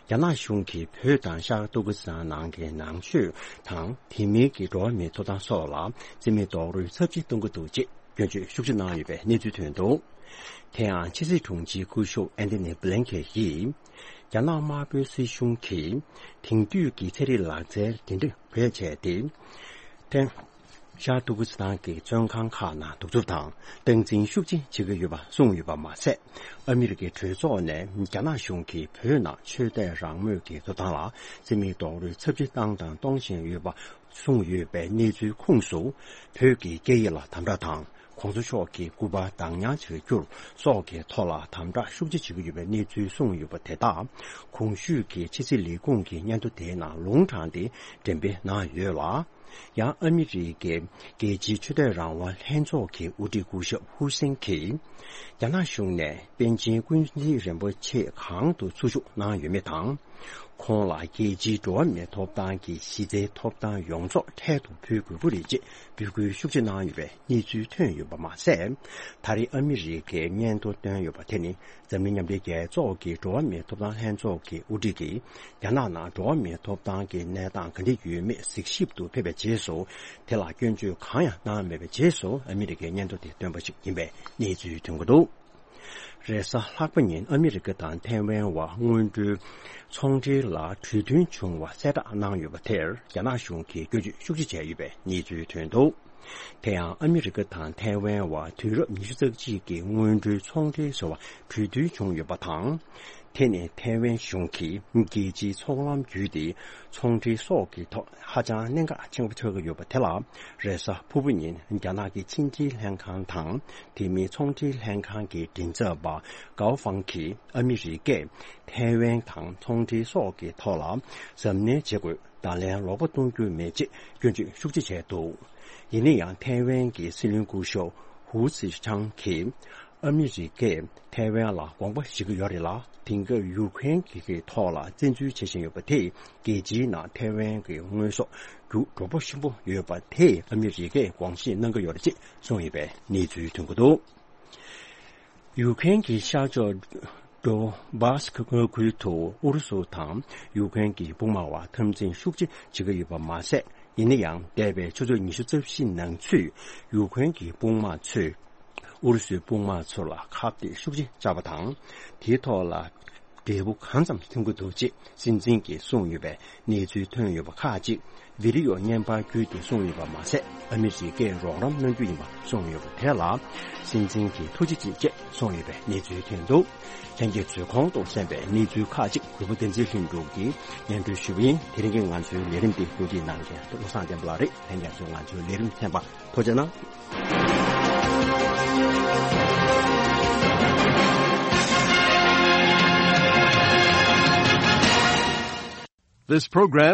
རྒྱ་ནག་གཞུང་གིས་བོད་དང་ཤར་ཏུར་ཀི་སི་ཐན་ནང་གི་ནང་ཆོས་དང་དེ་མིན་གྱི་འགྲོ་བ་མིའི་ཐོབ་ཐང་སོགས་ལ་རྩིས་མེད་རྡོག་རོལ་ཚབས་ཆེ་གཏོང་གི་འདུག་ཅེས། སྐྱོན་བརྗོད་ཤུགས་ཆེ་གནང་ཡོད་པའི་གནས་ཚུལ་ཐོན་འདུག་དེ་ཡང་ཕྱི་སྲིད་དྲུང་ཆེ་སྐུ་ཞབས་ཨན་ཐོ་ནི་བྷི་ལན་ཁེ་ཡིས། རྒྱ་ནག་དམར་པོའི་སྲིད་གཞུང་གིས་དེང་དུས་ཀྱི་ཚན་རིག་ལག་རྩལ་འདི་འདྲ་བེད་སྤྱད་དེ། ཐེངས་ཤར་ཏུར་ཀི་སི་ཐན་གྱི་བཙོན་ཁང་ཁག་ནང་གདུག་རྩུབ་དང་སྟངས་འཛིན་ཤུགས་ཆེ་བྱེད་ཀྱི་ཡོད་པ་གསུངས་ཡོད་པ་མ་ཟད། ཨ་མི་རི་ཀའི་གྲོས་ཚོགས་ནས་རྒྱ་ནག་གཞུང་གིས་བོད་ནང་ཆོས་དད་རང་མོས་ཀྱི་ཐོབ་ཐང་ལ་རྩིས་མེད་རྡོག་རོལ་ཚབས་ཆེ་བཏང་དང་གཏོང་བཞིན་ཡོད་པ། གསུངས་ཡོད་པའི་གནས་ཚུལ་ཁོངས་སུ། བོད་ཀྱི་སྐད་ཡིག་ལ་དམ་དྲག་དང་། གོང་ས་མཆོག་གི་སྐུ་པར་བདག་ཉར་བྱ་རྒྱུ་སོགས་ཀྱི་ཐོག་ལ་དམ་དྲག་ཤུགས་ཆེ་བྱེད་ཀྱི་ཡོད་པའི་གནས་ཚུལ་གསུངས་ཡོད་པ་དེ་དག་གོང་ཞུས་ཀྱི་ཕྱི་སྲིད་ལས་ཁུངས་ཀྱི་སྙན་ཐོ་དེའི་ནང་ལུང་དྲངས་ཏེ་འགྲེམས་སྤེལ་གནང་ཡོད་ལ། ཡང་ཨ་མི་རི་ཀའི་རྒྱལ་སྤྱིའི་ཆོས་དད་རང་དབང་ལྷན་ཚོགས་ཀྱི་དབུ་ཁྲིད་སྐུ་ཞབས་ཧུར་སེན་གྱིས། རྒྱ་ནག་གཞུང་ནས་པཎ་ཆེན་ཀུན་གཟིགས་རིན་པོ་ཆེ་གང་དུ་འཚུལ་ཞུགས་གནང་ཡོད་མེད་དང་། ཁོང་ལ་རྒྱལ་སྤྱིའི་འགྲོ་བ་མིའི་ཐོབ་ཐང་གི་གཞི་རྩའི་ཐོབ་ཐང་ཡོངས་རྫོགས་འཕྲལ་དུ་ཕུལ་དགོས་ཀྱི་རེད་ཅེས་འབོད་སྐུལ་ཤུགས་ཆེ་གནང་ཡོད་པའི་གནས་ཚུལ་ཐོན་ཡོད་པ་མ་ཟད། ད་རེས་ཨ་མི་རི་ཀས་སྙན་ཐོ་བཏོན་ཡོད་པ་དེ་ནི་འཛམ་གླིང་མཉམ་འབྲེལ་རྒྱལ་ཚོགས་ཀྱི་འགྲོ་བ་མིའི་ཐོབ་ཐང་ལྷན་ཚོགས་ཀྱི་དབུ་ཁྲིད་ཀྱིས་རྒྱ་ནག་ནང་འགྲོ་བ་མིའི་ཐོབ་ཐང་གི་གནས་སྟངས་ག་འདྲ་ཡོད་མེད་གཟིགས་ཞིབ་ཏུ་ཕེབས་པའི་རྗེས་སུ། དེ་ལ་སྐྱོན་བརྗོད་གང་ཡང་གནང་མེད་པའི་རྗེས་སུ་ཨ་མི་རི་ཀས་སྙན་ཐོ་དེ་བཏོན་པ་ཞིག་ཡིན་པའི་གནས་ཚུལ་ཐོན་གྱི་འདུག་རེས་གཟའ་ལྷག་པ་ཉིན་ཨ་མི་རི་ཀ་དང་ཐའེ་ཝན་བར་སྔོན་འགྲོའི་ཚོང་འབྲེལ་ལ་གྲོས་མཐུན་བྱུང་བ་གསལ་བསྒྲགས་གནང་ཡོད་པ་དེར་རྒྱ་ནག་གཞུང་གིས་སྐྱོན་བརྗོད་ཤུགས་ཆེ་བྱས་ཡོད་པའི་གནས་ཚུལ་ཐོན་འདུག་དེ་ཡང་ཨ་མི་རི་ཀ་དང་ཐའེ་ཝན་བར་དུས་རབས་ཉི་ཤུ་རྩ་གཅིག་གི་སྔོན་འགྲོའི་ཚོང་འབྲེལ་བཟོ་བར་གྲོས་མཐུན་བྱུང་ཡོད་པ་དང་། དེ་ནི་ཐའེ་ཝན་གཞུང་གིས་རྒྱལ་སྤྱིའི་ཚོང་ལམ་བརྒྱུད་དེ་ཚོང་འབྲེལ་སོགས་ཀྱི་ཐོག་ཧ་ཅང་གནད་འགག་ཆེན་པོ་ཆགས་ཀྱི་ཡོད་པ་དེ་ལ། རེས་གཟའ་ཕུར་བུ་ཉིན་རྒྱ་ནག་གི་ཕྱི་འབྲེལ་ལྷན་ཁང་དང་། དེ་མིན་ཚོང་འབྲེལ་ལྷན་ཁང་གི་མགྲིན་ཚབ་པ་ཀའོ་ཧྥང་གིས་ཨ་མི་རི་ཀས་ཐའེ་ཝན་དང་ཚོང་འབྲེལ་སོགས་ཀྱི་ཐོག་ལ་གཟབ་ནན་བྱེད་དགོས། ད་ལན་ལོག་པ་གཏོང་རྒྱུ་མེད་ཅེས་སྐྱོན་བརྗོད་ཤུགས་ཆེ་བྱས་འདུག་ཡིན་ན་ཡང་ཐའེ་ཝན་གྱི་སྲིད་བློན་སྐུ་ཞབས་ཧུའུ་ཙི་ཁྲང་གིས་ཨ་མི་རི་ཀས་ཐའེ་ཝན་ལ་དགོངས་པ་བཞེས་ཀྱི་ཡོད་རེད་ལ། དེང་སྐབས་ཡུཀ་རེན་གྱི་ཐོག་ལ་བཙན་འཛུལ་བྱེད་བཞིན་ཡོད་པ་དེས་རྒྱལ་སྤྱིའི་ནང་ཐའེ་ཝན་གྱི་དངོས་ཟོག་རྒྱུ་འགྲོ་ཕོག་ཆེན་པོ་ཡོད་པ་དེས་ཨ་མི་རི་ཀས་དགོངས་བཞེས་གནང་གི་ཡོད་རེད་ཅེས་གསུངས་ཡོད་པའི་གནས་ཚུལ་ཐོན་གྱི་འདུག་ཡུཀ་རེན་གྱི་ཤར་ཕྱོགས་ཌོ་བྷ་སི་ཀི་མངའ་ཁུལ་དུ་ཨུ་རུ་སུ་དང་ཡུཀ་རེན་གྱི་དཔུང་དམག་བར་འཐབ་འཛིང་ཤུགས་ཆེ་བྱེད་ཀྱི་ཡོད་པ་མ་ཟད། ཡིན་ན་ཡང་འདས་པའི་ཆུ་ཚོད་ཉི་ཤུ་རྩ་བཞི་ནང་ཚུད་ཡུཀ་རེན་གྱི་དཔུང་དམག་ཚོས་ཨུ་རུ་སུའི་དཔུང་དམག་ཚོ་ལ་ཁ་གཏད་ཤུགས་ཆེ་བཅག་པ་དང་། དེའི་ཐོག་ལ་ འབྲས་བུ་གང་ཙམ་ཐོན་གྱི་འདུག་ཅེས་སྲིད་འཛིན་གྱིས་གསུངས་ཡོད་པའི་གནས་ཚུལ་ཐོན་ཡོད་པ་ཁག་ཅིག་བི་ཌི་ཡོ་བརྙན་པར་བརྒྱུད་དེ་གསུངས་ཡོད་པ་མ་ཟད། ཨ་མི་རི་ཀས་རོགས་རམ་གནང་རྒྱུ་ཡིན་པ་གསུངས་ཡོད་པ་དེ་ལ་སྲིད་འཛིན་གྱིས་ཐུགས་རྗེ་ཆེ་ཅེས་གསུངས་ཡོད་པའི་གནས་ཚུལ་ཐོན་འདུག་ལྷན་རྒྱས་ཚོས་གོང་དུ་གསན་པའི་གནས་ཚུལ་ཁག་ཅིག་གུས་པ་བསྟན་འཛིན་ལྷུན་གྲུབ་ཀྱིས་སྙན་སྒྲོན་ཞུས་པ་ཡིན། དེ་རིང་གི་ང་ཚོའི་ལས་རིམ་འདི་བཀོད་སྒྲིག་གནང་མཁན་བློ་བཟང་བསྟན་པ་ལགས་རེད། ལྷན་རྒྱས་ཚོས་ང་ཚོའི་ལས་རིམ་གསན་པར་ཐུགས་རྗེ་གནང་། This program